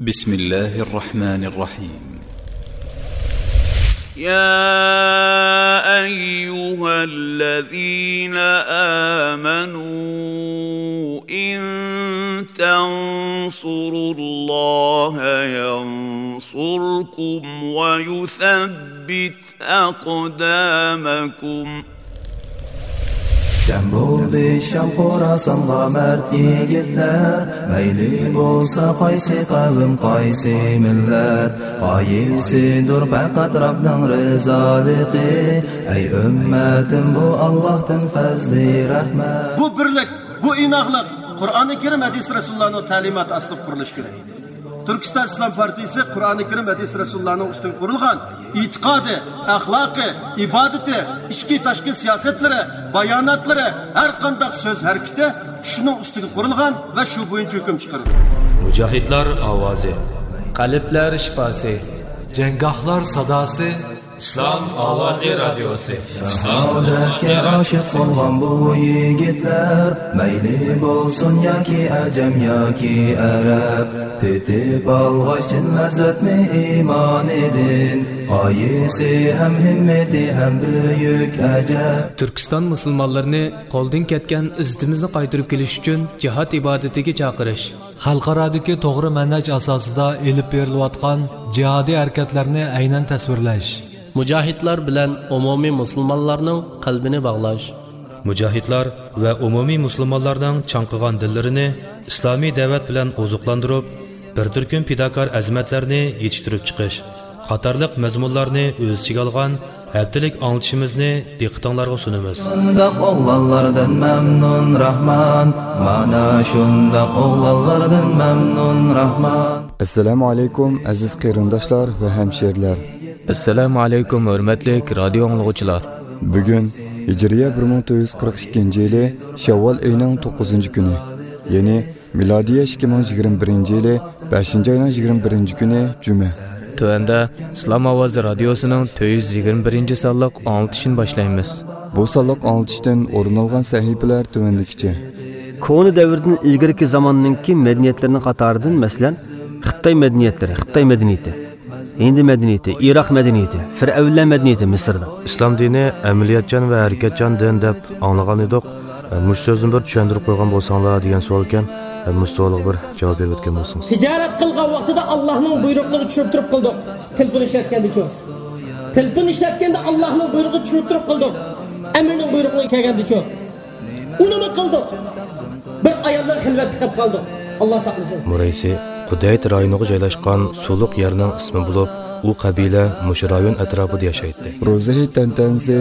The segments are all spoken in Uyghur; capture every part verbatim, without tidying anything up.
بسم الله الرحمن الرحيم. يا أيها الذين آمنوا إن تنصروا الله ينصركم ويثبت أقدامكم. جەم بولدى شام خوراسانغا مەرد يىگىتلەر، مەيلى بولسا قايسى قەۋم، قايسى مىللەت، غايىسىدۇر پەقەت رەبنىڭ رىزالىقى. ئەي ئۈممەتىم، بۇ ئاللاھتىن پەزلى رەھمەت. بۇ بىرلىك، بۇ ئىناقلىق قۇرئانى كەرىم، ھەدىس رەسۇلۇللانىڭ تەلىماتى ئاستىدا قۇرۇلۇشى كېرەك. تۈركىستان ئىسلام پارتىيىسى قۇرئانى كەرىم، ھەدىس رەسۇلۇللانىڭ ئۈستىگە قۇرۇلغان ئېتىقادى، ئەخلاقى، ئىبادىتى، ئىچكى تاشقى سىياسەتلىرى، باياناتلىرى، ھەر قانداق سۆز ھەرىكىتى شۇنىڭ ئۈستىگە قۇرۇلغان ۋە شۇ بويىچە ھۆكۈم چىقىرىدۇ. مۇجاھىدلار ئاۋازى. قەلبلەر شىپاسى. جەڭگاھلار ساداسى. ئىسلام ئاۋازى رادىيوسى. شاھادەتكە ئاشىق بولغان بۇ يىگىتلەر، مەيلى بولسۇن ياكى ئەجەم ياكى ئەرەب، تېتىپ ئالغاچ چىن لەززەتنى ئىمانىدىن، غايىسى ھەم ھىممىتى ھەم بۈيۈك ئەجەب. تۈركىستان مۇسۇلمانلىرىنى قولدىن كەتكەن ئىززىتىمىزنى قايتۇرۇپ كېلىش ئۈچۈن جىھاد ئىبادىتىگە چاقىرىش. خەلقئارادىكى توغرا مەنھەج ئاساسىدا ئېلىپ بېرىلىۋاتقان جىھادىي ھەرىكەتلەرنى ئەينەن تەسۋىرلەش. مۇجاھىدلار بىلەن ئومۇمىي مۇسۇلمانلارنىڭ قەلبىنى باغلاش. مۇجاھىدلار ۋە ئومۇمىي مۇسۇلمانلارنىڭ چاڭقىغان دىللىرىنى ئىسلامىي دەۋەت بىلەن ئوزۇقلاندۇرۇپ، بىر تۈركۈم پىداكار ئەزىمەتلەرنى يېتىشتۈرۈپ چىقىش قاتارلىق مەزمۇنلارنى ئۆز ئىچىگە ئالغان ھەپتىلىك ئاڭلىتىشىمىزنى دىققىتىڭلارغا سۇنىمىز. شۇنداق ئوغلانلاردىن مەمنۇن راھمان، مانا شۇنداق ئوغلانلاردىن مەمنۇن راھمان. ئەسسالامۇ ئەلەيكۇم، ئەزىز قېرىنداشلار ۋە ھەمشىرىلەر. ئەسسالامۇ ئەلەيكۇم، ھۆرمەتلىك رادىيو ئاڭلىغۇچىلار. بۈگۈن ھىجرىيە بىر مىڭ تۆت يۈز قىرىق ئىككىنچى يىلى شەۋۋال ئېيىنىڭ توققۇزىنچى كۈنى، يەنى مىلادىيە ئىككى مىڭ يىگىرمە بىرىنچى يىلى بەشىنچى ئاينىڭ يىگىرمە بىرىنچى كۈنى جۈمە. تۆۋەندە ئىسلام ئاۋازى رادىيوسىنىڭ تۆت يۈز يىگىرمە بىرىنچى سانلىق ئاڭلىتىشىنى باشلايمىز. بۇ سانلىق ئاڭلىتىشتىن ئورۇن ئالغان سەھىپىلەر تۆۋەندىكىچە. كونا دەۋردىن ئىلگىرىكى زاماننىڭكى مەدەنىيەتلىرىنىڭ قاتارىدىن، مەسىلەن، خىتاي مەدەنىيەتلىرى، خىتاي مەدەنىيىتى، ھىندى مەدەنىيىتى، ئىراق مەدەنىيىتى، فىرئەۋنلەر مەدەنىيىتى مىسىردا. ئىسلام دىنى ئەمەلىيەتچان ۋە ھەرىكەتچان دىن دەپ ئاڭلىغان ئىدۇق. مۇشۇ سۆزنى بىر چۈشەندۈرۈپ قويغان بولساڭلار دېگەن سوئالكەن. مۇشۇ سوئالغا بىر جاۋاب بېرىۋەتكەن بولسىڭىز. تىجارەت قىلغان ۋاقتىدا ئاللاھنىڭ بۇيرۇقلىرىغا چۈشۈرۈپ تۇرۇپ قىلدۇق. تېلېفون ئىشلەتكەندىچۇ؟ تېلېفون ئىشلەتكەندە ئاللاھنىڭ بۇيرۇقىغا چۈشۈرۈپ تۇرۇپ قىلدۇق. ئەمىرنىڭ بۇيرۇقىغا كەلگەندىچۇ؟ ئۇنىمۇ قىلدۇق. بىر ئايال بىلەن خىلۋەتكە قېلىپ قالدۇق. ئاللا ساقلىسۇن. مۇرەيسى قۇدەيت رايونىغا جايلاشقان سۇلۇق يەرنىڭ ئىسمى بولۇپ، ئۇ قەبىلە مۇشۇ رايون ئەتراپىدا ياشايتتى. روزى ھېيت تەنتەنىسى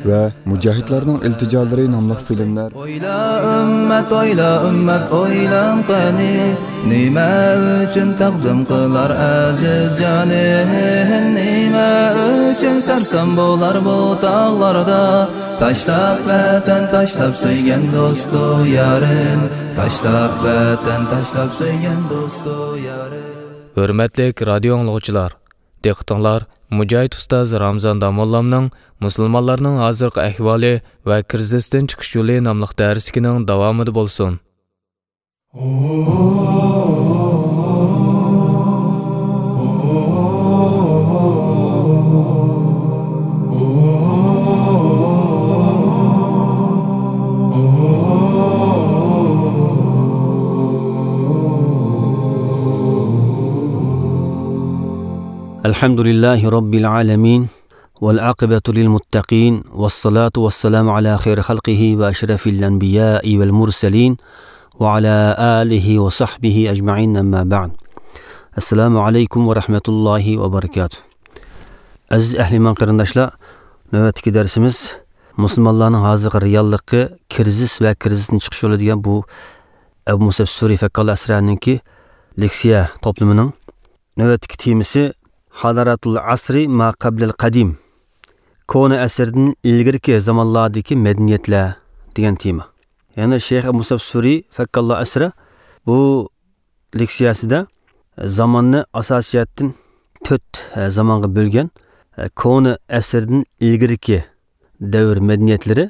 ۋە مۇجاھىدلارنىڭ ئىلتىجالىرى ناملىق فىلىملەر. ئويلا، ئۈممەت، ئويلا، ئۈممەت، ئويلاڭ قېنى، نېمە ئۈچۈن تەقدىم قىلار ئەزىز جانى؟ نېمە ئۈچۈن سەرسان بولار بۇ تاغلاردا؟ تاشلاپ ۋەتەن، تاشلاپ سۆيگەن دوستۇ يارىن، تاشلاپ ۋەتەن، تاشلاپ سۆيگەن دوستۇ يارىن. ھۆرمەتلىك رادىيو ئاڭلىغۇچىلار، دىققىتىڭلار مۇجاھىد ئۇستاز رامزان داموللامنىڭ مۇسۇلمانلارنىڭ ھازىرقى ئەھۋالى ۋە كىرىزىستىن چىقىش يولى ناملىق دەرسلىكىنىڭ داۋامىدا بولسۇن. الحمد لله رب العالمين، والعاقبة للمتقين، والصلاة والسلام على خير خلقه وأشرف الأنبياء والمرسلين، وعلى آله وصحبه أجمعين، أما بعد. السلام عليكم ورحمة الله وبركاته. ئەزىز ئەھلى ئىمان قېرىنداشلار، نۆۋەتتىكى دەرسىمىز مۇسۇلمانلارنىڭ ھازىرقى رېئاللىقى، كىرىزىس ۋە كىرىزىستىن چىقىش يولى دېگەن بۇ ئەبۇ مۇسەب سۈرى فەككاللا ئەسرەنىڭكى لېكسىيە توپلىمىنىڭ نۆۋەتتىكى تېمىسى حضارات العصر ما قبل القديم، كونا ئەسىردىن ئىلگىرىكى زامانلاردىكى مەدەنىيەتلەر دېگەن تېما. يەنى شەيخ ئەبۇ مۇسەب سۈرى فەككاللا ئەسرە بۇ لېكسىيەسىدە زاماننى ئاساسىي جەھەتتىن تۆت، ئە، زامانغا بۆلگەن. ئە، كونا ئەسىردىن ئىلگىرىكى دەۋر مەدەنىيەتلىرى،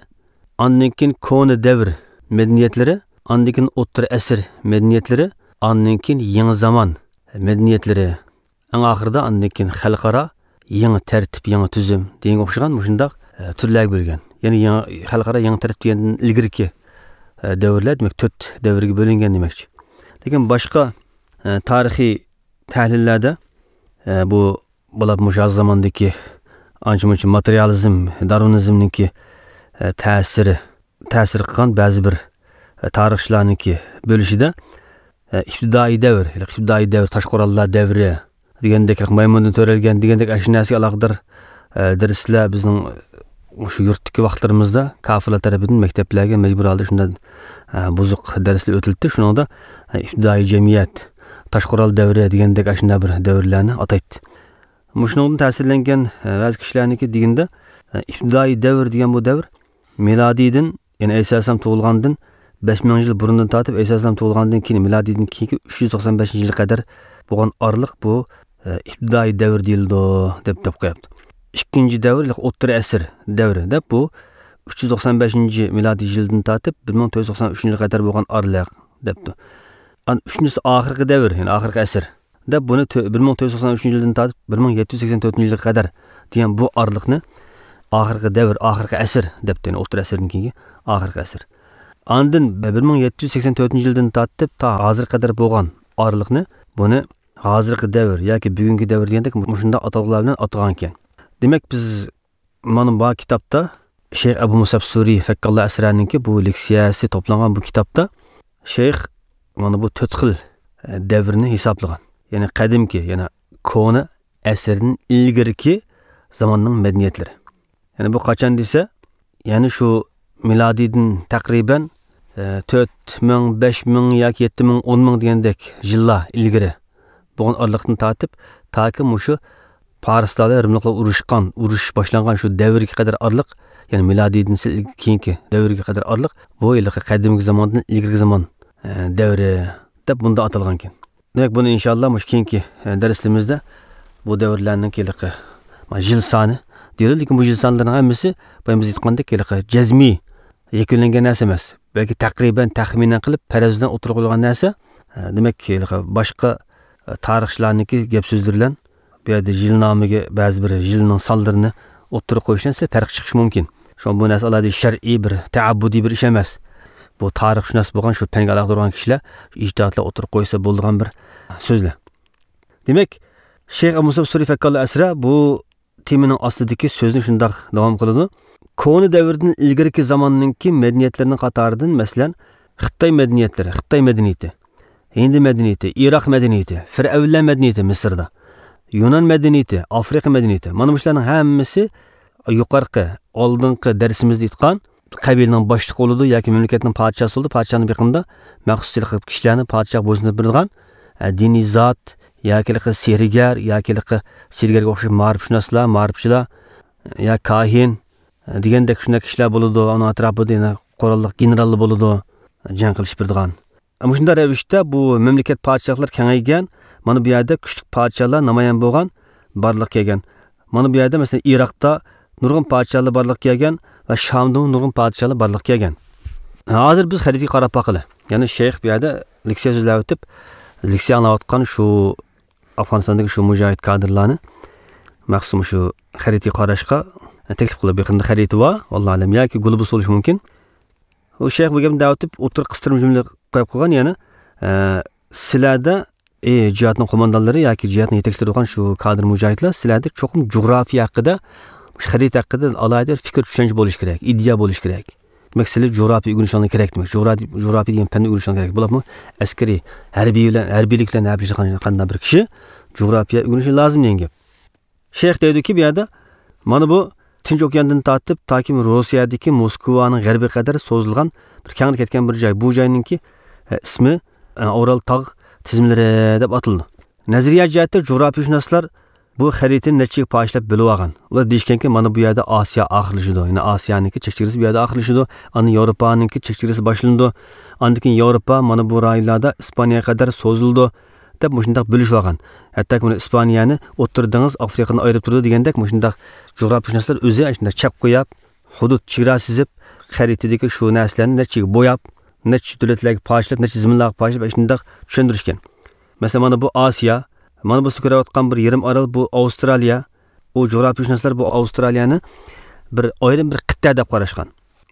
ئاندىن كېيىن كونا دەۋر مەدەنىيەتلىرى، ئاندىن كېيىن ئوتتۇرا ئەسىر مەدەنىيەتلىرى، ئاندىن كېيىن يېڭى زامان مەدەنىيەتلىرى، ئەڭ ئاخىرىدا ئاندىن كېيىن خەلقئارا يېڭى تەرتىپ، يېڭى تۈزۈم دېگەنگە ئوخشىغان مۇشۇنداق، ئە، تۈرلەرگە بۆلگەن. يەنى يېڭى، خەلقئارا يېڭى تەرتىپ دېگەندىن ئىلگىرىكى، ئە، دەۋرلەر، دېمەك، تۆت دەۋرگە بۆلۈنگەن دېمەكچى. لېكىن باشقا، ئە، تارىخىي تەھلىللەردە، ئە، بۇ، بۇلار مۇشۇ ھازىر زاماندىكى ئانچە-مۇنچە ماتېرىيالىزم، دارۋىنىزمنىڭكى، ئە، تەسىرى، تەسىر قىلغان بەزى بىر، ئە، تارىخچىلارنىڭكى بۆلۈشىدە، ئە، ئىپتىدائىي دەۋر، ئىپتىدائىي دەۋر، تاش قوراللار دەۋرى دېگەندەك، مايمۇندىن تۆرەلگەن دېگەندەك ئاشۇ نەرسىگە ئالاقىدار، ئە، دەرسلەر بىزنىڭ مۇشۇ يۇرتتىكى ۋاقىتلىرىمىزدا كاپىرلار تەرىپىدىن مەكتەپلەرگە مەجبۇر ھالدا شۇنداق، ئە، بۇزۇق دەرسلەر ئۆتۈلدى. شۇنىڭدا، ئە، ئىپتىدائىي جەمئىيەت، تاش قورال دەۋرى دېگەندەك ئاشۇنداق بىر دەۋرلەرنى ئاتايتتى. مۇشۇنىڭدىن تەسىرلەنگەن، ئە، بەزى كىشىلەرنىڭكى دېگىنىدە، ئە، ئىپتىدائىي دەۋر دېگەن بۇ دەۋر مىلادىيدىن، يەنى ئەيسا ئەلەيھىسسالام تۇغۇلغاندىن بەش مىڭ يىل بۇرۇندىن تارتىپ، ئەيسا ئەلەيھىسسالام تۇغۇلغاندىن كېيىن، مىلادىيدىن كېيىنكى ئۈچ يۈز توقسان بەشىنچى يىلغا قەدەر بولغان ئارىلىق بۇ، ئە، ئىپتىدائىي دەۋر دېيىلىدۇ، دەپ، دەپ قويۇپتۇ. ئىككىنچى دەۋر، ئوتتۇرا ئەسىر دەۋرى دەپ، بۇ ئۈچ يۈز توقسان بەشىنچى مىلادىي يىلدىن تارتىپ بىر مىڭ تۆت يۈز توقسان ئۈچىنچى يىلغا قەدەر بولغان ئارىلىق دەپتۇ. ئان-، ئۈچىنچىسى ئاخىرقى دەۋر، يەنى ئاخىرقى ئەسىر دەپ، بۇنى تۆ-، بىر مىڭ تۆت يۈز توقسان ئۈچىنچى يىلدىن تارتىپ بىر مىڭ يەتتە يۈز سەكسەن تۆتىنچى يىلغا قەدەر دېگەن بۇ ئارىلىقنى ئاخىرقى دەۋر، ئاخىرقى ئەسىر دەپتۇ، يەنى ئوتتۇرا ئەسىردىن كېيىنكى ئاخىرقى ئەسىر. ئاندىن بىر مىڭ يەتتە يۈز سەكسەن تۆتىنچى يىلدىن تارتىپ تا ھازىرغا قەدەر بولغان ئارىلىقنى، بۇنى ھازىرقى دەۋر ياكى بۈگۈنكى دەۋر دېگەندەك مۇشۇنداق ئاتالغۇلار بىلەن ئاتىغانىكەن. دېمەك، بىز مانا بۇ كىتابتا شەيخ ئەبۇ مۇسەب سۈرى فەككاللا ئەسرانىڭكى بۇ لېكسىيەسى توپلانغان بۇ كىتابتا شەيخ مانا بۇ تۆت خىل، ئە، دەۋرنى ھېسابلىغان. يەنى قەدىمكى، يەنى كونا ئەسىردىن ئىلگىرىكى زاماننىڭ مەدەنىيەتلىرى. يەنى بۇ قاچان دېسە، يەنى شۇ مىلادىيدىن تەقرىبەن، ئە، تۆت مىڭ، بەش مىڭ ياكى يەتتە مىڭ، ئون مىڭ دېگەندەك يىللار ئىلگىرى بولغان ئارىلىقتىن تارتىپ، تاكى مۇشۇ پارسلار بىلەن رىملىقلار ئۇرۇشقان، ئۇرۇش باشلانغان شۇ دەۋرگە قەدەر ئارىلىق، يەنى مىلادىيدىن سەل كېيىنكى دەۋرگە قەدەر ئارىلىق، بۇ ھېلىقى قەدىمكى زاماندىن ئىلگىرىكى زامان، ئە، دەۋرى دەپ بۇنداق ئاتالغانكەن. دېمەك، بۇنى ئىنشاللا مۇشۇ كېيىنكى، ئە، دەرسلىرىمىزدە بۇ دەۋرلەرنىڭ ھېلىقى، ما، يىل سانى دېيىلىدۇ، لېكىن بۇ يىل سانلىرىنىڭ ھەممىسى بايا بىز ئېيتقاندەك ھېلىقى جەزمىي يەكۈنلەنگەن نەرسە ئەمەس. بەلكى تەقرىبەن تەخمىنەن قىلىپ، پەرەز بىلەن ئوتتۇرىغا قويۇلغان نەرسە. ئە، دېمەك، ھېلىقى باشقا، ئە، تارىخچىلارنىڭكى گەپ سۆزلىرى بىلەن بۇ يەردە يىلنامىگە بەزى بىر يىلنىڭ سانلىرىنى ئوتتۇرىغا قويۇشتىن سەل پەرق چىقىشى مۇمكىن. شۇڭا بۇ نەرسە ئالاھىدە شەرئىي بىر تەئەببۇدىي بىر ئىش ئەمەس. بۇ تارىخشۇناس بولغان، شۇ پەنگە ئالاقىدار بولغان كىشىلەر ئىجتىھاتلار ئوتتۇرىغا قويسا بولىدىغان بىر سۆزلەر. دېمەك، شەيخ ئەبۇ مۇسەب سۈرى فەككاللا ئەسرا بۇ تېمىنىڭ ئاستىدىكى سۆزنى شۇنداق داۋام قىلىدۇ. كونا دەۋردىن ئىلگىرىكى زاماننىڭكى مەدەنىيەتلىرىنىڭ قاتارىدىن، مەسىلەن، خىتاي مەدەنىيەتلىرى، خىتاي مەدەنىيىتى، ھىندى مەدەنىيىتى، ئىراق مەدەنىيىتى، فىرئەۋنلەر مەدەنىيىتى مىسىردا، يۇنان مەدەنىيىتى، ئافرىقا مەدەنىيىتى، مانا مۇشۇلارنىڭ ھەممىسى يۇقىرىقى، ئالدىنقى دەرسىمىزدە ئېيتقان قەبىلىنىڭ باشلىقى بولىدۇ ياكى مەملىكەتنىڭ پادىشاھسى بولىدۇ. پادىشاھنىڭ بېقىنىدا مەخسۇس ھېلىقى كىشىلەرنى پادىشاھقا بويسۇندۇرۇپ بېرىدىغان، ئە، دىنىي زات ياكى ھېلىقى سېھىرگەر ياكى ھېلىقى سېھىرگەرگە ئوخشاش مائارىپشۇناسلار، مائارىپچىلار، يا كاھىن، ئە، دېگەندەك شۇنداق كىشىلەر بولىدۇ. ئۇنىڭ ئەتراپىدا يەنە قوراللىق گېنېراللار بولىدۇ، جەڭ قىلىشىپ بېرىدىغان. مۇشۇنداق رەۋىشتە بۇ مەملىكەت پادىشاھلار كېڭەيگەن. مانا بۇ يەردە كۈچلۈك پادىشاھلار نامايان بولغان، بارلىققا كەلگەن. مانا بۇ يەردە، مەسىلەن، ئىراقتا نۇرغۇن پادىشاھلار بارلىققا كەلگەن ۋە شامدىمۇ نۇرغۇن پادىشاھلار بارلىققا كەلگەن. ھازىر بىز خەرىتىگە قاراپ باقىلى. يەنى شەيخ بۇ يەردە لېكسىيە سۆزلەۋېتىپ، لېكسىيە ئاڭلاۋاتقان شۇ ئافغانىستاندىكى شۇ مۇجاھىد كادىرلارنى مەخسۇس شۇ خەرىتىگە قاراشقا تەكلىپ قىلىپ، يېقىندا خەرىتى بار، ۋاللاھۇ ئەلەم، ياكى گۇلوبۇس بولۇشى مۇمكىن. ئۇ شەيخ بۇ گەپنى دەۋېتىپ، ئوتتۇرا قىستۇرما جۈملە قويۇپ قويغان يەنە، ئە، سىلەردە، ئى، جىھادنىڭ قوماندانلىرى ياكى جىھادنىڭ يېتەكچىلىرى بولغان شۇ كادىر مۇجاھىدلار، سىلەردە چوقۇم جۇغراپىيە ھەققىدە، مۇشۇ خەرىتە ھەققىدە ئالاھىدە بىر پىكىر چۈشەنچە بولۇشى كېرەك، ئىدىيە بولۇشى كېرەك. دېمەك، سىلەر جۇغراپىيە ئۆگىنىشىڭلار كېرەك، دېمەك، جۇغراپىيە، جۇغراپىيە دېگەن پەننى ئۆگىنىشىڭلار كېرەك. بولۇپمۇ ئەسكىرىي، ھەربىي بىلەن، ھەربىيلىك بىلەن ھەپىلىشىدىغان قانداق بىر كىشى جۇغراپىيە ئۆگىنىشى لازىم دېگەن گەپ. شەيخ دەيدۇكى، بۇ يەردە مانا بۇ تىنچ ئوكياندىن تارتىپ تاكى روسىيەدىكى موسكۋانىڭ غەربىگە قەدەر سوزۇلغان بىر كەڭرى كەتكەن بىر جاي. بۇ جاينىڭكى، ئە، ئىسمى، ئە، ئورال تاغ تىزمىلىرى دەپ ئاتىلىدۇ. نەزەرىيە جەھەتتە جۇغراپىيەشۇناسلار بۇ خەرىتىنى نەچچە يەرگە پارچىلاپ بۆلۈۋالغان. ئۇلار دېيىشكەنكى، مانا بۇ يەردە ئاسىيا ئاخىرلىشىدۇ. يەنى ئاسىيانىڭكى چەك چېگرىسى بۇ يەردە ئاخىرلىشىدۇ. ئاندىن ياۋروپانىڭكى چەك چېگرىسى باشلىنىدۇ. ئاندىن كېيىن ياۋروپا مانا بۇ رايونلاردا ئىسپانىيەگە قەدەر سوزۇلىدۇ، دەپ مۇشۇنداق بۆلۈشۈۋالغان. ھەتتاكى مانا ئىسپانىيەنى ئوتتۇرا دېڭىز، ئافرىقىنى ئايرىپ تۇرىدۇ دېگەندەك مۇشۇنداق جۇغراپىيەشۇناسلار ئۆزى شۇنداق چەك قويۇپ، ھۇدۇد چېگرا سىزىپ، خەرىتىدىكى شۇ نەرسىلەرنى نەچچىگە بوياپ، نەچچە دۆلەتلەرگە پارچىلاپ، نەچچە زېمىنلارغا پارچىلاپ، شۇنداق چۈشەندۈرۈشكەن. مەسىلەن، مانا بۇ ئاسىيا، مانا بۇ سىز كۆرۈۋاتقان بىر يېرىم ئارال، بۇ ئاۋسترالىيە. ئۇ جۇغراپىيشۇناسلار بۇ ئاۋسترالىيەنى بىر ئايرىم بىر قىتئە دەپ قاراشقان.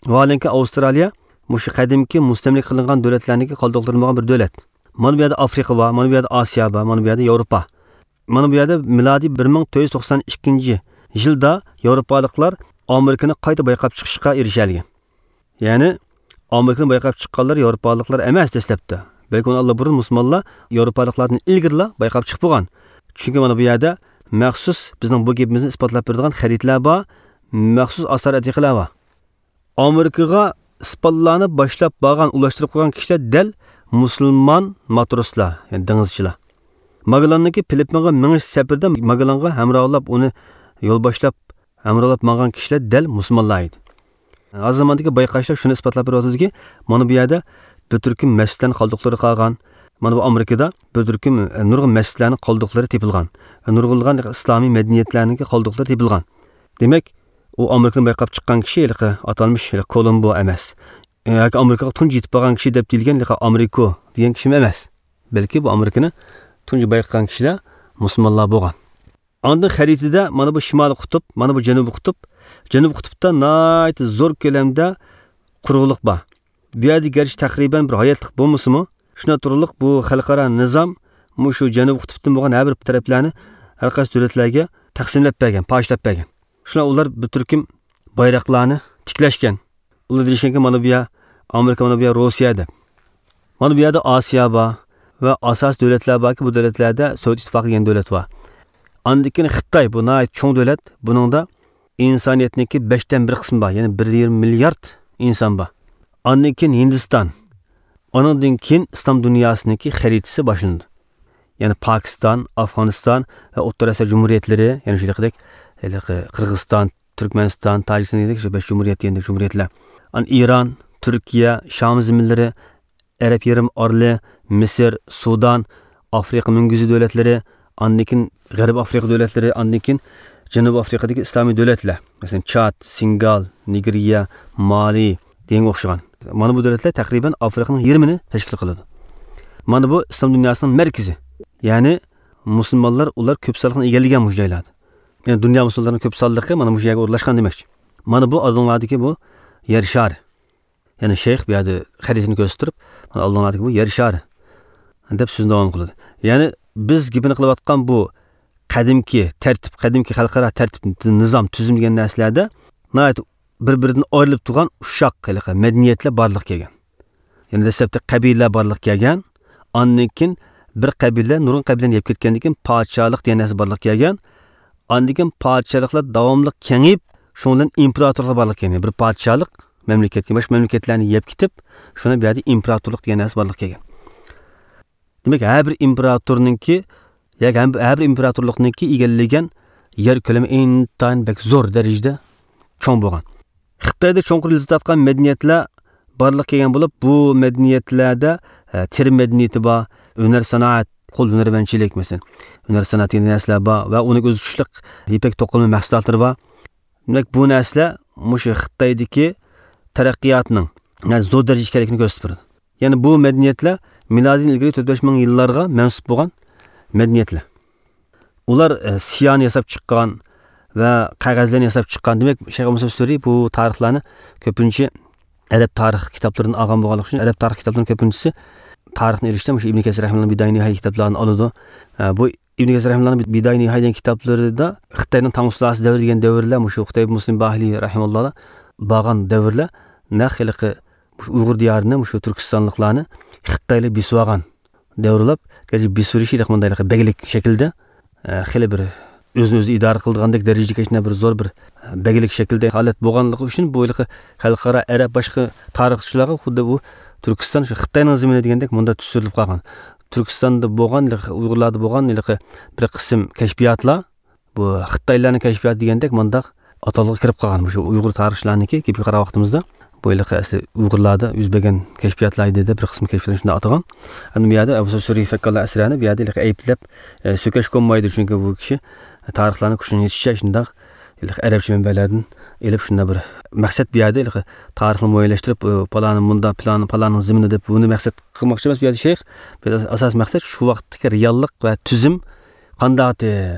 ۋاھالەنكى، ئاۋسترالىيە مۇشۇ قەدىمكى مۇستەملىكە قىلىنغان دۆلەتلەرنىڭكى قالدۇقلىرى بولغان بىر دۆلەت. مانا بۇ يەردە ئافرىقا بار، مانا بۇ يەردە ئاسىيا بار، مانا بۇ يەردە ياۋروپا. مانا بۇ يەردە مىلادىي بىر مىڭ تۆت يۈز توقسان ئىككىنچى يىلدا ياۋروپالىقلار ئامېرىكىنى قايتا بايقاپ چىقىشقا ئېرىشەلىگەن. يەنى ئامېرىكىنى بايقاپ چىققانلار ياۋروپالىقلار ئەمەس دەسلەپتە. بەلكى ئۇنى ئاللىبۇرۇن مۇسۇلمانلار ياۋروپالىقلاردىن ئىلگىرىلا بايقاپ چىقىپ بولغان. چۈنكى مانا بۇ يەردە مەخسۇس بىزنىڭ بۇ گېپىمىزنى ئىسپاتلاپ بېرىدىغان خەرىتىلەر بار، مەخسۇس ئاسارە ئەتىقىلەر بار. ئامېرىكىغا ئىسپانلارنى باشلاپ بارغان، ئۇلاشتۇرۇپ قويغان كىشىلەر دەل مۇسۇلمان ماتروسلار، يەنى دېڭىزچىلار. ماگېللاننىڭكى فىلىپپىنغا مېڭىش سەپىرىدە ماگېللانغا ھەمراھلاپ، ئۇنى يول باشلاپ، ھەمراھلاپ ماڭغان كىشىلەر دەل مۇسۇلمانلار ئىدى. ھازىر زاماندىكى بايقاشلار شۇنى ئىسپاتلاپ بېرىۋاتىدۇكى، مانا بۇ يەردە بىر تۈركۈم مەسچىتلەرنىڭ قالدۇقلىرى قالغان. مانا بۇ ئامېرىكىدا بىر تۈركۈم، ئە، نۇرغۇن مەسچىتلەرنىڭ قالدۇقلىرى تېپىلغان. نۇرغۇنلىغان ئىسلامىي مەدەنىيەتلەرنىڭكى قالدۇقلىرى تېپىلغان. دېمەك، ئۇ ئامېرىكىنى بايقاپ چىققان كىشى ھېلىقى ئاتالمىش ھېلىقى كولومبو ئەمەس. ياكى ئامېرىكىغا تۇنجى يېتىپ بارغان كىشى دەپ دېيىلگەن ھېلىقى ئامېرىكو دېگەن كىشىمۇ ئەمەس. بەلكى بۇ ئامېرىكىنى تۇنجى بايقىغان كىشىلەر مۇسۇلمانلار بولغان. ئاندىن خەرىتىدە مانا بۇ شىمالىي قۇتۇپ، مانا بۇ جەنۇبىي قۇتۇپ. جەنۇبىي قۇتۇپتا ناھايىتى زور كۆلەمدە قۇرۇقلۇق بار. بۇ يەردە گەرچە تەقرىبەن بىر ھاياتلىق بولمىسىمۇ، شۇنىڭ تۇرۇقلۇق بۇ خەلقئارا نىزام مۇشۇ جەنۇبىي قۇتۇپتىن بولغان ھەر بىر تەرەپلەرنى ھەر قايسى دۆلەتلەرگە تەقسىملەپ بەرگەن، پاچىلاپ بەرگەن. شۇڭا ئۇلار بىر تۈركۈم بايراقلارنى تىكلەشكەن. ئۇلار دېيىشكەنكى، مانا بۇ يەر ئامېرىكا، مانا بۇ يەر روسىيە دەپ. مانا بۇ يەردە ئاسىيا بار ۋە ئاساسىي دۆلەتلەر باركى، بۇ دۆلەتلەردە سوۋېت ئىتتىپاقى دېگەن دۆلەت بار. ئاندىن كېيىن خىتاي، بۇ ناھايىتى چوڭ دۆلەت. بۇنىڭدا ئىنسانىيەتنىڭكى بەشتىن بىر قىسمى بار، يەنى بىر يېرىم مىليارد ئىنسان بار. ئاندىن كېيىن ھىندىستان. ئانىڭدىن كېيىن ئىسلام دۇنياسىنىڭكى خەرىتىسى باشلىنىدۇ. يەنى پاكىستان، ئافغانىستان ۋە ئوتتۇرا ئاسىيا جۇمھۇرىيەتلىرى، يەنى شۇ ھېلىقىدەك، ھېلىقى قىرغىزىستان، تۈركمەنىستان، تاجىكىستان دېگەندەك شۇ بەش جۇمھۇرىيەت دېگەندەك جۇمھۇرىيەتلەر. ئان ئىران، تۈركىيە، شام زېمىنلىرى، ئەرەب يېرىم ئارىلى، مىسىر، سۇدان، ئافرىقا مۈڭگۈزى دۆلەتلىرى، ئاندىن كېيىن غەربىي ئافرىقا دۆلەتلىرى، ئاندىن كېيىن جەنۇبىي ئافرىقىدىكى ئىسلامىي دۆلەتلەر. مەسىلەن، چاد، سېنېگال، نىگېرىيە، مالى دېگەنگە ئوخشىغان. مانا بۇ دۆلەتلەر تەقرىبەن ئافرىقىنىڭ يېرىمىنى تەشكىل قىلىدۇ. مانا بۇ ئىسلام دۇنياسىنىڭ مەركىزى. يەنى مۇسۇلمانلار ئۇلار كۆپ سانلىقنى ئىگىلىگەن مۇشۇ جايلاردا. يەنى دۇنيا مۇسۇلمانلىرىنىڭ كۆپ سانلىقى مانا مۇشۇ يەرگە ئورۇنلاشقان دېمەكچى. مانا بۇ ئالدىڭلاردىكى بۇ يەر شارى. يەنى شەيخ بۇ يەردە خەرىتىنى كۆرسىتىپ تۇرۇپ، مانا ئالدىڭلاردىكى بۇ يەر شارى دەپ سۆزنى داۋام قىلىدۇ. يەنى بىز گېپىنى قىلىۋاتقان بۇ قەدىمكى تەرتىپ، قەدىمكى خەلقئارا تەرتىپ، نىزام، تۈزۈم دېگەن نەرسىلەردە ناھايىتى بىر-بىرىدىن ئايرىلىپ تۇرغان ئۇششاق ھېلىقى مەدەنىيەتلەر بارلىققا كەلگەن. يەنى دەسلەپتە قەبىلىلەر بارلىققا كەلگەن، ئاندىن كېيىن بىر قەبىلە نۇرغۇن قەبىلىلەرنى يەپ كەتكەندىن كېيىن پادىشاھلىق دېگەن نەرسە بارلىققا كەلگەن. ئاندىن كېيىن پادىشاھلىقلار داۋاملىق كېڭىيىپ، شۇنىڭ بىلەن ئىمپېراتورلۇق بارلىققا كەلگەن. بىر پادىشاھلىق مەملىكەتكە، باشقا مەملىكەتلەرنى يەپ كېتىپ، شۇنى بۇ يەردە ئىمپېراتورلۇق دېگەن نەرسە بارلىققا كەلگەن. دېمەك، ھەر بىر ئىمپېراتورنىڭكى، ياكى ھەم، ھەر بىر ئىمپېراتورلۇقنىڭكى ئىگىلىگەن يەر كۆلىمى ئىنتايىن بەك زور دەرىجىدە چوڭ بولغان. خىتايدا چوڭقۇر ئىز تارتقان مەدەنىيەتلەر بارلىققا كەلگەن بولۇپ، بۇ مەدەنىيەتلەردە، ئە، تېرىم مەدەنىيىتى بار، ھۈنەر سانائەت، قول ھۈنەرۋەنچىلىك، مەسىلەن، ھۈنەر سانائەت دېگەن نەرسىلەر بار ۋە ئۇنىڭ ئۆزى تۇتۇشلۇق يىپەك توقۇلما مەھسۇلاتلىرى بار. دېمەك، بۇ نەرسىلەر مۇشۇ خىتايدىكى تەرەققىياتنىڭ ناھايىتى زور دەرىجىدە ئىكەنلىكىنى كۆرسىتىپ بېرىدۇ. يەنى بۇ مەدەنىيەتلەر مىلادىدىن ئىلگىرى تۆت بەش مىڭ يىللارغا مەنسۇپ بولغان مەدەنىيەتلەر. ئۇلار، ئە، سىيانى ياساپ چىققان ۋە قەغەزلەرنى ياساپ چىققان. دېمەك، شەيخ ئەبۇ مۇسەب سۈرى بۇ تارىخلارنى كۆپىنچە ئەرەب تارىخ كىتابلىرىدىن ئالغان بولغانلىقى ئۈچۈن، ئەرەب تارىخ كىتابلىرىنىڭ كۆپىنچىسى تارىخنى ئېلىشتا مۇشۇ ئىبن كەسىر رەھىمەللانىڭ بىدايە نىھايە كىتابلارنى ئالىدۇ. ئە، بۇ ئىبن كەسىر رەھىمەللانىڭ بىدايە نىھايە دېگەن كىتابلىرىدا خىتاينىڭ تاڭ سۇلالىسى دەۋرى دېگەن دەۋرلەر، مۇشۇ خۇتەيب مۇسلىم باھىلى رەھىمەللا بارغان دەۋرلەر، نەق ھېلىقى مۇشۇ ئۇيغۇر دىيارىنى، مۇشۇ تۈركىستانلىقلارنى خىتايلار بېسىۋالغان دەۋرلەپ، گەرچە بېسىۋېلىشى ھېلىقى مۇنداق ھېلىقى بەگلىك شەكلىدە، ئە، خېلى بىر ئۆزىنى ئۆزى ئىدارە قىلىدىغاندەك دەرىجىگە كەچنە بىر زور بىر، ئە، بەگلىك شەكلىدە ھالەت بولغانلىقى ئۈچۈن، بۇ ھېلىقى خەلقئارا ئەرەب باشقا تارىخچىلارغا خۇددى بۇ تۈركىستان شۇ خىتاينىڭ زېمىنى دېگەندەك مۇنداق تۇتۇشتۇرۇلۇپ قالغان. تۈركىستاندا بولغان ھېلىقى ئۇيغۇرلاردا بولغان ھېلىقى بىر قىسىم كەشپىياتلار بۇ خىتايلارنىڭ كەشپىياتى دېگەندەك مۇنداق ئاتالغۇغا كىرىپ قالغان. مۇشۇ ئۇيغۇر تارىخچىلارنىڭكى گېپىگە قارىغان ۋاقتىمىزدا، بۇ ھېلىقى ئەسلى ئۇيغۇرلاردا يۈز بەرگەن كەشپىياتلار ئىدى دەپ بىر قىسىم كەشپىياتلارنى شۇنداق ئاتىغان. ئەمدى بۇ يەردە ئەبۇ سۈرى فەككاللا ئەسرەنى بۇ يەردە ھېلىقى ئەيىبلەپ، ئە، سۆكەشكە بولمايدۇ، چۈنكى بۇ كىشى تارىخلارنى كۈچىنى يېتىشىچە شۇنداق ھېلىقى ئەرەبچە مەنبەلەردىن ئېلىپ، شۇنداق بىر مەقسەت بۇ يەردە، ھېلىقى تارىخنى مۇئەييەنلەشتىرىپ، ئۇ پالانى مۇنداق، پىلانى پالاننىڭ زېمىنى دەپ، بۇنى مەقسەت قىلماقچى ئەمەس بۇ يەردە شەيخ. بۇ يەردە ئاساسىي مەقسەت شۇ ۋاقىتتىكى رېئاللىق ۋە تۈزۈم قانداقتى؟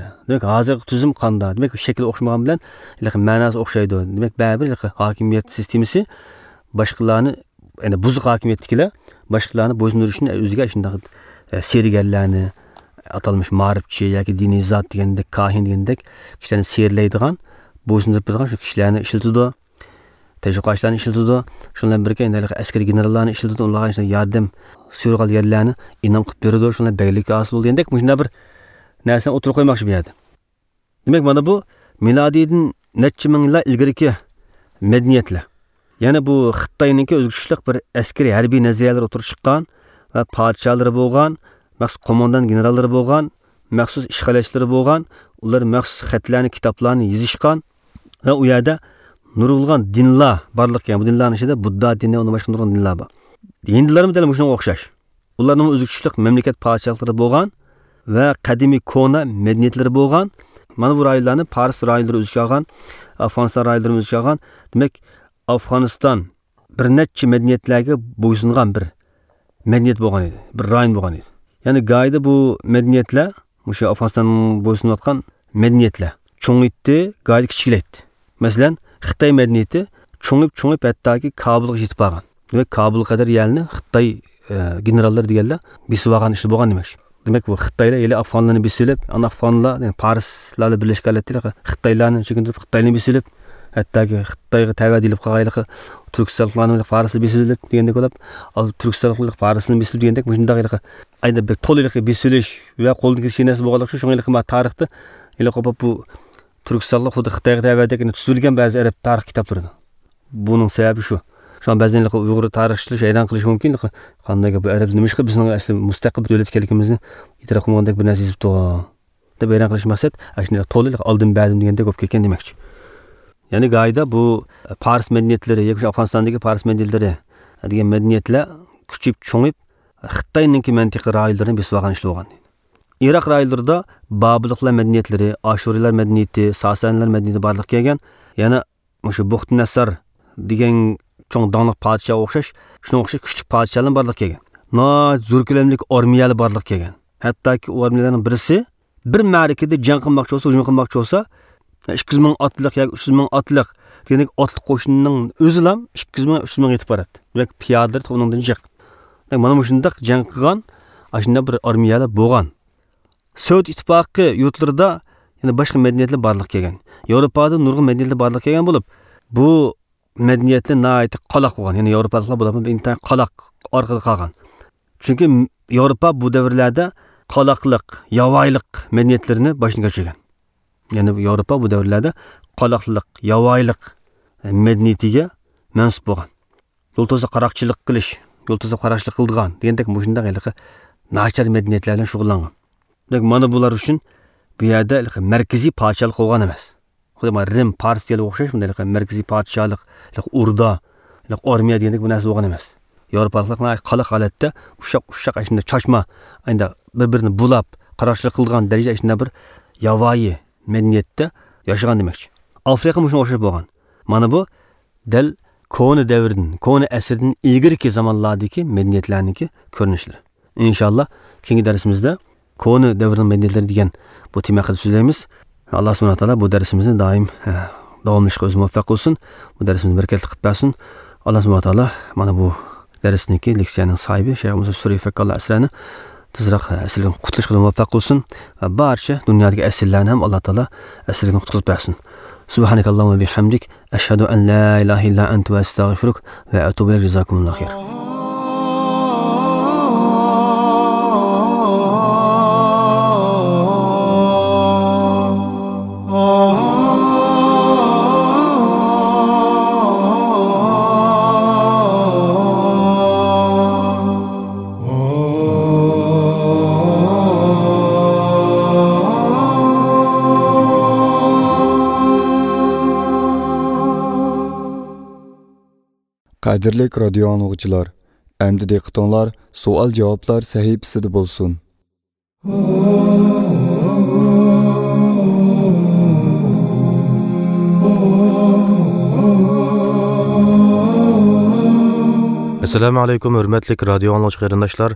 دېمەك، ھازىرقى تۈزۈم قانداق؟ دېمەك، شەكلى ئوخشىمىغان بىلەن، ھېلىقى مەناسى ئوخشايدۇ. دېمەك، بەرىبىر ھېلىقى ھاكىمىيەت سىستېمىسى باشقىلارنى، يەنى بۇزۇق ھاكىمىيەتتىكىلەر باشقىلارنى بويسۇندۇرۇشنى ئۆزىگە شۇنداق، ئە، سېھىرگەرلەرنى، ئاتالمىش مائارىپچى ياكى دىنىي زات دېگەندەك، كاھىن دېگەندەك كىشىلەرنى سېھىرلەيدىغان، بويسۇندۇرۇپ تۇرىدىغان شۇ كىشىلەرنى ئىشلىتىدۇ. تەشۋىقاتچىلارنى ئىشلىتىدۇ. شۇنىڭ بىلەن بىرگە، يەنە ھېلىقى ئەسكىرىي گېنېراللارنى ئىشلىتىدۇ. ئۇلارغا شۇنداق ياردەم، سۇيۇرغا ئالغانلارنى ئىنئام قىلىپ بېرىدۇ. شۇنىڭ بىلەن بەگلىككە ھاسىل بولىدۇ دېگەندەك مۇشۇنداق بىر نەرسىنى ئوتتۇرىغا قويماقچى بۇ يەردە. دېمەك، مانا بۇ مىلادىيدىن نەچچە مىڭ يىللار ئىلگىرىكى مەدەنىيەتلەر. يەنى بۇ خىتاينىڭكى ئۆزگىچىلىك بىر ئەسكىرىي ھەربىي نەزەرىيەلەر ئوتتۇرىغا چىققان ۋە پادىشاھلىرى بولغان، مەخسۇس قوماندان گېنېراللىرى بولغان، مەخسۇس ئىشغالچىلىرى بولغان، ئۇلار مەخسۇس خەتلەرنى، كىتابلارنى يېزىشقان ۋە ئۇ يەردە نۇرغۇنلىغان دىنلار بارلىققا كەلگەن. بۇ دىنلارنىڭ ئىچىدە بۇددا دىنى، ئۇندىن باشقا نۇرغۇن دىنلار بار. ھىندىلارمۇ دەل مۇشۇنىڭغا ئوخشاش. ئۇلارنىڭ ئۆزى كۈچلۈك مەملىكەت پادىشاھلىقلىرى بولغان ۋە قەدىمىي كونا مەدەنىيەتلىرى بولغان. مانا بۇ رايونلارنى پارس رايونلىرى ئۆز ئىچىگە ئالغان، ئافغانىستان رايونلىرىمۇ ئۆز ئىچىگە ئالغان. دېمەك، ئافغانىستان بىر نەچچە مەدەنىيەتلەرگە بويسۇنغان بىر مەدەنىيەت بولغان ئىدى، بىر رايون بولغان ئىدى. يەنى گاھىدا بۇ مەدەنىيەتلەر، مۇشۇ ئافغانىستانغا بويسۇنۇۋاتقان مەدەنىيەتلەر چوڭىيتتى، گاھىدا كىچىكلەيتتى. مەسىلەن، خىتاي مەدەنىيىتى چوڭىيىپ، چوڭىيىپ، ھەتتاكى كابۇلغا يېتىپ بارغان. دېمەك، كابۇلغا قەدەر يەرنى خىتاي، ئە، گېنېراللىرى دېگەنلەر بېسىۋالغان ئىشلار بولغان دېمەكچى. دېمەك، بۇ خىتايلار ھېلى ئافغانلارنى بېسىۋېلىپ، ئاندىن ئافغانلار، يەنى پارسلار بىلەن بىرلەشكەن ھالەتتە خىتايلارنى چېكىندۈرۈپ، خىتايلارنى بېسىۋېلىپ، ھەتتاكى خىتايغا تەۋە دېيىلىپ قالغان ھېلىقى تۈركىستانلىقلارنى پارسلار بېسىۋېلىپ دېگەندەك بولۇپ، تۈركىستانلىقلار پارسلارنى بېسىۋېلىپ دېگەندەك، مۇشۇنداق ھېلىقى ئەينى بىر تولا ھېلىقى بېسىۋېلىش ۋە قولدىن كېلىش نەرسە بولغانلىقى شۇڭا ھېلىقى ما تارىختا ھېلىقى بۇ تۈركىستانلىق خۇددى خىتايغا تەۋەدەك تۇتۇپ ئۆلگەن بەزى ئەرەب تارىخ كىتابلىرىدا. بۇنىڭ سەۋەبى شۇ. شۇڭا بەزەن ھېلىقى ئۇيغۇر تارىخچىلار ھەيران قېلىشى مۇمكىن، ھېلىقى قانداق گەپ بۇ ئەرەب نېمىشقا بىزنىڭ ئەسلى مۇستەقىل بىر دۆلەت ئىكەنلىكىمىزنى ئېتىراپ قىلمىغاندەك بىر نەرسە يېزىپتۇ دەپ ھەيران قېلىش مەقسەت، ئاشۇنداق تولا ئالدىن بەردىم دېگەندەك بولۇپ كەتكەن دېمەكچى. يەنى گاھىدا بۇ پارس مەدەنىيەتلىرى ياكى شۇ ئافغانىستاندىكى پارس مەدەنىيەتلىرى دېگەن مەدەنىيەتلەر كۈچىيىپ، چوڭىيىپ، خىتاينىڭكى مەنتىقە رايونلىرىنى بېسىپ ئالغان ئىشلار بولغان. ئىراق رايونلىرىدا بابىللىقلار مەدەنىيەتلىرى، ئاشۇرىيلار مەدەنىيىتى، ساسانىيلار مەدەنىيىتى بارلىققا كەلگەن. يەنە مۇشۇ بۇختىنەسسار دېگەن چوڭ داڭلىق پادىشاھقا ئوخشاش، شۇنىڭغا ئوخشاش كۈچلۈك پادىشاھلار بارلىققا كەلگەن. ناھايىتى زور كۆلەملىك ئارمىيەلەر بارلىققا كەلگەن. ھەتتاكى ئۇ ئارمىيەلەرنىڭ بىرسى بىر مەرىكىدە جەڭ قىلماقچى بولسا، ھۇجۇم قىلماقچى بولسا، ئىككى يۈز مىڭ ئاتلىق ياكى ئۈچ يۈز مىڭ ئاتلىق دېگەندەك ئاتلىق قوشۇننىڭ ئۆزىلا ئىككى يۈز مىڭ، ئۈچ يۈز مىڭ يېتىپ باراتتى. دېمەك، پىيادىلىرى ئۇنىڭدىن جىق. دېمەك، مانا مۇشۇنداق جەڭ قىلغان، ئاشۇنداق بىر ئارمىيەلەر بولغان. سوۋېت ئىتتىپاقى يۇرتلىرىدا يەنە باشقا مەدەنىيەتلەر بارلىققا كەلگەن. ياۋروپادا نۇرغۇن مەدەنىيەتلەر بارلىققا كەلگەن بولۇپ، بۇ مەدەنىيەتلەر ناھايىتى قالاق بولغان. يەنى ياۋروپالىقلار بولۇپمۇ ئىنتايىن قالاق ئارقىدا قالغان. چۈنكى ياۋروپا بۇ دەۋرلەردە قالاقلىق، ياۋايىلىق مەدەنىيەتلىرىنى باشتىن كەچۈرگەن. يەنى ياۋروپا بۇ دەۋرلەردە قالاقلىق، ياۋايىلىق مەدەنىيىتىگە مەنسۇپ بولغان. يۇلتۇزغا قاراقچىلىق قىلىش، يۇلتۇزغا قاراقچىلىق قىلىدىغان دېگەندەك مۇشۇنداق ھېلىقى ناچار مەدەنىيەتلەر بىلەن شۇغۇللانغان. دېمەك، مانا بۇلار ئۈچۈن بۇ يەردە ھېلىقى مەركىزىي پادىشاھلىق بولغان ئەمەس. خۇددى مانا رىم، پارس دېگەنگە ئوخشاش بۇنداق ھېلىقى مەركىزىي پادىشاھلىق، ھېلىقى ئوردا، ھېلىقى ئارمىيە دېگەندەك بۇ نەرسە بولغان ئەمەس. ياۋروپالىقلار ناھايىتى قالاق ھالەتتە ئۇششاق، ئۇششاق ئاشۇنداق چاچما، ئەمدى بىر-بىرىنى بۇلاپ، قاراقچىلىق قىلىدىغان دەرىجىدە ئاشۇنداق بىر ياۋايى مەدەنىيەتتە ياشىغان دېمەكچى. ئافرىقا مۇشۇنىڭغا ئوخشاش بولغان. مانا بۇ دەل كونا دەۋردىن، كونا ئەسىردىن ئىلگىرىكى زامانلاردىكى مەدەنىيەتلەرنىڭكى كۆرۈنۈشلىرى. ئىنشاللا، كېيىنكى دەرسىمىزدە كونا دەۋرنىڭ مەدەنىيەتلىرى دېگەن بۇ تېما ھەققىدە سۆزلەيمىز. ئاللا سۇبھانەھۇ ۋە تائالا بۇ دەرسىمىزنى دائىم، ھە، داۋاملىشىشقا ئۆزى مۇۋەپپەق قىلسۇن. بۇ دەرسىمىزنى بەرىكەتلىك قىلىپ بەرسۇن. ئاللا سۇبھانەھۇ ۋە تائالا مانا بۇ دەرسنىڭكى، لېكسىيەنىڭ ساھىبى شەيخ مۇسا سۈرى فەككاللا ئەسرەنى تېزراق ئەسىرىدىن قۇتۇلۇشقا مۇۋەپپەق قىلسۇن ۋە بارچە دۇنيادىكى ئەسىرلەرنى ھەم ئاللا تائالا ئەسىرىدىن قۇتقۇزۇپ بەرسۇن. سۇبھانەكاللاھۇممە بىھەمدىك، ئەشھەدۇ ئەن لا ئىلاھە ئىللا ئەنتە ۋە ئەستەغفىرۇك ۋە ئەتۇبۇ ئىلەيك. جازاكۇمۇللاھۇ خەير. قەدىرلىك رادىيو ئاڭلىغۇچىلار، ئەمدى دىققىتىڭلار سوئال-جاۋابلار سەھىپىسىدە بولسۇن. ئەسسالامۇ ئەلەيكۇم، ھۆرمەتلىك رادىيو ئاڭلىغۇچى قېرىنداشلار.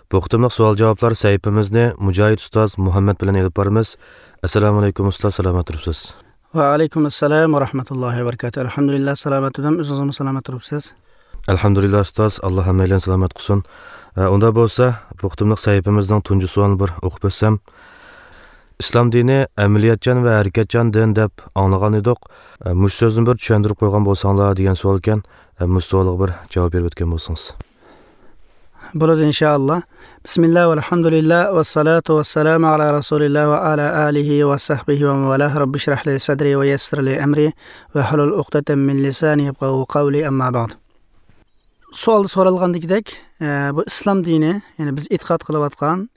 بۇ قېتىملىق سوئال-جاۋابلار سەھىپىمىزنى مۇجاھىد ئۇستاز مۇھەممەد بىلەن ئېلىپ بارىمىز. ئەسسالامۇ ئەلەيكۇم ئۇستاز، سالامەت تۇرۇپسىز؟ ۋەئەلەيكۇم ئەسسالام ۋە رەھمەتۇللاھى ۋە بەرىكاتۇھ. ئەلھەمدۇلىللا، سالامەت تۇردۇم. ئۆزىڭىزمۇ سالامەت تۇرۇپسىز؟ ئەلھەمدۇلىللا ئۇستاز، ئاللا ھەممەيلەننى سالامەت قىلسۇن. ئە، ئۇندا بولسا، بۇ قېتىملىق سەھىپىمىزنىڭ تۇنجى سوئالىنى بىر ئوقۇپ ئۆتسەم. ئىسلام دىنى ئەمەلىيەتچان ۋە ھەرىكەتچان دىن دەپ ئاڭلىغان ئىدۇق. ئە، مۇشۇ سۆزنى بىر چۈشەندۈرۈپ قويغان بولساڭلار دېگەن سوئالكەن. ئە، مۇشۇ سوئالغا بىر جاۋاب بېرىپ ئۆتكەن بولسىڭىز. بولىدۇ، ئىنشائاللا. بىسمىللا ۋەلھەمدۇلىللا ۋەسسالاتۇ ۋەسسالامۇ ئالا رەسۇلىللا ۋە ئالا ئالىھى ۋە سەھبىھى ۋە مەۋالا. رەببىشرەھلى سەدرى ۋە يەسسىرلى ئەمرى ۋەھلۇل ئۇقدەتەم مىن لىسانى يەفقەھۇ قەۋلى، ئەمما بەئد. سوئالدا سورالغاندىكىدەك، ئە، بۇ ئىسلام دىنى، يەنى بىز ئېتىقاد قىلىۋاتقان،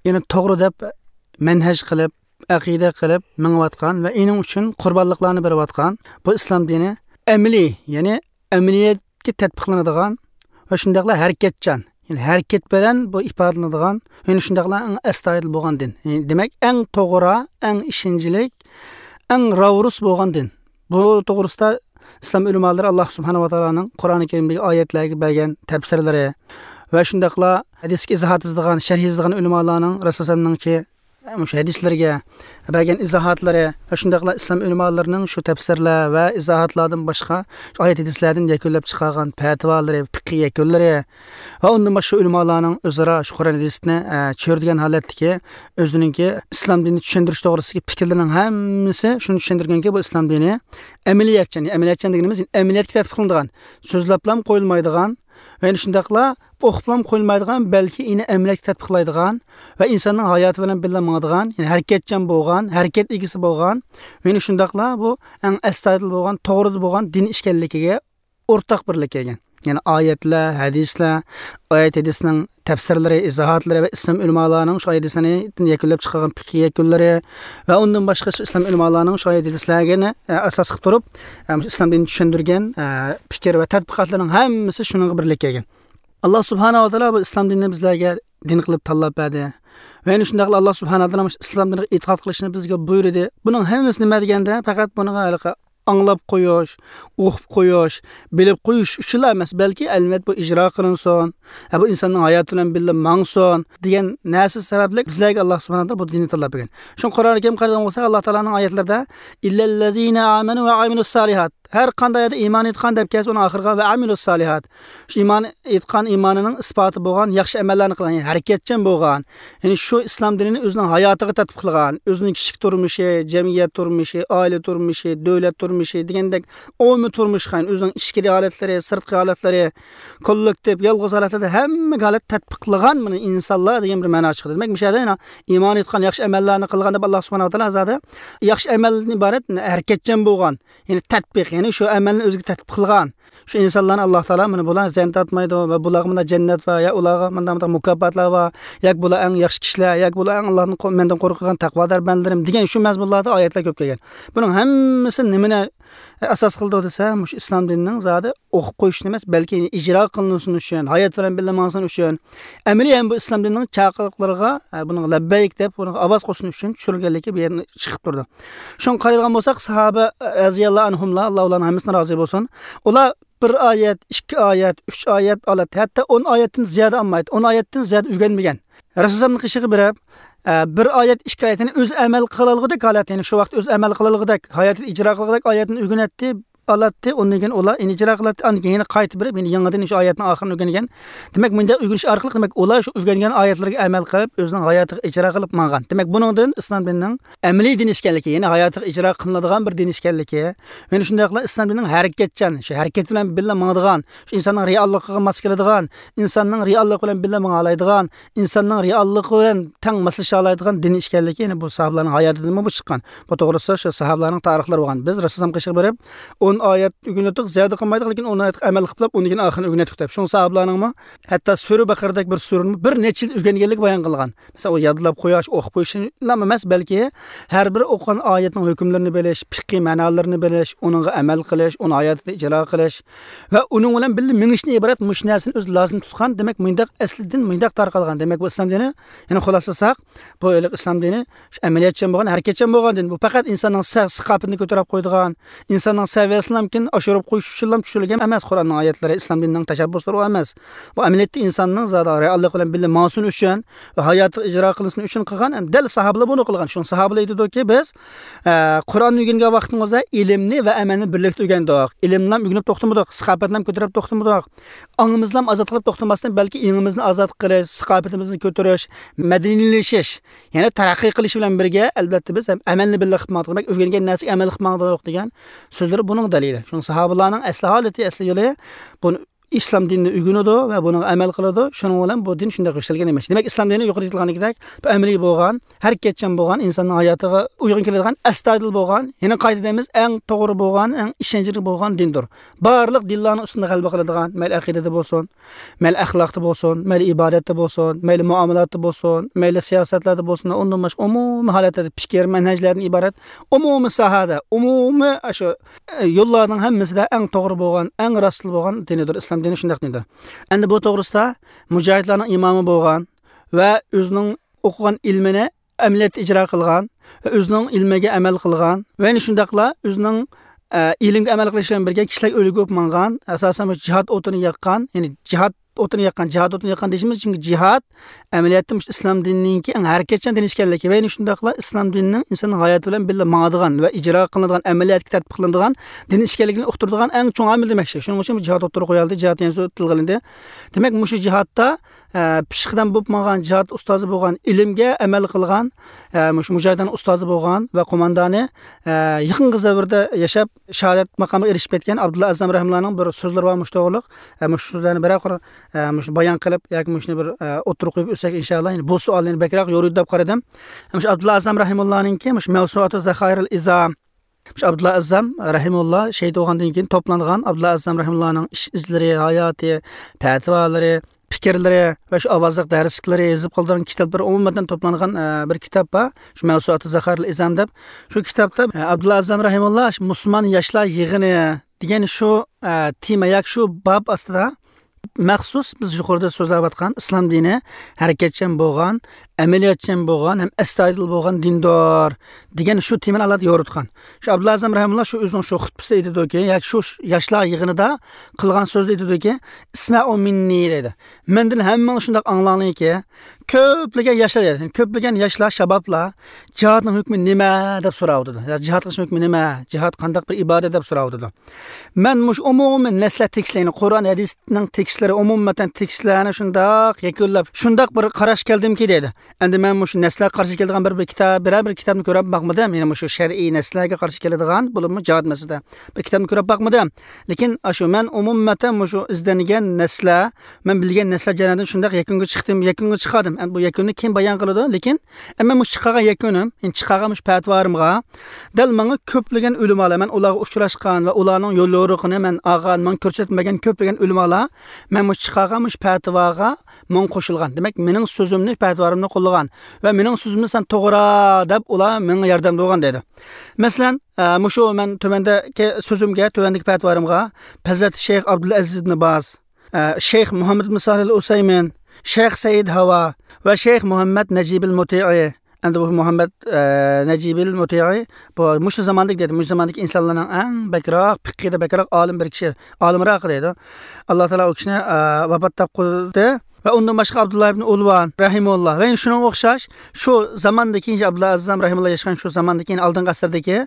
يەنى توغرا دەپ مەنھەج قىلىپ، ئەقىدە قىلىپ مېڭىۋاتقان ۋە ئېنىڭ ئۈچۈن قۇربانلىقلارنى بېرىۋاتقان بۇ ئىسلام دىنى ئەمەلىي، يەنى ئەمەلىيەتكە تەتبىقلىنىدىغان ۋە شۇنداقلا ھەرىكەتچان، يەنى ھەرىكەت بىلەن بۇ ئىپادىلىنىدىغان، يەنى شۇنداقلا ئەڭ ئەستايىدىل بولغان دىن. يەنى دېمەك، ئەڭ توغرا، ئەڭ ئىشەنچلىك، ئەڭ راۋۇرۇس بولغان دىن. بۇ توغرىسىدا ئىسلام ئۆلىمالىرى ئاللا سۇبھانەھۇ ۋە تائالانىڭ قۇرئانى كەرىمدىكى ئايەتلەرگە بەرگەن تەپسىرلىرى ۋە شۇنداقلا ھەدىسكە ئىزاھات يېزىدىغان، شەرھ يېزىدىغان ئۆلىمالارنىڭ رەسۇلۇللانىڭكى مۇشۇ ھەدىسلىرىگە بەرگەن ئىزاھاتلىرى ۋە شۇنداقلا ئىسلام ئۆلىمالىرىنىڭ شۇ تەپسىرلەر ۋە ئىزاھاتلاردىن باشقا شۇ ئايەت ھەدىسلەردىن يەكۈنلەپ چىقارغان پەتىۋالىرى، پىقھىي يەكۈنلىرى ۋە ئۇندىن باشقا ئۆلىمالارنىڭ ئۆزئارا شۇ قۇرئان ھەدىسنى، ئە، چۆرىدىگەن ھالەتتىكى ئۆزىنىڭكى ئىسلام دىنىنى چۈشەندۈرۈش توغرىسىدىكى پىكىرلىرىنىڭ ھەممىسى شۇنى چۈشەندۈرگەنكى، بۇ ئىسلام دىنى ئەمەلىيەتچان، ئەمەلىيەتچان دېگىنىمىز ئەمەلىيەتكە تەتبىقلىنىدىغان، سۆزلەپلا قويۇلمايدىغان ۋە يەنە شۇنداقلا ئوقۇپلا قويۇلمايدىغان، بەلكى يەنە ئەمەلىيەتكە تەتبىقلايدىغان ۋە ئىنساننىڭ ھاياتى بىلەن بىللە ماڭىدىغان، يەنى ھەرىكەتچان بولغان، ھەرىكەت ئىگىسى بولغان ۋە يەنە شۇنداقلا بۇ ئەڭ ئەستايىدىل بولغان، توغرىدا بولغان دىن ئىكەنلىكىگە ئورتاق بىرلىككە كەلگەن. يەنى ئايەتلەر، ھەدىسلەر، ئايەت ھەدىسنىڭ تەپسىرلىرى، ئىزاھاتلىرى ۋە ئىسلام ئۆلىمالارنىڭ شۇ ئايەت ھەدىسلەرنى يەكۈنلەپ چىقارغان پىقھىي يەكۈنلىرى ۋە ئۇندىن باشقا شۇ ئىسلام ئۆلىمالارنىڭ شۇ ئايەت ھەدىسلەرنى، ئە، ئاساس قىلىپ تۇرۇپ، ئە، مۇشۇ ئىسلام دىنىنى چۈشەندۈرگەن، ئە، پىكىر ۋە تەتبىقاتلىرىنىڭ ھەممىسى شۇنىڭغا بىرلىككە كەلگەن. ئاللا سۇبھانەھۇ ۋە تائالا بۇ ئىسلام دىنىنى بىزلەرگە دىن قىلىپ تاللاپ بەردى. ۋە يەنە شۇنداقلا ئاللا سۇبھانەھۇ ۋە تائالا مۇشۇ ئىسلام دىنىغا ئېتىقاد قىلىشنى بىزگە بۇيرۇدى. بۇنىڭ ھەممىسى نېمە دېگەندە، پەقەت بۇنىڭغا ھېلىقى ئاڭلاپ قويۇش، ئوقۇپ قويۇش، بىلىپ قويۇش ئۈچۈنلا ئەمەس، بەلكى ئەلۋەتتە بۇ ئىجرا قىلىنسۇن، ھە، بۇ ئىنساننىڭ ھاياتى بىلەن بىللە ماڭسۇن دېگەن نەرسە سەۋەبلىك بىزلەرگە ئاللا سۇبھانەھۇ ۋە تائالا بۇ دىننى تاللاپ بەرگەن. شۇڭا قۇرئانى كەرىم قارىغان بولساق، ئاللا تائالانىڭ ئايەتلىرىدە، «ئىللەللەزىنە ئامەنۇ ۋە ئامىلۇس سالىھات.» ھەر قانداق يەردە ئىمان ئېيتقان دەپ كەلسە، ئۇنىڭ ئاخىرىغا «ۋە ئامىلۇس سالىھات». شۇ ئىمان ئېيتقان ئىمانىنىڭ ئىسپاتى بولغان ياخشى ئەمەللەرنى قىلغان، يەنى ھەرىكەتچان بولغان، يەنى شۇ ئىسلام دىنىنى ئۆزىنىڭ ھاياتىغا تەتبىقلىغان، ئۆزىنىڭ كىشىلىك تۇرمۇشى، جەمئىيەت تۇرمۇشى، ئائىلە تۇرمۇشى، دۆلەت تۇرمۇشى دېگەندەك ئومۇمىي تۇرمۇشقا، يەنى ئۆزىنىڭ ئىچكىرى ھالەتلىرى، سىرتقى ھالەتلىرى، كوللېكتىپ، يالغۇز ھالەتلەردە ھەممە ھالەت تەتبىقلىغان مانا ئىنسانلار دېگەن بىر مەنا چىقىدۇ. دېمەك، مۇشۇ يەردە يەنە ئىمان ئېيتقان، ياخشى ئەمەللەرنى قىلغان دەپ ئاللا سۇبھانەھۇ ۋە تائالا زادى ياخشى ئەمەلدىن ئىبارەت ھەرىكەتچان بولغان، يەنى تەتبىق، يەنى شۇ ئەمەلنى ئۆزىگە تەتبىق قىلغان شۇ ئىنسانلارنى ئاللا تائالا مانا بۇلار زەن تارتمايدۇ ۋە بۇلارغا مانا جەننەت بار، يا ئۇلارغا مانا مانا مۇكاپاتلار بار، ياكى بۇلار ئەڭ ياخشى كىشىلەر، ياكى بۇلار ئەڭ ئاللادىن قو-، مەندىن قورقىدىغان تەقۋادار بەندىلىرىم دېگەن شۇ مەزمۇنلاردا ئايەتلەر كۆپ كەلگەن. بۇنىڭ ھەممىسى نېمىنى ئاساس قىلىدۇ دېسە، مۇشۇ ئىسلام دىنىنىڭ زادى ئوقۇپ قويۇشنى ئەمەس، بەلكى ئىجرا قىلىنسۇن ئۈچۈن، ھايات بىلەن بىللە ماڭسۇن ئۈچۈن، ئەمەلىي ھەم بۇ ئىسلام دىنىنىڭ چاقىرىقلىرىغا، ئە، بۇنىڭغا لەببەيك دەپ، بۇنىڭغا ئاۋاز قوشسۇن ئۈچۈن چۈشۈرۈلگەنلىكى بۇ يەردىن چىقىپ تۇرىدۇ. شۇڭا قارايدىغان بولساق، ساھابە رەزىياللاھۇ ئەنھۇملار، ئاللا ئۇلارنىڭ ھەممىسىدىن رازى بولسۇن، ئۇلار بىر ئايەت، ئىككى ئايەت، ئۈچ ئايەت ئالاتتى، ھەتتا ئون ئايەتتىن زىيادە ئالمايتتى، ئون ئايەتتىن زىيادە ئۆگەنمىگەن. رەسۇلۇللانىڭ قېشىغا بېرىپ، ئە، بىر ئايەت، ئىككى ئايەتنى ئۆزى ئەمەل قىلالىغۇدەك ھالەتتە، يەنى شۇ ۋاقىت ئۆزى ئەمەل قىلالىغۇدەك، ھاياتىدا ئىجرا قىلغۇدەك ئايەتنى ئۆگىنەتتى، ئالاتتى، ئۇندىن كېيىن ئۇلار يەنە ئىجرا قىلاتتى، ئاندىن كېيىن يەنە قايتا بېرىپ، يەنە يېڭىدىن شۇ ئايەتنىڭ ئاخىرىنى ئۆگەنگەن. دېمەك، مۇنداق ئۆگىنىش ئارقىلىق، دېمەك، ئۇلار شۇ ئۆگەنگەن ئايەتلەرگە ئەمەل قىلىپ، ئۆزىنىڭ ھاياتىغا ئىجرا قىلىپ ماڭغان. دېمەك، بۇنىڭدىن ئىسلام دىنىنىڭ ئەمەلىي دىن ئىكەنلىكى، يەنى ھاياتىغا ئىجرا قىلىنىدىغان بىر دىن ئىكەنلىكى، يەنە شۇنداقلا ئىسلام دىنىنىڭ ھەرىكەتچان، شۇ ھەرىكەت بىلەن بىللە ماڭىدىغان، شۇ ئىنساننىڭ رېئاللىقىغا ماس كېلىدىغان، ئىنساننىڭ رېئاللىقى بىلەن بىللە ماڭالايدىغان، ئىنساننىڭ رېئاللىقى بىلەن تەڭ ماسلىشالايدىغان دىن ئىكەنلىكى، يەنى بۇ ساھابىلارنىڭ ھاياتىدىنمۇ بۇ چىققان. بۇ توغرىسىدا شۇ ساھابىلارنىڭ تارىخلىرى بولغان. بىز رەسۇلۇللانىڭ قېشىغا بېرىپ، ئون ئايەت ئۆگىنىۋاتىدۇق، زىيادە قىلمايدۇق، لېكىن ئون ئايەتكە ئەمەل قىلىپ، ئۇندىن كېيىن ئاخىرىنى ئۆگىنەتتۇق دەپ. شۇڭا ساھابىلارنىڭمۇ ھەتتا سۈرە بەقەرىدەك بىر سۈرىنى بىر نەچچە يىل ئۆگەنگەنلىكى بايان قىلغان. مەسىلەن، ئۇ يادلاپ قويۇش، ئوقۇپ قويۇشلا ئەمەس، بەلكى ھەر بىر ئوقۇغان ئايەتنىڭ ھۆكۈملىرىنى بىلىش، پىقھىي مەنالىرىنى بىلىش، ئۇنىڭغا ئەمەل قىلىش، ئۇنى ھاياتىدا ئىجرا قىلىش ۋە ئۇنىڭ بىلەن بىللە مېڭىشتىن ئىبارەت مۇشۇ نەرسىنى ئۆزى لازىم تۇتقان. دېمەك، مۇنداق ئەسلى دىن مۇنداق تارقالغان. دېمەك، بۇ ئىسلام دىنى، يەنى خۇلاسىلىساق، بۇ ھېلىقى ئىسلام دىنى شۇ ئەمەلىيەتچان بولغان، ھەرىكەتچان بولغان دىن. بۇ پەقەت ئىنساننىڭ سە-، ساپاسىنى كۆتۈرۈپ قويىدىغان، ئىنساننىڭ سەۋىيەسىنى ئىسلام دىنىنى ئاشۇرۇپ قويۇش ئۈچۈنلا چۈشۈرۈلگەن ئەمەس. قۇرئاننىڭ ئايەتلىرى، ئىسلام دىنىنىڭ تەشەببۇسلىرى ئۇ ئەمەس. بۇ ئەمەلىيەتتە ئىنساننىڭ زادى رېئاللىق بىلەن بىللە ماڭسۇن ئۈچۈن ۋە ھاياتىغا ئىجرا قىلىنسۇن ئۈچۈن قىلغان، ھەم دەل ساھابىلار بۇنى قىلغان. شۇڭا ساھابىلار ئېيتىدۇكى، بىز، ئە، قۇرئاننى ئۆگەنگەن ۋاقتىمىزدا ئىلىمنى ۋە ئەمەلنى بىرلىكتە ئۆگەندۇق. ئىلىمنى ئۆگىنىپ توختىمىدۇق، ساقاپەتنى كۆتۈرۈپ توختىمىدۇق. ئاڭىمىزنى ئازاد قىلىپ توختىماستىن، بەلكى ئېڭىمىزنى ئازاد قىلىش، ساقاپىتىمىزنى كۆتۈرۈش، مەدەنىيلىشىش، يەنى تەرەققىي قىلىش بىلەن بىرگە، ئەلۋەتتە، بىز ھەم ئەمەلنى بىللە قىلىپ ماڭدۇق. دېمەك، ئۆگەنگەن نەرسىگە ئەمەل قىلىپ ماڭدۇق دېگەن سۆزلىرى بۇنىڭ دەلىلى. شۇڭا ساھابىلارنىڭ ئەسلى ھالىتى، ئەسلى يولى بۇ ئىسلام دىنىنى ئۆگىنىدۇ ۋە بۇنىڭغا ئەمەل قىلىدۇ. شۇنىڭ بىلەن بۇ دىن شۇنداق يۈكسەلگەن ئىمىش. دېمەك، ئىسلام دىنى يۇقىرىدا ئېيتىلغاندەك بىر ئەمەلىي بولغان، ھەرىكەتچان بولغان، ئىنساننىڭ ھاياتىغا ئۇيغۇن كېلىدىغان، ئەستايىدىل بولغان، يەنە قايتا دەيمىز، ئەڭ توغرا بولغان، ئەڭ ئىشەنچلىك بولغان دىندۇر. بارلىق دىنلارنىڭ ئۈستىدە غەلىبە قىلىدىغان، مەيلى ئەقىدىدە بولسۇن، مەيلى ئەخلاقتا بولسۇن، مەيلى ئىبادەتتە بولسۇن، مەيلى مۇئامىلاتتا بولسۇن، مەيلى سىياسەتلەردە بولسۇن، ئۇندىن باشقا ئومۇمىي ھالەتلەردە پىكىر، مەنھەجلەردىن ئىبارەت ئومۇمىي ساھەدە، ئومۇمىي شۇ، ئە، يوللارنىڭ ھەممىسىدە ئەڭ توغرا بولغان، ئەڭ راستلا بولغان دىنىدۇر. ئىسلام دىنى شۇنداق دىندۇر. ئەمدى بۇ توغرىسىدا مۇجاھىدلارنىڭ ئىمامى بولغان ۋە ئۆزىنىڭ ئوقۇغان ئىلمىنى ئەمەلىيەتتە ئىجرا قىلغان ۋە ئۆزىنىڭ ئىلمىگە ئەمەل قىلغان ۋە يەنە شۇنداقلا ئۆزىنىڭ، ئە، ئىلىمگە ئەمەل قىلىش بىلەن بىرگە كىشىلەرگە ئۈلگە بولۇپ ماڭغان، ئاساسەن، مۇشۇ جىھاد ئوتىنى ياققان، يەنى جىھاد ئوتىنى ياققان، جىھاد ئوتىنى ياققان دېيىشىمىز، چۈنكى جىھاد ئەمەلىيەتتە مۇشۇ ئىسلام دىنىنىڭكى ئەڭ ھەرىكەتچان دىن ئىكەنلىكى ۋە يەنە شۇنداقلا ئىسلام دىنىنىڭ ئىنساننىڭ ھاياتى بىلەن بىللە ماڭىدىغان ۋە ئىجرا قىلىنىدىغان، ئەمەلىيەتكە تەتبىق قىلىنىدىغان دىن ئىكەنلىكىنى ئۇقتۇرىدىغان ئەڭ چوڭ ئامىل دېمەكچى. شۇنىڭ ئۈچۈن بۇ جىھاد ئوتتۇرىغا قويۇلدى، جىھاد دېگەن سۆز تىلغا ئېلىندى. دېمەك، مۇشۇ جىھادتا، ئە، پېشقەدەم بولۇپ ماڭغان، جىھاد ئۇستازى بولغان، ئىلىمگە ئەمەل قىلغان، ئە، مۇشۇ مۇجاھىدلارنىڭ ئۇستازى بولغان ۋە قوماندانى، ئە، يېقىنقى زەۋردە ياشاپ، شاھادەت ماقامىغا ئېرىشىپ كەتكەن ئابدۇللا ئەزەم رەھىمۇللانىڭ بىر سۆزلىرى بار مۇشۇ توغرىلىق. ئە، مۇشۇ سۆزلەرنى بىرەر قۇر، ئە، مۇشۇ بايان قىلىپ ياكى مۇشۇنى بىر، ئە، ئوتتۇرىغا قويۇپ ئۆتسەك، ئىنشاللا، يەنى بۇ سوئالنى بەكرەك يورۇيدۇ دەپ قارىدىم. مۇشۇ ئابدۇللا ئەزەم رەھىمۇللانىڭكى مۇشۇ مەۋسۇئاتۇ زاخائىرىل ئىزام، مۇشۇ ئابدۇللا ئەزەم رەھىمۇللا شېھىت بولغاندىن كېيىن توپلانغان ئابدۇللا ئەزەم رەھىمۇللانىڭ ئىش ئىزلىرى، ھاياتى، پەتىۋالىرى، پىكىرلىرى ۋە شۇ ئاۋازلىق دەرسلىكلىرى يېزىپ قالدۇرغان كىتابلىرى ئومۇمەن توپلانغان، ئە، بىر كىتاب بار. شۇ مەۋسۇئاتۇ زاخائىرىل ئىزام دەپ. شۇ كىتابتا، ئە، ئابدۇللا ئەزەم رەھىمۇللا شۇ مۇسۇلمان ياشلار يىغىنى دېگەن شۇ، ئە، تېما ياكى شۇ باب ئاستىدا مەخسۇس بىز يۇقىرىدا سۆزلەۋاتقان ئىسلام دىنى ھەرىكەتچان بولغان، ئەمەلىيەتچان بولغان ھەم ئەستايىدىل بولغان دىندۇر دېگەن شۇ تېمىنى ئالاھىدە يورۇتقان. شۇ ئابدۇللا ئەزەم رەھىمۇللا شۇ ئۆزىنىڭ شۇ خۇتبىسىدە ئېيتىدۇكى، ياكى شۇ ياشلار يىغىنىدا قىلغان سۆزىدە ئېيتىدۇكى، «ئىسمەئۇ مىننى» دەيدۇ. مەندىن ھەممىڭلار شۇنداق ئاڭلاڭلاركى، كۆپلىگەن ياشلار دەيدۇ. كۆپلىگەن ياشلار، شابابلار جىھادنىڭ ھۆكمى نېمە دەپ سوراۋاتىدۇ. يا جىھاد قىلىشنىڭ ھۆكمى نېمە؟ جىھاد قانداق بىر ئىبادەت دەپ سوراۋاتىدۇ. مەن مۇشۇ ئومۇمىي نەسلە تېكىستلىرىنى، قۇرئان، ھەدىسنىڭ تېكىستلىرى، ئومۇمەن تېكىستلەرنى شۇنداق يەكۈنلەپ، شۇنداق بىر قاراشقا كەلدىمكى دەيدۇ. ئەمدى مەن مۇشۇ نەسلەرگە قارشى كېلىدىغان بىر، بىر كىتاب، بىرەر بىر كىتابنى كۆرۈپ باقمىدىم. يەنى مۇشۇ شەرئىي نەسلەرگە قارشى كېلىدىغان، بولۇپمۇ جىھاد مەسىلىسىدە بىر كىتابنى كۆرۈپ باقمىدىم. لېكىن ئاشۇ مەن ئومۇمەن مۇشۇ ئىزدەنگەن نەسلەر، مەن بىلگەن نەسلەر جەريانىدىن شۇنداق يەكۈنگە چىقتىم، يەكۈنگە چىقاردىم. ئەمدى بۇ يەكۈننى كېيىن بايان قىلىدۇ، لېكىن ئەمما مۇشۇ چىقارغان يەكۈنۈم، يەنى چىقارغان مۇشۇ پەتىۋالىرىمغا دەل ماڭا كۆپلىگەن ئۆلىمالار، مەن ئۇلارغا ئۇچراشقان ۋە ئۇلارنىڭ يول يورۇقىنى مەن ئالغان، ماڭا كۆرسەتمىگەن كۆپلىگەن ئۆلىمالار مەن مۇشۇ چىقارغان مۇشۇ پەتىۋاغا ماڭا قوشۇلغان. دېمەك، مېنىڭ سۆزۈمنى، پەتىۋالىرىمنى قوللىغان ۋە مېنىڭ سۆزۈمنى سەن توغرا دەپ ئۇلار ماڭا ياردەمدە بولغان دەيدۇ. مەسىلەن، ئە، مۇشۇ مەن تۆۋەندىكى سۆزۈمگە، تۆۋەندىكى پەتىۋالىرىمغا ھەزرەت شەيخ ئابدۇلئەزىز ئىبن باز، ئە، شەيخ مۇھەممەد ئىبن سالىھ ئەل ئۇسەيمىن، شەيخ سەئىد ھاۋا ۋە شەيخ مۇھەممەد نەجىبىل مۇتىئى. ئەمدى بۇ مۇھەممەد، ئە، نەجىبىل مۇتىئى، بۇ مۇشۇ زاماندىكى دەيدۇ، مۇشۇ زاماندىكى ئىنسانلارنىڭ ئەڭ بەكرەك، پىقىدە بەكرەك ئالىم بىر كىشى، ئالىمراق دەيدۇ. ئاللا تائالا ئۇ كىشىنى، ئە، ۋاپات تاپقۇزدى. ۋە ئۇندىن باشقا ئابدۇللا ئىبن ئۇلۋان رەھىمۇللا ۋە شۇنىڭغا ئوخشاش شۇ زاماندىكى، ئابدۇللا ئەزەم رەھىمۇللا ياشىغان شۇ زاماندىكى، ئالدىنقى ئەسىردىكى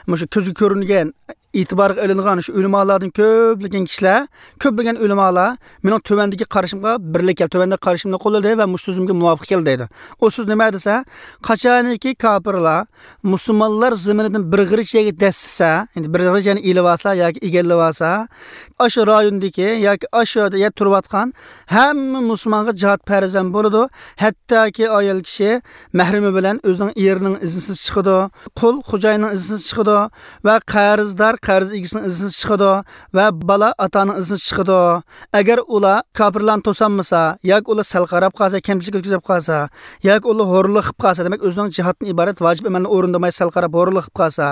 مۇشۇ كۆزگە كۆرۈنگەن، ئېتىبارغا ئېلىنغان شۇ ئۆلىمالاردىن كۆپلىگەن كىشىلەر، كۆپلىگەن ئۆلىمالار مېنىڭ تۆۋەندىكى قارىشىمغا بىرلىك كەلدى، تۆۋەندىكى قارىشىمنى قوللىدى ۋە مۇشۇ سۆزۈمگە مۇۋاپىق كەلدى دەيدۇ. ئۇ سۆز نېمە دېسە، قاچانكى كاپىرلار مۇسۇلمانلار زېمىنىدىن بىر غېرىچ يەرگە دەسسىسە، يەنى بىر غېرىچ يەرنى ئېلىۋالسا ياكى ئىگىلىۋالسا، ئاشۇ رايوندىكى ياكى ئاشۇ يەردە تۇرۇۋاتقان ھەممە مۇسۇلمانغا جىھاد پەرز ھەم بولىدۇ. ھەتتاكى ئايال كىشى مەھرىمى بىلەن ئۆزىنىڭ ئېرىنىڭ ئىزنىسىز چىقىدۇ، قۇل خوجايىننىڭ ئىزنىسىز چىقىدۇ ۋە قەرزدار قەرز ئىگىسىنىڭ ئىزنىسىز چىقىدۇ ۋە بالا ئاتا ئانىنىڭ ئىزنىسىز چىقىدۇ. ئەگەر ئۇلار كاپىرلارنى توسالمىسا ياكى ئۇلار سەل قاراپ قالسا، كەمچىلىك ئۆتكۈزۈپ قالسا ياكى ئۇلار ھورلۇق قىلىپ قالسا، دېمەك، ئۆزىنىڭ جىھادتىن ئىبارەت ۋاجىپ ئەمەلنى ئورۇندىماي سەل قاراپ ھورلۇق قىلىپ قالسا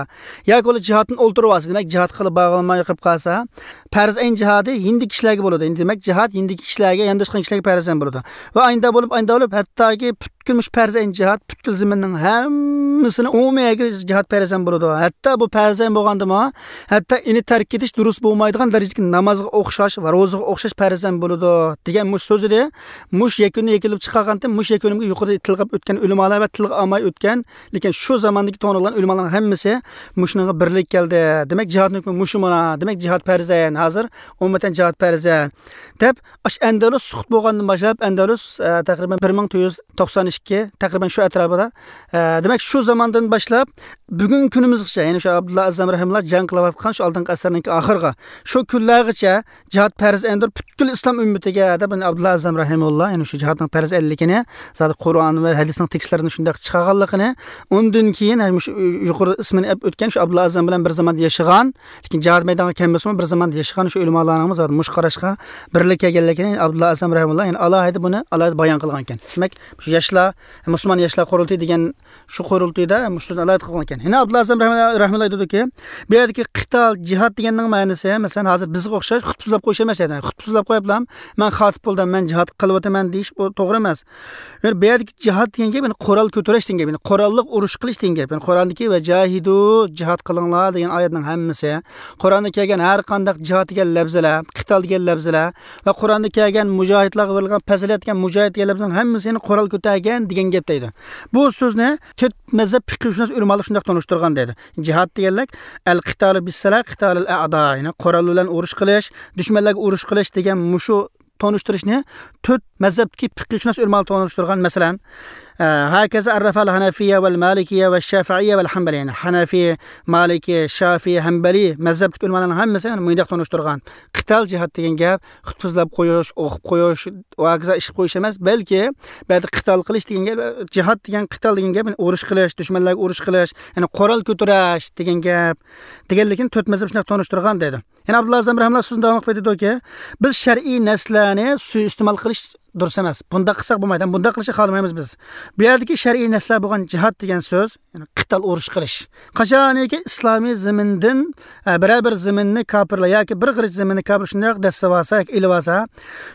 ياكى ئۇلار جىھادتىن ئولتۇرۇۋالسا، دېمەك، جىھاد قىلىپ بارغىلىماي قېلىپ قالسا، پەرز ئەين جىھادى يېنىدىكى كىشىلەرگە بولىدۇ. دېمەك، جىھاد يېنىدىكى كىشىلەرگە، يانداشقان كىشىلەرگە پەرز ھەم بولىدۇ. ۋە ئاينىدا بولۇپ، ئاينىدا بولۇپ، ھەتتاكى پۈت- پۈتكۈل مۇشۇ پەرز ئەين جىھاد پۈتكۈل زېمىننىڭ ھەممىسىنى ئومۇمىي جىھاد پەرز ئەين بولىدۇ. ھەتتا بۇ پەرز ئەين بولغاندىمۇ، ھەتتا ئۇنى تەرك ئېتىش دۇرۇس بولمايدىغان دەرىجىدىكى نامازغا ئوخشاش ۋە روزىغا ئوخشاش پەرز ئەين بولىدۇ، دېگەن مۇشۇ سۆز ئىدى. مۇشۇ يەكۈننى يەكۈنلەپ چىقارغانتىم، مۇشۇ يەكۈنۈمگە يۇقىرىدا تىلغا ئۆتكەن ئۆلىمالار ۋە تىلغا ئالماي ئۆتكەن، لېكىن شۇ زاماندىكى توڭلىغان ئۆلىمالارنىڭ ھەممىسى مۇشۇنىڭغا بىرلىك كەلدى. دېمەك، جىھادنىڭ ھۆكمى مۇشۇ مانا. دېمەك، جىھاد پەرز ئەين، ھازىر ئومۇمەن جىھاد پەرز ئەين، دەپ، ئاشۇ ئەندەلۇس سۇقۇت بولغاندىن باشلاپ، ئەندەلۇس، ئە، تەقرىبەن بىر مىڭ تۆت يۈز توقسان ئىككى، تەقرىبەن شۇ ئەتراپىدا. ئە، دېمەك، شۇ زاماندىن باشلاپ بۈگۈنكى كۈنىمىزگىچە، يەنى شۇ ئابدۇللا ئەزەم رەھىمۇللا جەڭ قىلىۋاتقان شۇ ئالدىنقى ئەسىرنىڭكى ئاخىرىغا، شۇ كۈنلەرگىچە جىھاد پەرز ئەيندۇر پۈتكۈل ئىسلام ئۈممىتىگە دەپ، مانا ئابدۇللا ئەزەم رەھىمۇللا، يەنى شۇ جىھادنىڭ پەرز ئەينلىكىنى، زادى قۇرئان ۋە ھەدىسنىڭ تېكىستلىرىنى شۇنداق چىقارغانلىقىنى، ئۇندىن كېيىن، يەنى مۇشۇ يۇقىرى ئىسمىنى ئەپ ئۆتكەن شۇ ئابدۇللا ئەزەم بىلەن بىر زاماندا ياشىغان، لېكىن جىھاد مەيدانغا كەلمىسىمۇ، بىر زاماندا ياشىغان شۇ ئۆلىمالارنىڭمۇ زادى مۇشۇ قاراشقا بىرلىك كەلگەنلىكىنى ئابدۇللا ئەزەم رەھىمۇللا، يەنى ئالاھىدە بۇنى ئالاھىدە بايان قىلغان ئىكەن. دېمەك، شۇ ياشلار، مۇسۇلمان ياشلار قۇرۇلتىيى دېگەن شۇ قۇرۇلتىيىدا مۇشۇ سۆزنى ئالاھىدە قىلغان ئىكەن. يەنە ئابدۇللا ئەزەم رەھمە-، رەھمۇللا ئېيتىدۇ، بۇ يەردىكى قىتال، جىھاد دېگەننىڭ مەنىسى، مەسىلەن، ھازىر بىزگە ئوخشاش خۇتبە سۆزلەپ قويۇش ئەمەس، يەنى خۇتبە سۆزلەپ قويۇپلا، مەن خاتىپ بولدۇم، مەن جىھاد قىلىۋاتىمەن دېيىش، بۇ توغرا ئەمەس. يەنى بۇ يەردىكى جىھاد دېگەن گەپ، يەنى قورال كۆتۈرۈش دېگەن گەپ، يەنى قوراللىق ئۇرۇش قىلىش دېگەن گەپ. يەنى قۇرئاندىكى «ۋە جاھىدۇ»، جىھاد قىلىڭلار دېگەن ئايەتنىڭ ھەممىسى، قۇرئاندا كەلگەن ھەر قانداق جىھاد دېگەن لەپزىلەر، قىتال دېگەن لەپزىلەر ۋە قۇرئاندا كەلگەن مۇجاھىدلارغا بېرىلگەن پەزىلەت دېگەن مۇجاھىد دېگەن لەپزىنىڭ ھەممىسى يەنى قورال كۆتەرگەن دېگەن گەپ دەيدۇ. بۇ سۆزنى تۆت مەزھەپ پىقىھشۇناس ئۆلىمالار شۇنداق تونۇشتۇرغان دەيدۇ. جىھاد دېگەنلىك، ئەل قىتالۇ بىسسىلاھ قىتالىل ئەئدا، يەنى قورال بىلەن ئۇرۇش قىلىش، دۈشمەنلەرگە ئۇرۇش قىلىش دېگەن مۇشۇ تونۇشتۇرۇشنى تۆت مەزھەپتىكى پىقىھشۇناس ئۆلىمالار تونۇشتۇرغان. مەسىلەن، ئە، ھەكەزا ئەررەفەل ھەنەفىيە ۋەل مالىكىيە ۋە شافىئىيە ۋەل ھەنبەلى. يەنى ھەنەفىي، مالىكىي، شافىئىي، ھەنبەلىي مەزھەپتىكى ئۆلىمالارنىڭ ھەممىسى يەنى مۇنداق تونۇشتۇرغان. قىتال، جىھاد دېگەن گەپ خۇتبە سۆزلەپ قويۇش، ئوقۇپ قويۇش، ۋە ھاكازا ئىشلەپ قويۇش ئەمەس، بەلكى بۇ يەردە قىتال قىلىش دېگەن گەپ، جىھاد دېگەن، قىتال دېگەن گەپ، يەنى ئۇرۇش قىلىش، دۈشمەنلەرگە ئۇرۇش قىلىش، يەنى قورال كۆتۈرۈش دېگەن گەپ، دېگەنلىكىنى تۆت مەزھەپ شۇنداق تونۇشتۇرغان دەيدۇ. يەنە ئابدۇللا ئەزەم رەھىمۇللا سۆزىنى داۋام قىلىپ ئېيتىدۇكى، بىز شەرئىي نەسلەرنى سۇيىئىستېمال قىلىش دۇرۇس ئەمەس. بۇنداق قىلساق بولمايدۇ، بۇنداق قىلىشنى خالىمايمىز بىز. بۇ يەردىكى شەرئىي نەسلەر بولغان جىھاد دېگەن سۆز، يەنى قىتال، ئۇرۇش قىلىش. قاچانكى ئىسلامىي زېمىندىن، ئە، بىرەر بىر زېمىننى كاپىرلار ياكى بىر غېرىچ زېمىننى كاپىر شۇنداق دەسسىۋالسا ياكى ئېلىۋالسا،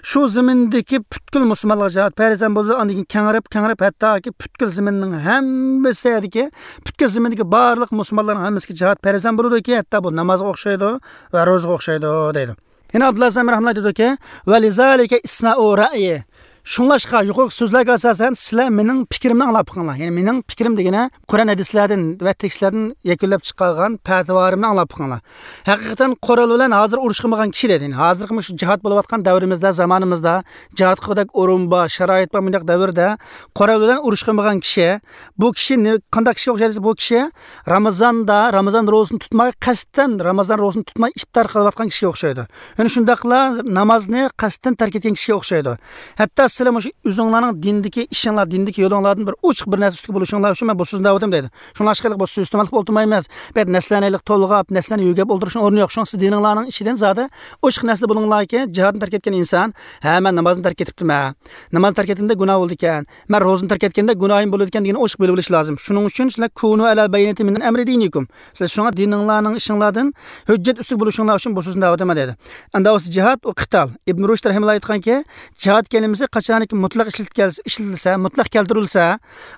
شۇ زېمىندىكى پۈتكۈل مۇسۇلمانلارغا جىھاد پەرز بولىدۇ. ئاندىن كېيىن كېڭىرىپ، كېڭىرىپ، ھەتتاكى پۈتكۈل زېمىننىڭ ھەممىسىدىكى، پۈتكۈل زېمىندىكى بارلىق مۇسۇلمانلارنىڭ ھەممىسىگە جىھاد پەرز بولىدۇكى، ھەتتا بۇ نامازغا ئوخشايدۇ ۋە روزىغا ئوخشايدۇ دەيدۇ. يەنە ئابدۇللا ئەزەم رەھمۇللا دېدىكى، ۋە لىزالىكە ئىسمەئۇ رەئيى. شۇڭلاشقا، يۇقىرىقى سۆزلەرگە ئاساسەن، سىلەر مېنىڭ پىكرىمنى ئاڭلاپ بېقىڭلار. يەنى مېنىڭ پىكرىم دېگىنى قۇرئان ھەدىسلەردىن ۋە تېكىستلەردىن يەكۈنلەپ چىقارغان پەتىۋالىرىمنى ئاڭلاپ بېقىڭلار. ھەقىقەتەن قورال بىلەن ھازىر ئۇرۇش قىلمىغان كىشى دەيدۇ. يەنى ھازىرقى مۇشۇ جىھاد بولۇۋاتقان دەۋرىمىزدە، زامانىمىزدا جىھادقا خۇداك ئورۇن بار، شارائىت بار، مۇنداق دەۋردە قورال بىلەن ئۇرۇش قىلمىغان كىشى، بۇ كىشى نە-، قانداق كىشىگە ئوخشايدۇ دېسە، بۇ كىشى رامىزاندا، رامىزان روزىسىنى تۇتماي، قەستەن رامىزان روزىسىنى تۇتماي ئىپتار قىلىۋاتقان كىشىگە ئوخشايدۇ. يەنى شۇنداقلا نامازنى قەستەن تەرك ئەتكەن كىشىگە ئوخشايدۇ. ھەتتا سىلەر مۇشۇ ئۆزۈڭلارنىڭ دىندىكى ئىشىڭلار، دىندىكى يولۇڭلاردىن بىر ئوچۇق بىر نەرسە ئۈستىگە بولۇشۇڭلار ئۈچۈن مەن بۇ سۆزنى دەۋاتىمەن دەيدۇ. شۇڭلاشقا بۇ سۆز ئىستېمال قىلىپ ئولتۇرمايمىز. بۇ يەردە نەسلەنىلىك تولغاپ، نەسلەنى يۆگەپ ئولتۇرۇشنىڭ ئورنى يوق. شۇڭا سىز دىنىڭلارنىڭ ئىچىدىن زادى ئوچۇق نەرسىدە بولۇڭلاركى، جىھادنى تەرك ئەتكەن ئىنسان، ھە، مەن نامازنى تەرك ئېتىپتىمەن. ناماز تەرك ئەتكەندە گۇناھ بولىدىكەن. مەن روزىنى تەرك ئەتكەندە گۇناھىم بولىدىكەن دېگەننى ئوچۇق بىلىپ ئېلىش لازىم. شۇنىڭ ئۈچۈن سىلەر كۇنۇ ئەلە بەينىتى مىن ئەمرى دىنىكۇم. سىلەر شۇڭا دىنىڭلارنىڭ ئىشىڭلاردىن ھۆججەت ئۈستىگە بولۇشۇڭلار ئۈچۈن بۇ سۆزنى دەۋاتىمەن دەيدۇ. ئەمدى ئۇ جىھاد، ئۇ قىتال. ئىبن رۇشد رەھىمۇللا ئېيتقانكى، جىھاد كەلىمىسى قاچانكى مۇتلەق ئىشلىتىلسە، ئىشلىتىلسە، مۇتلەق كەلتۈرۈلسە،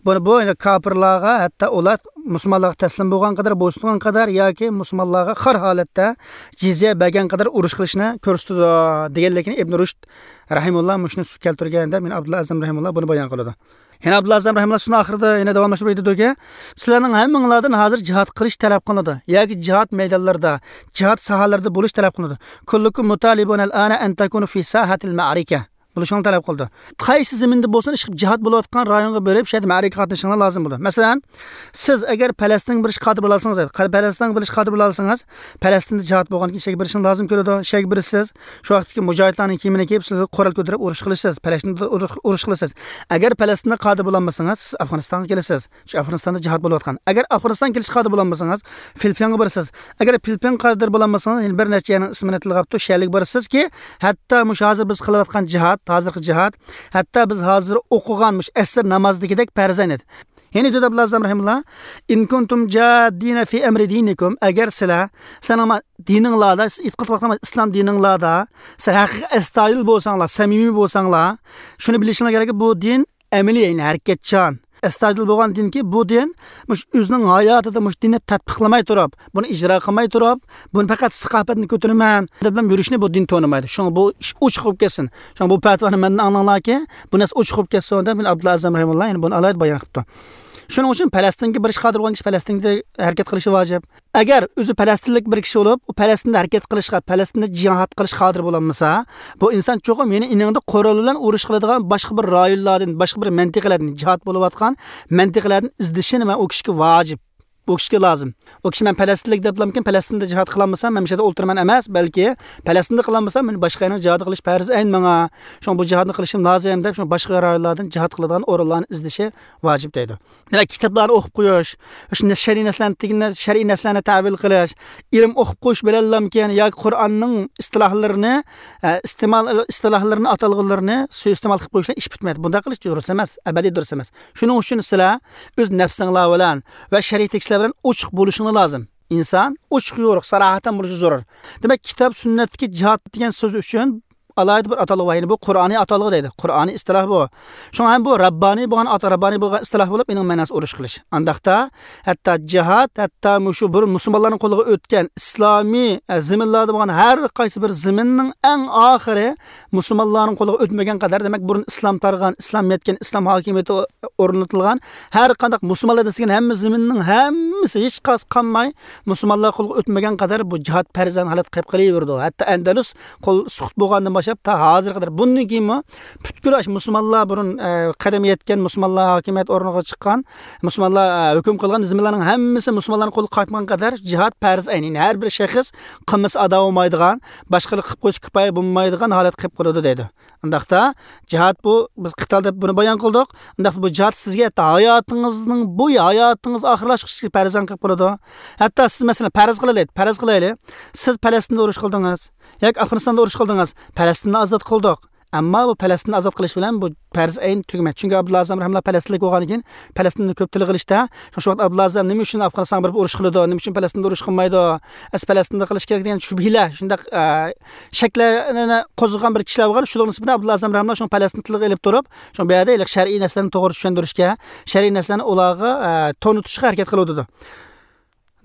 بۇنى بۇ يەنى كاپىرلارغا، ھەتتا ئۇلار مۇسۇلمانلارغا تەسلىم بولغان قەدەر، بويسۇنغان قەدەر ياكى مۇسۇلمانلارغا خار ھالەتتە جىزيە بەرگەن قەدەر ئۇرۇش قىلىشنى كۆرسىتىدۇ، دېگەنلىكىنى ئىبن رۇشد رەھىمۇللا مۇشۇنى كەلتۈرگەندە، مەن ئابدۇللا ئەزەم رەھىمۇللا بۇنى بايان قىلىدۇ. يەنە ئابدۇللا ئەزەم رەھىمۇللا سۆزىنىڭ ئاخىرىدا يەنە داۋاملاشتۇرۇپ ئېيتىدۇكى، سىلەرنىڭ ھەممىڭلاردىن ھازىر جىھاد قىلىش تەلەپ قىلىنىدۇ ياكى جىھاد مەيدانلىرىدا، جىھاد ساھەلىرىدە بولۇش تەلەپ قىلىنىدۇ. كلكم مطالبون الآن أن تكونوا في ساحة المعركة. بولۇشۇڭلارنى تەلەپ قىلىدۇ. قايسى زېمىندا بولسۇن، ئىشقىلىپ جىھاد بولۇۋاتقان رايونغا بېرىپ، شۇ يەردە مەرىكىگە قاتنىشىشىڭلار لازىم بولىدۇ. مەسىلەن، سىز ئەگەر پەلەستىنگە بېرىشقا قادىر بولالىسىڭىز، پەلەستىنگە بېرىشقا قادىر بولالىسىڭىز، پەلەستىندە جىھاد بولغاندىكىن شەگە بېرىشىڭىز لازىم كېلىدۇ. شەگە بېرىسىز، شۇ ۋاقىتتىكى مۇجاھىدلارنىڭ كىيىمىنى كىيىپ، سىز قورال كۆتۈرۈپ ئۇرۇش قىلىسىز، پەلەستىندە ئۇرۇش، ئۇرۇش قىلىسىز. ئەگەر پەلەستىنگە قادىر بولالمىسىڭىز، سىز ئافغانىستانغا كېلىسىز. شۇ ئافغانىستاندا جىھاد بولۇۋاتقان. ئەگەر ئافغانىستان كېلىشكە قادىر بولالمىسىڭىز، فىلىپپىنغا بارىسىز. ئەگەر فىلىپپىنغا قادىر بولالمىسىڭىز، يەنە بىر نەچچە يەرنىڭ ئىسمىنى تىلغاپتۇ، شۇ يەرلەرگە بارىسىزكى، ھەتتا مۇشۇ ھازىر بىز قىلىۋاتقان جىھاد، ھازىرقى جىھاد، ھەتتا بىز ھازىر ئوقۇغان مۇشۇ ئەسىر نامازىدىكىدەك پەرز ئەين ئىدى. يەنە دەيدۇ ئابدۇللا ئەزەم رەھىمۇللا، «إن كنتم جادين في أمر دينكم»، ئەگەر سىلەر، سىلەرنىڭ دىنىڭلاردا، سىز ئېتىقاد قىلىۋاتقان ئىسلام دىنىڭلاردا، سىلەر ھەقىقىي ئەستايىدىل بولساڭلار، سەمىمىي بولساڭلار، شۇنى بىلىشىڭلار كېرەككى، بۇ دىن ئەمەلىي، يەنى ھەرىكەتچان، ئەستايىدىل بولغان دىنكى، بۇ دىن مۇشۇ ئۆزىنىڭ ھاياتىدا مۇشۇ دىننى تەتبىقلىماي تۇرۇپ، بۇنى ئىجرا قىلماي تۇرۇپ، بۇنى پەقەت ساخاۋەتنى كۆتۈرىمەن دەپ يۈرۈشنى بۇ دىن تونۇمايدۇ. شۇڭا بۇ ئىش ئوچۇق بولۇپ كەتسۇن. شۇڭا بۇ پەتىۋانى مەندىن ئاڭلاڭلاركى، بۇ نەرسە ئوچۇق بولۇپ كەتسۇن دەپ، مەن ئابدۇللا ئەزەم رەھىمۇللا يەنە بۇنى ئالاھىدە بايان قىپتۇ. شۇنىڭ ئۈچۈن پەلەستىنگە بېرىشقا قادىر بولغان كىشى پەلەستىنگە ھەرىكەت قىلىشى ۋاجىپ. ئەگەر ئۆزى پەلەستىنلىك بىر كىشى بولۇپ، ئۇ پەلەستىندە ھەرىكەت قىلىشقا، پەلەستىندە جىھاد قىلىشقا قادىر بولالمىسا، بۇ ئىنسان چوقۇم يەنە ئېنىڭدا قورال بىلەن ئۇرۇش قىلىدىغان باشقا بىر رايونلاردىن، باشقا بىر مەنتىقىلەردىن، جىھاد بولۇۋاتقان مەنتىقىلەردىن ئىزدىشىنى مەن ئۇ كىشىگە ۋاجىپ. ئۇ كىشىگە لازىم. ئۇ كىشى مەن پەلەستىنلىك دەپلامكىن، پەلەستىندە جىھاد قىلالمىسام، مەن مۇشۇ يەردە ئولتۇرىمەن ئەمەس، بەلكى پەلەستىندە قىلالمىسام، مەن باشقا يەرنىڭ جىھادى قىلىش پەرز ئەين ماڭا. شۇڭا بۇ جىھادنى قىلىشىم لازىم دەپ، شۇڭا باشقا رايونلاردىن جىھاد قىلىدىغان ئورۇنلارنى ئىزدىشى ۋاجىپ دەيدۇ. دېمەك، كىتابلارنى ئوقۇپ قويۇش، شۇنداق شەرئىي نەرسىلەرنى، شەرئىي نەرسىلەرنى تەۋىل قىلىش، ئىلىم ئوقۇپ قويۇش بىلەنلامكەن ياكى قۇرئاننىڭ ئىستىلاھلىرىنى، ئە، ئىستېمال، ئىستىلاھلىرىنى، ئاتالغۇلىرىنى سۇيىئىستېمال قىلىپ قويۇش بىلەن ئىش پۈتمەيدۇ. بۇنداق قىلىش دۇرۇس ئەمەس، ئەبەدىي دۇرۇس ئەمەس. شۇنىڭ ئۈچۈن سىلەر ئۆز نەپسىڭلار بىلەن ۋە شەرئىي تېكىستلەر بىلەن ئوچۇق بولۇشۇڭلار لازىم. ئىنسان ئوچۇق يورۇق، ساراھەتەن بولۇشى زۆرۈر. دېمەك، كىتاب سۈننەتتىكى جىھاد دېگەن سۆز ئۈچۈن ئالاھىدە بىر ئاتالغۇ بار. يەنى بۇ قۇرئانىي ئاتالغۇ دەيدۇ. قۇرئانىي ئىستىلاھ بۇ. شۇڭا ھەم بۇ رەببانىي بولغان ئات-، رەببانىي بولغان ئىستىلاھ بولۇپ، ئېنىڭ مەناسى ئۇرۇش قىلىش. ئانداقتا ھەتتا جىھاد، ھەتتا مۇشۇ بۇرۇن مۇسۇلمانلارنىڭ قولىغا ئۆتكەن ئىسلامىي، ئە، زېمىنلاردا بولغان ھەر قايسى بىر زېمىننىڭ ئەڭ ئاخىرى مۇسۇلمانلارنىڭ قولىغا ئۆتمىگەن قەدەر، دېمەك، بۇرۇن ئىسلام تارىغان، ئىسلام يەتكەن، ئىسلام ھاكىمىيىتى ئورنىتىلغان ھەر قانداق مۇسۇلمانلار دېسىگەن ھەممە زېمىننىڭ ھەممىسى ھېچ قايسى قالماي مۇسۇلمانلار قولىغا ئۆتمىگەن قەدەر بۇ جىھاد پەرزەن ھالەتتە قېلىپ قېلىۋېرىدۇ. ھەتتا ئەندەلۇس قول سۇقۇت بولغاندىن باشلاپ تا ھازىرغا قەدەر. بۇندىن كېيىنمۇ پۈتكۈل ئاشۇ مۇسۇلمانلار بۇرۇن، ئە، قەدەم يەتكەن، مۇسۇلمانلار ھاكىمىيەت ئورنىغا چىققان، مۇسۇلمانلار، ئە، ھۆكۈم قىلغان زېمىنلارنىڭ ھەممىسى مۇسۇلمانلارنىڭ قولىغا قايتمىغان قەدەر جىھاد پەرز ئەينى. يەنى ھەر بىر شەخس قىلمىسا ئادا بولمايدىغان، باشقىلار قىلىپ قويسا كۇپايە بولمايدىغان ھالەتكە قېلىپ قالىدۇ دەيدۇ. ئۇنداقتا جىھاد بۇ، بىز قىتال دەپ بۇنى بايان قىلدۇق. ئۇنداقتا بۇ جىھاد سىزگە ھەتتا ھاياتىڭىزنىڭ بويى، ھاياتىڭىز ئاخىرلاشقۇچە پەرزەن قىلىپ قالىدۇ. ھەتتا سىز، مەسىلەن، پەرەز قىلايلى، پەرەز قىلايلى، سىز پەلەستىندە ئۇرۇش قىلدىڭىز ياكى ئافغانىستاندا ئۇرۇش قىلدىڭىز، پەلەستىننى ئازاد قىلدۇق. ئەمما بۇ پەلەستىننى ئازاد قىلىش بىلەن بۇ پەرز ئەين تۈگىمەيدۇ. چۈنكى ئابدۇللا ئەزەم رەھىمۇللا پەلەستىنلىك بولغاندىن كېيىن پەلەستىندە كۆپ تىلغا ئېلىشتا، شۇ ۋاقىت ئابدۇللا ئەزەم نېمە ئۈچۈن ئافغانىستانغا بېرىپ ئۇرۇش قىلىدۇ، نېمە ئۈچۈن پەلەستىندە ئۇرۇش قىلمايدۇ، ئەس پەلەستىندە قىلىش كېرەك دېگەن شۈبھىلەر، شۇنداق، ئە، شەكلەرنى قوزغىغان بىر كىشىلەر بولغان. شۇنىڭ نىسبىتىدىن ئابدۇللا ئەزەم رەھىمۇللا شۇ پەلەستىن تىلغا ئېلىپ تۇرۇپ، شۇ بۇ يەردە ھېلىقى شەرئىي نەرسىلەرنى توغرا چۈشەندۈرۈشكە، شەرئىي نەرسىلەرنى ئۇلارغا، ئە، تونۇتۇشقا ھەرىكەت قىلىۋاتىدۇ.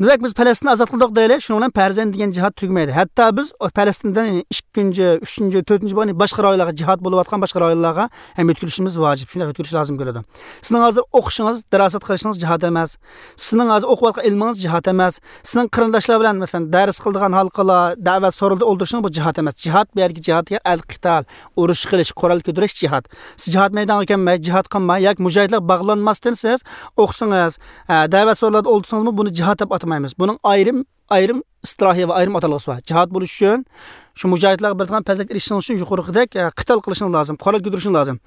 دېمەك، بىز پەلەستىننى ئازاد قىلدۇق دەيلى، شۇنىڭ بىلەن پەرز ئەين دېگەن جىھاد تۈگىمەيدۇ. ھەتتا بىز پەلەستىندىن ئىككىنچى، ئۈچىنچى، تۆتىنچى بولغان باشقا رايونلارغا، جىھاد بولۇۋاتقان باشقا رايونلارغا ھەم يۆتكىلىشىمىز ۋاجىپ. شۇنداق يۆتكىلىش لازىم كېلىدۇ. سىزنىڭ ھازىر ئوقۇشىڭىز، دىراسەت قىلىشىڭىز جىھاد ئەمەس. سىزنىڭ ھازىر ئوقۇۋاتقان ئىلمىڭىز جىھاد ئەمەس. سىزنىڭ قېرىنداشلار بىلەن، مەسىلەن، دەرس قىلىدىغان ھالقىلار، دەۋەت سورۇندا ئولتۇرۇشىڭىز بۇ جىھاد ئەمەس. جىھاد بۇ يەردىكى جىھاد دېگەن ئەل قىتال، ئۇرۇش قىلىش، قورال كۆتۈرۈش جىھاد. سىز جىھاد مەيدانىغا كەلمەي، جىھاد قىلماي ياكى مۇجاھىدلارغا باغلانماستىن سىز ئوقۇسىڭىز، ئە، دەۋەت سورۇنلاردا ئولتۇرسىڭىزمۇ بۇنى جىھاد دەپ ئاتىمايمىز. بۇنىڭ ئايرىم، ئايرىم ئىستىلاھى ۋە ئايرىم ئاتالغۇسى بار. جىھاد بولۇش ئۈچۈن شۇ مۇجاھىدلارغا بېرىدىغان پەزىلەتكە ئېرىشىشىڭىز ئۈچۈن يۇقىرىقىدەك، ئە، قىتال قىلىشىڭىز لازىم، قورال كۆتۈرۈشىڭىز لازىم.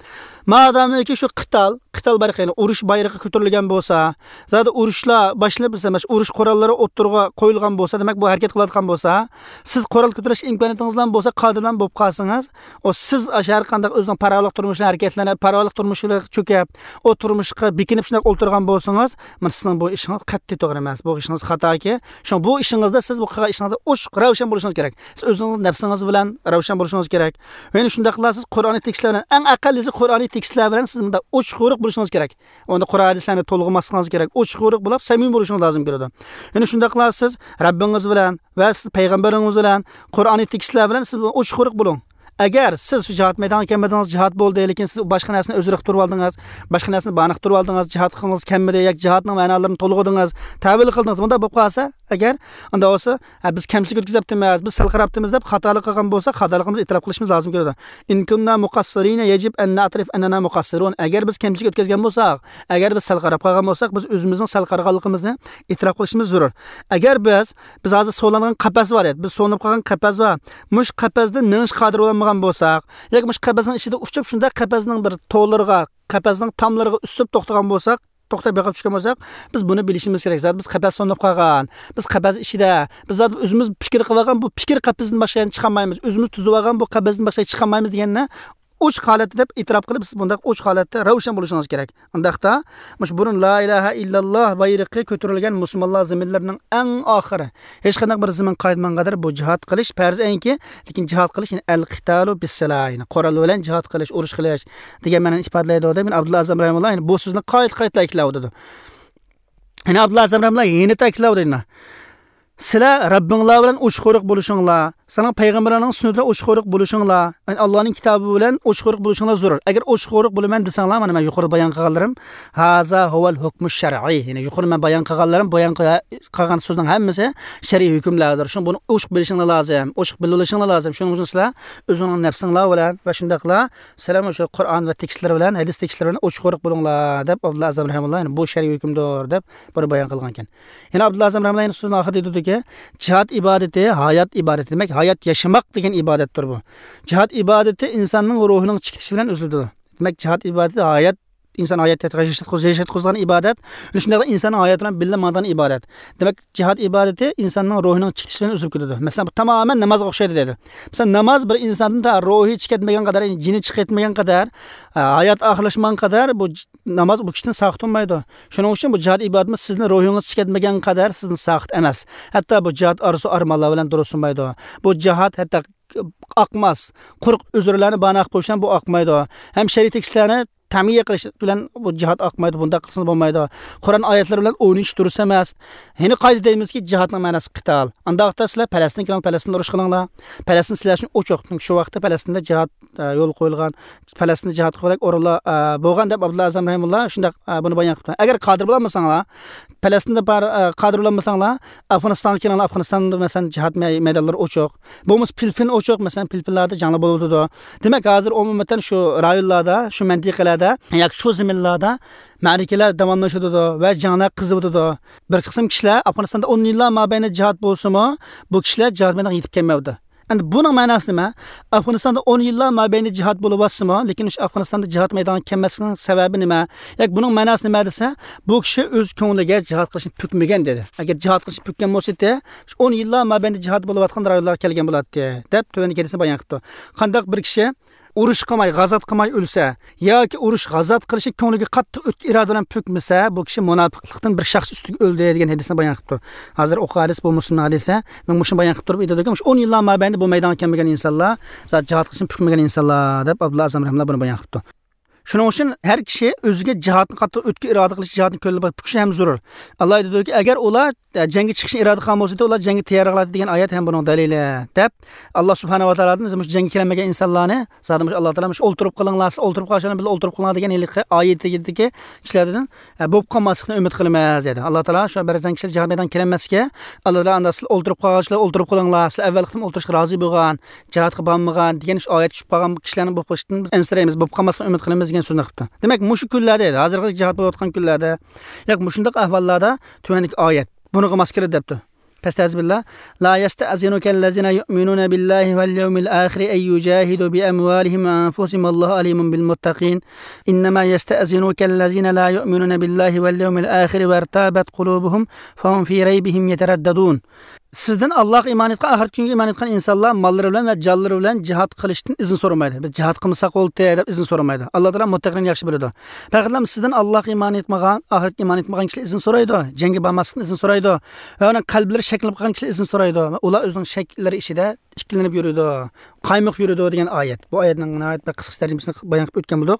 مادامىكى شۇ قىتال، قىتال بارىقى، يەنى ئۇرۇش بايرىقى كۆتۈرۈلگەن بولسا، زادى ئۇرۇشلار باشلىنىپ، مەسىلەن، ئۇرۇش قوراللىرى ئوتتۇرىغا قويۇلغان بولسا، دېمەك، بۇ ھەرىكەت قىلىۋاتقان بولسا، سىز قورال كۆتۈرۈش ئىمكانىيىتىڭىزلا بولسا، قادىرلا بولۇپ قالسىڭىز، ئۇ سىز ئاشۇ ھەر قانداق ئۆزىنىڭ پاراۋانلىق تۇرمۇشىنى ھەرىكەتلىنىپ، پاراۋانلىق تۇرمۇشىغا چۆكۈپ، ئۇ تۇرمۇشقا بېكىنىپ شۇنداق ئولتۇرغان بولسىڭىز، مانا سىزنىڭ بۇ ئىشىڭىز قەتئىي توغرا ئەمەس. بۇ ئىشىڭىز خاتاكى. شۇڭا بۇ ئىشىڭىزدا سىز بۇ قىلغان ئىشىڭىزدا ئوچۇق، راۋشان بولۇشىڭىز كېرەك. سىز ئۆزىڭىز نەپسىڭىز بىلەن راۋشان بولۇشىڭىز كېرەك. يەنە شۇنداقلا سىز قۇرئانىي تېكىستلەر بىلەن، ئەڭ ئەقەللىسى قۇرئانىي تېكىستلەر بىلەن سىز مۇنداق ئوچۇق يورۇق بولۇشىڭىز كېرەك. ئۇندا قۇرئان ھەدىسلەرنى تولغىماسلىقىڭىز كېرەك. ئوچۇق يورۇق بولۇپ، سەمىمىي بولۇشىڭىز لازىم كېلىدۇ. يەنە شۇنداقلا سىز رەببىڭىز بىلەن ۋە سىز پەيغەمبىرىڭىز بىلەن قۇرئانىي تېكىستلەر بىلەن سىز ئوچۇق يورۇق بولۇڭ. ئەگەر سىز شۇ جىھاد مەيدانىغا كەلمىدىڭىز، جىھاد بولدى، لېكىن سىز باشقا نەرسىنى ئۆزرە قىلىپ تۇرۇۋالدىڭىز، باشقا نەرسىنى باھانە قىلىپ تۇرۇۋالدىڭىز، جىھاد قىلغىڭىز كەلمىدى ياكى جىھادنىڭ مەنالىرىنى تولغىدىڭىز، تەۋىل قىلدىڭىز، بۇنداق بولۇپ قالسا، ئەگەر ئۇنداق بولسا، ھە، بىز كەمچىلىك ئۆتكۈزۈپتىمىز، بىز سەل قاراپتىمىز دەپ خاتالىق قىلغان بولسا، خاتالىقىمىزنى ئېتىراپ قىلىشىمىز لازىم كېلىدۇ. إن كنا مقصرين يجب أن نعترف أننا مقصرون. ئەگەر بىز كەمچىلىك ئۆتكۈزگەن بولساق، ئەگەر بىز سەل قاراپ قالغان بولساق، بىز ئۆزىمىزنىڭ سەل قارىغانلىقىمىزنى ئېتىراپ قىلىشىمىز زۆرۈر. ئەگەر بىز، بىز ھازىر سولانغان قەپەس بار ئىدى، بىز سولىنىپ قالغان قەپەس بار. مۇشۇ قەپەستىن مېڭىش قادىر بولالمىغان بولساق، ياكى مۇشۇ قەپەسنىڭ ئىچىدە ئۇچۇپ، شۇنداق قەپەسنىڭ بىر تولىرىغا، قەپەسنىڭ تاملىرىغا ئۈسۈپ توختىغان بولساق، توختاپ بېقىپ چۈشكەن بولساق، بىز بۇنى بىلىشىمىز كېرەك. زادى بىز قەپەس سولىنىپ قالغان، بىز قەپەس ئىچىدە، بىز زادى ئۆزىمىز پىكىر قىلىۋالغان بۇ پىكىر قەپىسىدىن باشقا يەنە چىقالمايمىز. ئۆزىمىز تۈزۈۋالغان بۇ قەپەستىن باشقا چىقالمايمىز دېگەننى ئوچۇق ھالەتتە دەپ ئېتىراپ قىلىپ، سىز بۇنداق ئوچۇق ھالەتتە، رەۋشەن بولۇشىڭىز كېرەك. ئۇنداقتا، مۇشۇ بۇرۇن لا ئىلاھە ئىللاللا بايرىقى كۆتۈرۈلگەن مۇسۇلمانلار زېمىنلىرىنىڭ ئەڭ ئاخىرى، ھېچقانداق بىر زېمىن قالمىغان قەدەر بۇ جىھاد قىلىش پەرز ئەينكى، لېكىن جىھاد قىلىش، يەنى ئەل قىتالۇ بىسسىلا، يەنى قورال بىلەن جىھاد قىلىش، ئۇرۇش قىلىش دېگەن مەنىنى ئىپادىلەيدۇ دەپ، يەنە ئابدۇللا ئەزەم رەھىمۇللا يەنە بۇ سۆزنى قايتا قايتا تەكىتلەۋاتىدۇ. يەنە ئابدۇللا ئەزەم رەھىمۇللا يەنە تەكىتلەۋاتىدۇ. سىلەر رەببىڭلار بىلەن ئوچۇق-قورۇق بولۇشۇڭلار، سىلەر پەيغەمبەرلەرنىڭ سۈننىتىدە ئوچۇق-قورۇق بولۇشۇڭلار، يەنى ئاللانىڭ كىتابى بىلەن ئوچۇق-قورۇق بولۇشۇڭلار زۆرۈر. ئەگەر ئوچۇق-قورۇق بولىمەن دېسەڭلار، مانا مەن يۇقىرىدا بايان قىلغانلىرىم، ھازا ھۇۋەل ھۇكمۇ شەرئىي، يەنى يۇقىرىدا مەن بايان قىلغانلىرىم، بايان قىل-، قىلغان سۆزنىڭ ھەممىسى شەرئىي ھۆكۈملەردۇر. شۇڭا بۇنى ئوچۇق بىلىشىڭلار لازىم، ئوچۇق بىلىۋېلىشىڭلار لازىم. شۇنىڭ ئۈچۈن سىلەر ئۆزۈڭنىڭ نەپسىڭلار بىلەن ۋە شۇنداقلا سىلەر مۇشۇ قۇرئان ۋە تېكىستلىرى بىلەن، ھەدىس تېكىستلىرى بىلەن ئوچۇق-قورۇق بولۇڭلار، دەپ ئابدۇللا ئەزەم رەھىمۇللا، يەنى بۇ شەرئىي ھۆكۈمدۇر، دەپ بۇنى بايان قىلغانىكەن. يەنە ئابدۇللا ئەزەم رەھىمۇللا يەنە سۆزىنىڭ ئاخىرىدا دېدىكى، جىھاد ئىبادىتى ھايات ئىبادىتى، دېمەك، ھايات ياشىماق دېگەن ئىبادەتتۇر بۇ. جىھاد ئىبادىتى ئىنساننىڭ روھىنىڭ چىقىشى بىلەن ئۈزۈلىدۇ. دېمەك، جىھاد ئىبادىتى ھايات، ئىنسان ھايات ياشاتقۇزغان ئىبادەت، شۇنداقلا ئىنساننىڭ ھاياتى بىلەن بىللە ماڭىدىغان ئىبادەت. دېمەك، جىھاد ئىبادىتى ئىنساننىڭ روھىنىڭ چىقىشى بىلەن ئۈزۈلۈپ كېتىدۇ. مەسىلەن، بۇ تامامەن نامازغا ئوخشايدۇ دەيدۇ. مىسال، ناماز بىر ئىنساندىن تا روھى چىقىپ كەتمىگەن قەدەر، يەنى جېنى چىقىپ كەتمىگەن قەدەر، ھايات ئاخىرلاشمىغان قەدەر بۇ ج-، ناماز بۇ كىشىدىن ساقىت بولمايدۇ. شۇنىڭ ئۈچۈن بۇ جىھاد ئىبادىتىمۇ سىزنىڭ روھىڭىز چىقىپ كەتمىگەن قەدەر سىزدىن ساقىت ئەمەس. ھەتتا بۇ جىھاد ئارزۇ ئارمانلار بىلەن دۇرۇسلىمايدۇ. بۇ جىھاد ھەتتا ئاقماس، قۇرۇق ئۆزرىلەرنى باھانە قىلىپ قويۇش بىلەن بۇ ئاقمايدۇ. ھەم شەرئىي تېكىستلەرنى تەمىيە قىلىش بىلەن بۇ جىھاد ئاقمايدۇ، بۇنداق قىلسىڭىز بولمايدۇ. قۇرئان ئايەتلىرى بىلەن ئوينىشىش دۇرۇس ئەمەس. يەنە قايتا دەيمىزكى، جىھادنىڭ مەناسى قىتال. ئانداقتا سىلەر پەلەستىنگە كېلىڭلار، پەلەستىندا ئۇرۇش قىلىڭلار. پەلەستىن سىلەر ئۈچۈن ئوچۇق. چۈنكى شۇ ۋاقىتتا پەلەستىندە جىھاد، ئە، يولغا قويۇلغان، پەلەستىندە جىھاد قىلغۇدەك ئورۇنلار، ئە، بولغان دەپ ئابدۇللا ئەزەم رەھىمۇللا شۇنداق، ئە، بۇنى بايان قىپتۇ. ئەگەر قادىر بولالمىساڭلار، پەلەستىندە بار، ئە، قادىر بولالمىساڭلار، ئافغانىستانغا كېلىڭلار، ئافغانىستاندا مەسىلەن جىھاد مەي-، مەيدانلىرى ئوچۇق. بولمىسا فىلىپپىن ئوچۇق، مەسىلەن، فىلىپپىنلاردا جەڭلەر بولۇۋاتىدۇ. دېمەك، ھازىر ئومۇمەن شۇ رايونلاردا، شۇ مەنتىقىلەردە ياكى شۇ زېمىنلاردا مەرىكىلەر داۋاملىشىۋاتىدۇ ۋە جەڭلەر قىزىۋاتىدۇ. بىر قىسىم كىشىلەر ئافغانىستاندا ئون يىللار مابەينىدە جىھاد بولسىمۇ، بۇ كىشىلەر جىھاد مەيدانىغا يېتىپ كەلمەيۋاتىدۇ. ئەمدى بۇنىڭ مەناسى نېمە؟ ئافغانىستاندا ئون يىللار مابەينىدە جىھاد بولۇۋاتسىمۇ، لېكىن شۇ ئافغانىستاندا جىھاد مەيدانىغا كەلمەسلىكىنىڭ سەۋەبى نېمە؟ ياكى بۇنىڭ مەناسى نېمە دېسە، بۇ كىشى ئۆز كۆڭلىگە جىھاد قىلىشنى پۈكمىگەن دېدى. ئەگەر جىھاد قىلىشنى پۈككەن بولسا ئىدى، شۇ ئون يىللار مابەينىدە جىھاد بولۇۋاتقان رايونلارغا كەلگەن بولاتتى، دەپ تۆۋەندىكى ھەدىسنى بايان قىپتۇ. قانداق بىر كىشى ئۇرۇش قىلماي، غازات قىلماي ئۆلسە ياكى ئۇرۇش، غازات قىلىشنى كۆڭلىگە قاتتىق ئۆتكە ئىرادە بىلەن پۈكمىسە، بۇ كىشى مۇناپىقلىقتىن بىر شەخس ئۈستىگە ئۆلدى دېگەن ھەدىسنى بايان قىپتۇ. ھازىر ئوقۇغان ھەدىس بۇ مۇسلىمنىڭ ھەدىسى. مەن مۇشۇنى بايان قىلىپ تۇرۇپ ئېيتىدۇكى، مۇشۇ ئون يىللار مابەينىدە بۇ مەيدانغا كەلمىگەن ئىنسانلار، زادى جىھاد قىلىشنى پۈكمىگەن ئىنسانلار، دەپ ئابدۇللا ئەزەم رەھىمۇللا بۇنى بايان قىپتۇ. شۇنىڭ ئۈچۈن ھەر كىشى ئۆزىگە جىھادنى قاتتىق ئۆتكە ئىرادە قىلىش، جىھادنى كۆڭلىدە بار پۈكۈشى ھەم زۆرۈر. ئاللا ئېيتىدۇكى، ئەگەر ئۇلار، ئە، جەڭگە چىقىشنى ئىرادە قىلغان بولسا ئىدى، ئۇلار جەڭگە تەييارلىق قىلاتتى دېگەن ئايەت ھەم بۇنىڭ دەلىلى، دەپ، ئاللا سۇبھانەھۇ ۋە تائالادىن مۇشۇ جەڭگە كېلەلمىگەن ئىنسانلارنى زادى مۇشۇ ئاللا تائالا مۇشۇ ئولتۇرۇپ قېلىڭلار، سىز ئولتۇرۇپ قالغان بىلەن بىللە ئولتۇرۇپ قېلىڭلار دېگەن ھېلىقى ئايىتىدىكى كىشىلەردىن، ئە، بولۇپ قالماسلىقنى ئۈمىد قىلىمىز، دېدى. ئاللا تائالا شۇ بەزەن كىشىلەر جىھاد مەيدانىغا كېلەلمەسكە، ئاللا تائالا ئاندا سىلەر ئولتۇرۇپ قالغانچىلار ئولتۇرۇپ قېلىڭلار، سىلەر ئەۋۋەل قېتىم ئولتۇرۇشقا رازى بولغان، جىھادقا بارمىغان دېگەن شۇ ئايەت چۈشۈپ قالغان كىشىلەرنىڭ بولۇپ قېلىشىدىن ئەنسىرەيمىز، بولۇپ قالماسلىقنى ئۈمىد قىلىمىز دېگەن سۆزنى قىپتۇ. دېمەك، مۇشۇ كۈنلەردە، ھازىرقى جىھاد بولۇۋاتقان كۈنلەردە، ياكى مۇشۇنداق ئەھۋاللاردا تۆۋەندىكى ئايەت بۇنىڭغا ماس كېلىدۇ دەپتۇ. پەستەئىزبىللا. لا يستأذنك الذين يؤمنون بالله واليوم الآخر أن يجاهدوا بأموالهم وأنفسهم والله عليم بالمتقين. إنما يستأذنك الذين لا يؤمنون بالله واليوم الآخر وارتابت قلوبهم فهم في ريبهم يترددون. سىزدىن ئاللاغا ئىمان ئېيتقان، ئاخىرەتكى كۈنگە ئىمان ئېيتقان ئىنسانلار ماللىرى بىلەن ۋە جانلىرى بىلەن جىھاد قىلىشتىن ئىزىن سورىمايدۇ. بىز جىھاد قىلمىساق بولدى دەپ ئىزىن سورىمايدۇ. ئاللا تائالا مۇتتەقىنى ياخشى بىلىدۇ. پەقەتلا سىزدىن ئاللاغا ئىمان ئېيتمىغان، ئاخىرەتكە ئىمان ئېيتمىغان كىشىلەر ئىزىن سورايدۇ. جەڭگە بارماسلىقنى ئىزىن سورايدۇ. ۋە ئۇنىڭ قەلبلىرى شەكلىنىپ قالغان كىشىلەر ئىزىن سورايدۇ. ۋە ئۇلار ئۆزىنىڭ شەكلىرى ئىچىدە ئىككىلىنىپ يۈرىدۇ، قايمۇق يۈرىدۇ دېگەن ئايەت. بۇ ئايەتنىڭ ناھايىتى بىر قىسقىچە تەرجىمىسىنى بايان قىلىپ ئۆتكەن بولدۇق.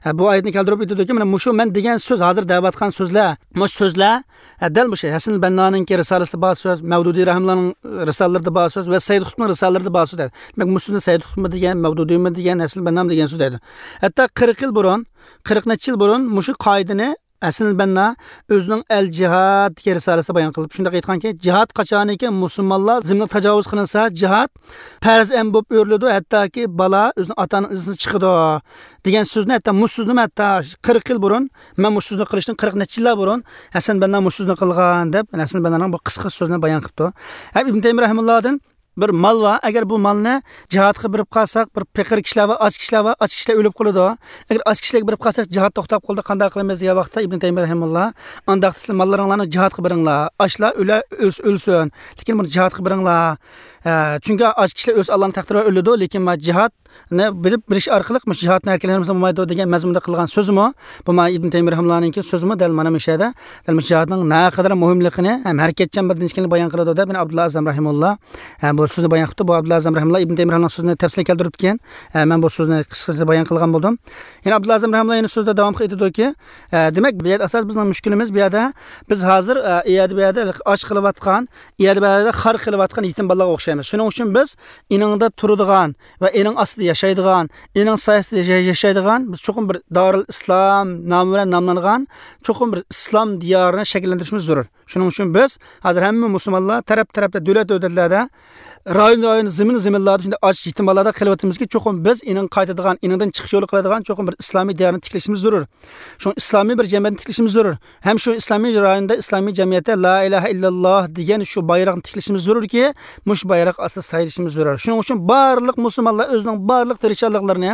ھە، بۇ ئايەتنى كەلتۈرۈپ ئېيتىدۇكى، مانا مۇشۇ مەن دېگەن سۆز، ھازىر دەۋاتقان سۆزلەر، مۇشۇ سۆزلەر، ھە، دەل مۇشۇ ھەسەن بەننانىڭكى رىسالىسىدە بار سۆز، مەۋدۇدى رەھىمۇللانىڭ رىسالىلىرىدە بار سۆز ۋە سەيد قۇتۇبنىڭ رىسالىلىرىدە بار سۆز دەيدۇ. دېمەك، مۇشۇنى سەيد قۇتۇبمۇ دېگەن، مەۋدۇدىمۇ دېگەن، ھەسەن بەننامۇ دېگەن سۆز دەيدۇ. ھەتتا قىرىق يىل بۇرۇن، قىرىق نەچچە يىل بۇرۇن مۇشۇ قائىدىنى ھەسەن بەننا ئۆزىنىڭ ئەل جىھاد دېگەن رىسالىسىدە بايان قىلىپ، شۇنداق ئېيتقانكى، جىھاد قاچانىكى مۇسۇلمانلار زېمىنىغا تاجاۋۇز قىلىنسا، جىھاد پەرز ئەم بولۇپ ئۆرۈلىدۇ، ھەتتاكى بالا ئۆزىنىڭ ئاتا ئانىنىڭ ئىزىنى چىقىدۇ دېگەن سۆزنى، ھەتتا مۇشۇ سۆزنىمۇ ھەتتا قىرىق يىل بۇرۇن، مەن مۇشۇ سۆزنى قىلىشتىن قىرىق نەچچە يىللار بۇرۇن ھەسەن بەننا مۇشۇ سۆزنى قىلغان دەپ، ھەسەن بەننانىڭ بۇ قىسقا سۆزىنى بايان قىپتۇ. ھەم ئىبن تەيمىيە رەھىمۇللادىن بىر مال بار. ئەگەر بۇ مالنى جىھادقا بېرىپ قالساق، بىر پېقىر كىشىلەر بار، ئاچ كىشىلەر بار، ئاچ كىشىلەر ئۆلۈپ قالىدۇ. ئەگەر ئاچ كىشىلەرگە بېرىپ قالساق، جىھاد توختاپ قالىدۇ، قانداق قىلىمىز دېگەن ۋاقىتتا ئىبن تەيمىيە رەھىمۇللا، ئانداقتا سىلەر ماللىرىڭلارنى جىھادقا بېرىڭلار. ئاچلار ئۆلە-، ئۆلسە ئۆلسۇن، لېكىن بۇنى جىھادقا بېرىڭلار. ئە، چۈنكى ئاچ كىشىلەر ئۆز ئاللانىڭ تەقدىرى بىلەن ئۆلىدۇ، لېكىن ما جىھادنى بىلىپ بىلىش ئارقىلىق مۇشۇ جىھادنىڭ ھەرىكەتلىرىمىز بولمايدۇ دېگەن مەزمۇندا قىلغان سۆزىمۇ، بۇ ما ئىبن تەيمىيە رەھىمۇللانىڭكى سۆزىمۇ دەل مانا مۇشۇ يەردە، دەل مۇشۇ جىھادنىڭ نەقەدەر مۇھىملىقىنى ھەم ھەرىكەتچان بىر دىن ئىكەنلىكىنى بايان قىلىدۇ دەپ، يەنە ئابدۇللا ئەزەم رەھىمۇللا، ئە، بۇ سۆزنى بايان قىپتۇ. بۇ ئابدۇللا ئەزەم رەھىمۇللا ئىبن تەيمىيە رەھىمۇللانىڭ سۆزىنى تەپسىلىي كەلتۈرۈپتىكەن. ئە، مەن بۇ سۆزنى قىسقىچە بايان قىلغان بولدۇم. يەنە ئابدۇللا ئەزەم رەھىمۇللا يەنە سۆزىدە داۋام قىلىپ ئېيتىدۇكى، ئە، دېمەك، بۇ يەردە ئاساس بىزنىڭ مۇشكىلىمىز بۇ يەردە، بىز ھازىر، ئە، ئۇ يەردە بۇ يەردە ئاچ قېلىۋاتقان، ئۇ يەردە بۇ يەردە خار قېلىۋاتقان يېتىم بالىلارغا ئوخشايمىز. شۇنىڭ ئۈچۈن بىز ئېنىڭدا تۇرىدىغان ۋە ئېنىڭ ئاستىدا ياشايدىغان، ئېنىڭ سايىسىدا ياشاي-، ياشايدىغان، بىز چوقۇم بىر دارىل ئىسلام نامى بىلەن ناملانغان چوقۇم بىر ئىسلام دىيارىنى شەكىللەندۈرۈشىمىز زۆرۈر. شۇنىڭ ئۈچۈن بىز ھازىر ھەممە مۇسۇلمانلار تەرەپ-تەرەپتە، دۆلەت-دۆلەتلەردە، رايون-رايون، زېمىن-زېمىنلاردا شۇنداق ئاچ يېتىم بالىلاردا قېلىۋاتىمىزكى، چوقۇم بىز ئېنىڭ قايتىدىغان، ئېنىڭدىن چىقىش يولى قىلىدىغان چوقۇم بىر ئىسلامىي دىيارنى تىكلىشىمىز زۆرۈر. شۇڭا ئىسلامىي بىر جەمئىيەتنى تىكلىشىمىز زۆرۈر. ھەم شۇ ئىسلامىي رايوندا ئىسلامىي جەمئىيەتتە لا ئىلاھە ئىللاللا دېگەن شۇ بايراقنى تىكلىشىمىز زۆرۈركى، مۇشۇ بايراق ئاستىدا سايلىشىمىز زۆرۈر. شۇنىڭ ئۈچۈن بارلىق مۇسۇلمانلار ئۆزىنىڭ بارلىق تىرىشچانلىقلىرىنى،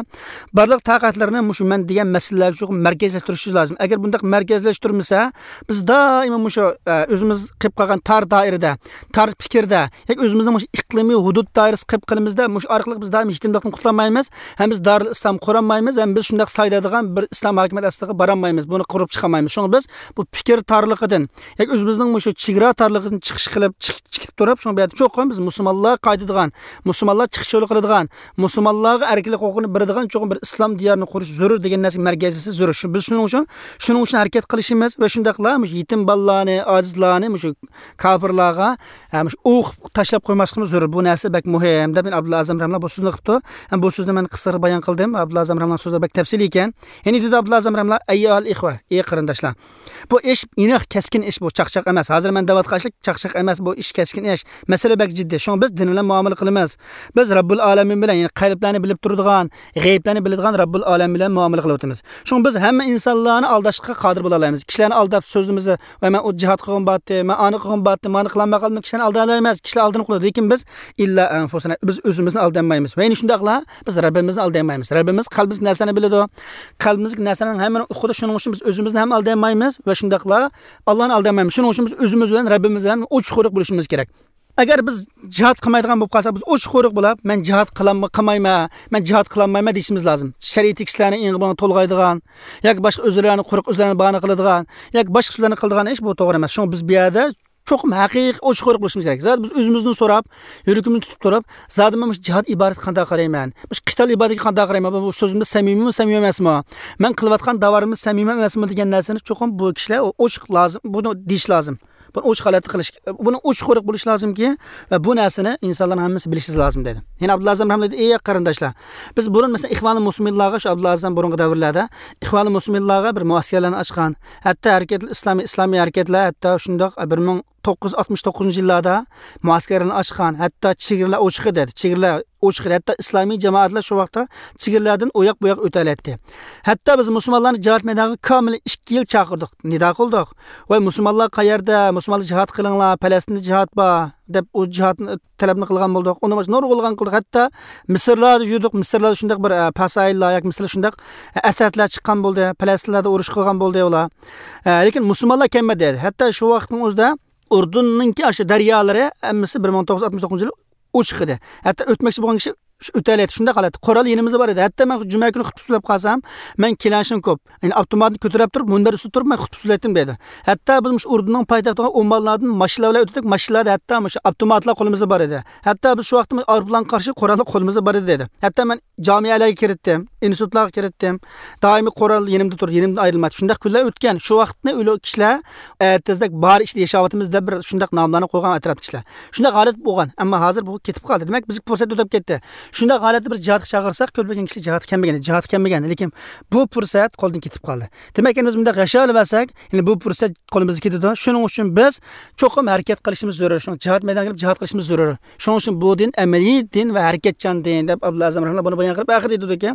بارلىق تاقەتلىرىنى مۇشۇ مەن دېگەن مەسىلىلەرگە چوقۇم مەركەزلەشتۈرۈشى لازىم. ئەگەر بۇنداق مەركەزلەشتۈرمىسە، بىز دائىم مۇشۇ، ئە، ئۆزىمىز قېلىپ قالغان تار دائىرىدە، تار پىكىردە، ياكى ئۆزىمىزنىڭ مۇشۇ ئىقلىمىي ھۇدۇد دائىرىسى قېلىپ قېلىمىزدا، مۇشۇ ئارقىلىق بىز دائىم يېتىملىكتىن قۇتۇلالمايمىز، ھەم بىز دارىل ئىسلام قۇرالمايمىز، ھەم بىز شۇنداق سايلايدىغان بىر ئىسلام ھاكىمىيەت ئاستىغا بارالمايمىز، بۇنى قۇرۇپ چىقالمايمىز. شۇڭا بىز بۇ پىكىر تارلىقىدىن، ياكى ئۆزىمىزنىڭ مۇشۇ چېگرا تارلىقىدىن چىقىش قىلىپ، چىق-، چىقىپ تۇرۇپ، شۇڭا بۇ يەردە چوقۇم بىز مۇسۇلمانلار قايتىدىغان، مۇسۇلمانلار چىقىش يولى قىلىدىغان، مۇسۇلمانلارغا ئەركىنلىك ھوقۇقىنى بېرىدىغان چوقۇم بىر ئىسلام دىيارىنى قۇرۇش زۆرۈر دېگەن نەرسىگە مەركەزلىشىش زۆرۈر. شۇ، بىز شۇنىڭ ئۈچۈن، شۇنىڭ ئۈچۈن ھەرىكەت قىلىشىمىز ۋە شۇنداقلا مۇشۇ يېتىم بالىلارنى، ئاجىزلارنى مۇشۇ كاپىرلارغا، ھە، مۇشۇ ئوقۇپ تاشلاپ قويماسلىقىمىز زۆرۈر. بۇ نەرسە بەك مۇھىم دەپ مەن ئابدۇللا ئەزەم رەھمۇللا بۇ سۆزنى قىپتۇ. ھەم بۇ سۆزنى مەن قىسقىچە بايان قىلدىم. ئابدۇللا ئەزەم رەھمۇللانىڭ سۆزلىرى بەك تەپسىلىي ئىكەن. يەنە دېدى ئابدۇللا ئەزەم رەھمۇللا، ئەييۇھەل ئىخۋە، ئەي قېرىنداشلار. بۇ ئىش ئېنىق، كەسكىن ئىش، بۇ چاقچاق ئەمەس. ھازىر مەن دەۋاتقان ئىشلار چاقچاق ئەمەس، بۇ ئىش كەسكىن ئىش. مەسىلە بەك جىددىي. شۇڭا بىز دىن بىلەن مۇئامىلە قىلىمىز. بىز رەببۇل ئالەمىن بىلەن، يەنى قەلبلەرنى بىلىپ تۇرىدىغان، غەيىبلەرنى بىلىدىغان رەببۇل ئالەمىن بىلەن مۇئامىلە قىلىۋاتىمىز. شۇڭا بىز ھەممە ئىنسانلارنى ئالداشقا قادىر بولالايمىز. كىشىلەرنى ئالداپ سۆزلىمىسە، ۋە مەن ئۇ جىھاد قىلغۇم بارتتى، مەن ئانى قىلغۇم بارتتى، مانى قىلالماي قالدىم، كىشىلەرنى ئالدايالايمىز. كىشىلەر ئالدىنىپ قالىدۇ. لېكىن بىز ئىللا ئەنفۇسىنا، بىز ئۆزىمىزنى ئالدايالمايمىز. ۋە يەنە شۇنداقلا بىز رەببىمىزنى ئالدايالمايمىز. رەببىمىز قەلبىمىزدىكى نەرسىلەرنى بىلىدۇ. قەلبىمىزدىكى نەرسىلەرنىڭ ھەممىنى ئۇقىدۇ. شۇنىڭ ئۈچۈن بىز ئۆزىمىزنى ھەم ئالدايالمايمىز ۋە شۇنداقلا ئاللانى ئالدايالمايمىز. شۇنىڭ ئۈچۈن بىز ئۆزىمىز بىلەن رەببىمىز بىلەن ئوچۇق-قورۇق بولۇشىمىز كېرەك. ئەگەر بىز جىھاد قىلمايدىغان بولۇپ قالساق، بىز ئوچۇق-قورۇق بولاپ، مەن جىھاد قىلالم-، قىلمايمەن، مەن جىھاد قىلالمايمەن دېيىشىمىز لازىم. شەرىئىتىدىكى كىشىلەرنى ئېڭىغا تولغايدىغان ياكى باشقا ئۆزلىرىنى قۇرۇق ئۆزلىرىنى باھانە قىلىدىغان ياكى باشقا سۆزلەرنى قىلىدىغان ئىش، بۇ توغرا ئەمەس. شۇڭا بىز بۇ يەردە چوقۇم ھەقىقىي ئوچۇق-قورۇق بولۇشىمىز كېرەك. زادى بىز ئۆزىمىزدىن سوراپ، يۈرىكىمىزنى تۇتۇپ تۇرۇپ، زادى مەن مۇشۇ جىھاد ئىبادىتىگە قانداق قارايمەن؟ مۇشۇ قىتال ئىبادىتىگە قانداق قارايمەن؟ بۇ سۆزۈمدە سەمىمىيمۇ، سەمىمىي ئەمەسمۇ؟ مەن قىلىۋاتقان داۋامىمىز سەمىمىي ئەمەسمۇ دېگەن نەرسىنى چوقۇم بۇ كىشىلەر ئوچۇق لازىم، بۇنى دېيىش لازىم. بۇنى ئوچۇق ھالەتتە قىلىش، بۇنى ئوچۇق-قورۇق بولۇش لازىمكى، ۋە بۇ نەرسىنى ئىنسانلارنىڭ ھەممىسى بىلىشى لازىم دېدى. يەنە ئابدۇللا ئەزەم رەھمەتلىك، ئەي قېرىنداشلار، بىز بۇرۇن، مەسىلەن، ئىخۋانۇل مۇسلىمىنلارغا، شۇ ئئابدۇللا ئەزەم بۇرۇنقى دەۋرلەردە ئىخۋانۇل مۇسلىمىنلارغا بىر مۇئەسكەرلەرنى ئاچقان، ھەتتا ھەرىكەتۇل ئىسلامىي، ئىسلامىي ھەرىكەتلەر ھەتتا شۇنداق بىر مىڭ توققۇز يۈز ئاتمىش توققۇزىنچى يىللاردا مۇئەسكەرلەرنى ئاچقان، ھەتتا چېگرىلەر ئوچۇق ئىدى، چېگرىلەر ئوچۇق ئىدى. ھەتتا ئىسلامىي جامائەتلەر شۇ ۋاقىتتا چېگرىلەردىن ئۇ ياق بۇ ياق ئۆتەلەيتتى. ھەتتا بىز مۇسۇلمانلارنى جىھاد مەيدانىغا كامىل ئىككى يىل چاقىردۇق، نىدا قىلدۇق. ۋاي مۇسۇلمانلار قەيەردە؟ مۇسۇلمانلار جىھاد قىلىڭلار، پەلەستىندە جىھاد بار، دەپ ئۇ جىھادنى تەلەپنى قىلغان بولدۇق. ئۇنى نۇرغۇنلىغان قىلدۇق. ھەتتا مىسىرلاردا يۈردۇق، مىسىرلاردا شۇنداق بىر، ئە، پاسايىللار ياكى مىسىرلار شۇنداق، ئە، ئەترەتلەر چىققان بولدى، پەلەستىنلەردە ئۇرۇش قىلغان بولدى ئۇلار. ئە، لېكىن مۇسۇلمانلار كەلمىدى. ھەتتا شۇ ۋاقىتنىڭ ئۆزىدە ئۇردۇننىڭكى ئاشۇ دەريالىرى ھەممىسى بىر مىڭ توققۇز يۈز ئاتمىش توققۇزىنچى يىلى ئوچۇق ئىدى. ھەتتا ئۆتمەكچى بولغان كىشى ئۆتەلەيتتى. شۇنداق ھالەتتە قورال يېنىمىزدا بار ئىدى. ھەتتا مەن جۈمە كۈنى خۇتبە سۆزلەپ قالسام، مەن كلاشنكوف، يەنى ئاپتوماتنى كۆتۈرۈپ تۇرۇپ، مۇنبەر ئۈستىدە تۇرۇپ مەن خۇتبە سۆزلەيتتىم دەيدۇ. ھەتتا بىز مۇشۇ ئۇردۇننىڭ پايتەختىگە ئوممانلاردىن ماشىنىلار بىلەن ئۆتتۇق، ماشىنىلاردا ھەتتا مۇشۇ ئاپتوماتلار قولىمىزدا بار ئىدى. ھەتتا بىز شۇ ۋاقىتتا ئايروپىلانغا قارشى قوراللار قولىمىزدا بار ئىدى دەيدۇ. ھەتتا مەن جامىئەلەرگە كىرىتتىم، ئىنستىتۇتلارغا كىرىتتىم. دائىمىي قورال يېنىمدا تۇرىدۇ، يېنىمدىن ئايرىلمايتتى. شۇنداق كۈنلەر ئۆتكەن. شۇ ۋاقىتنى ئۆلە كىشىلەر ئەتىزدەك بار ئىچىدە ياشاۋاتىمىز دەپ بىر شۇنداق ناملارنى قويغان ئەتراپتىكىلەر. شۇنداق ھالەت بولغان. ئەمما ھازىر بۇ كېتىپ قالدى. دېمەك، بىزگە پۇرسەت ئۆتۈپ كەتتى. شۇنداق ھالەتتە بىز جىھادقا چاقىرساق، كۆپلىگەن كىشى جىھادقا كەلمىگەن، جىھادقا كەلمىگەن. لېكىن بۇ پۇرسەت قولدىن كېتىپ قالدى. دېمەك، ئەمدى بىز مۇنداق ياشاۋەرسەك، يەنە بۇ پۇرسەت قولىمىزدىن كېتىدۇ. شۇنىڭ ئۈچۈن بىز چوقۇم ھەرىكەت قىلىشىمىز زۆرۈر. شۇڭا جىھاد مەيدانىغا كېلىپ جىھاد قىلىشىمىز زۆرۈر. شۇنىڭ ئۈچۈن بۇ دىن ئەمەلىي دىن ۋە ھەرىكەتچان دىن، دەپ ئابدۇللا ئەزەم رەھىمۇللا بۇنى بايان قىلىپ، ئاخىرىدا ئېيتىدۇكى،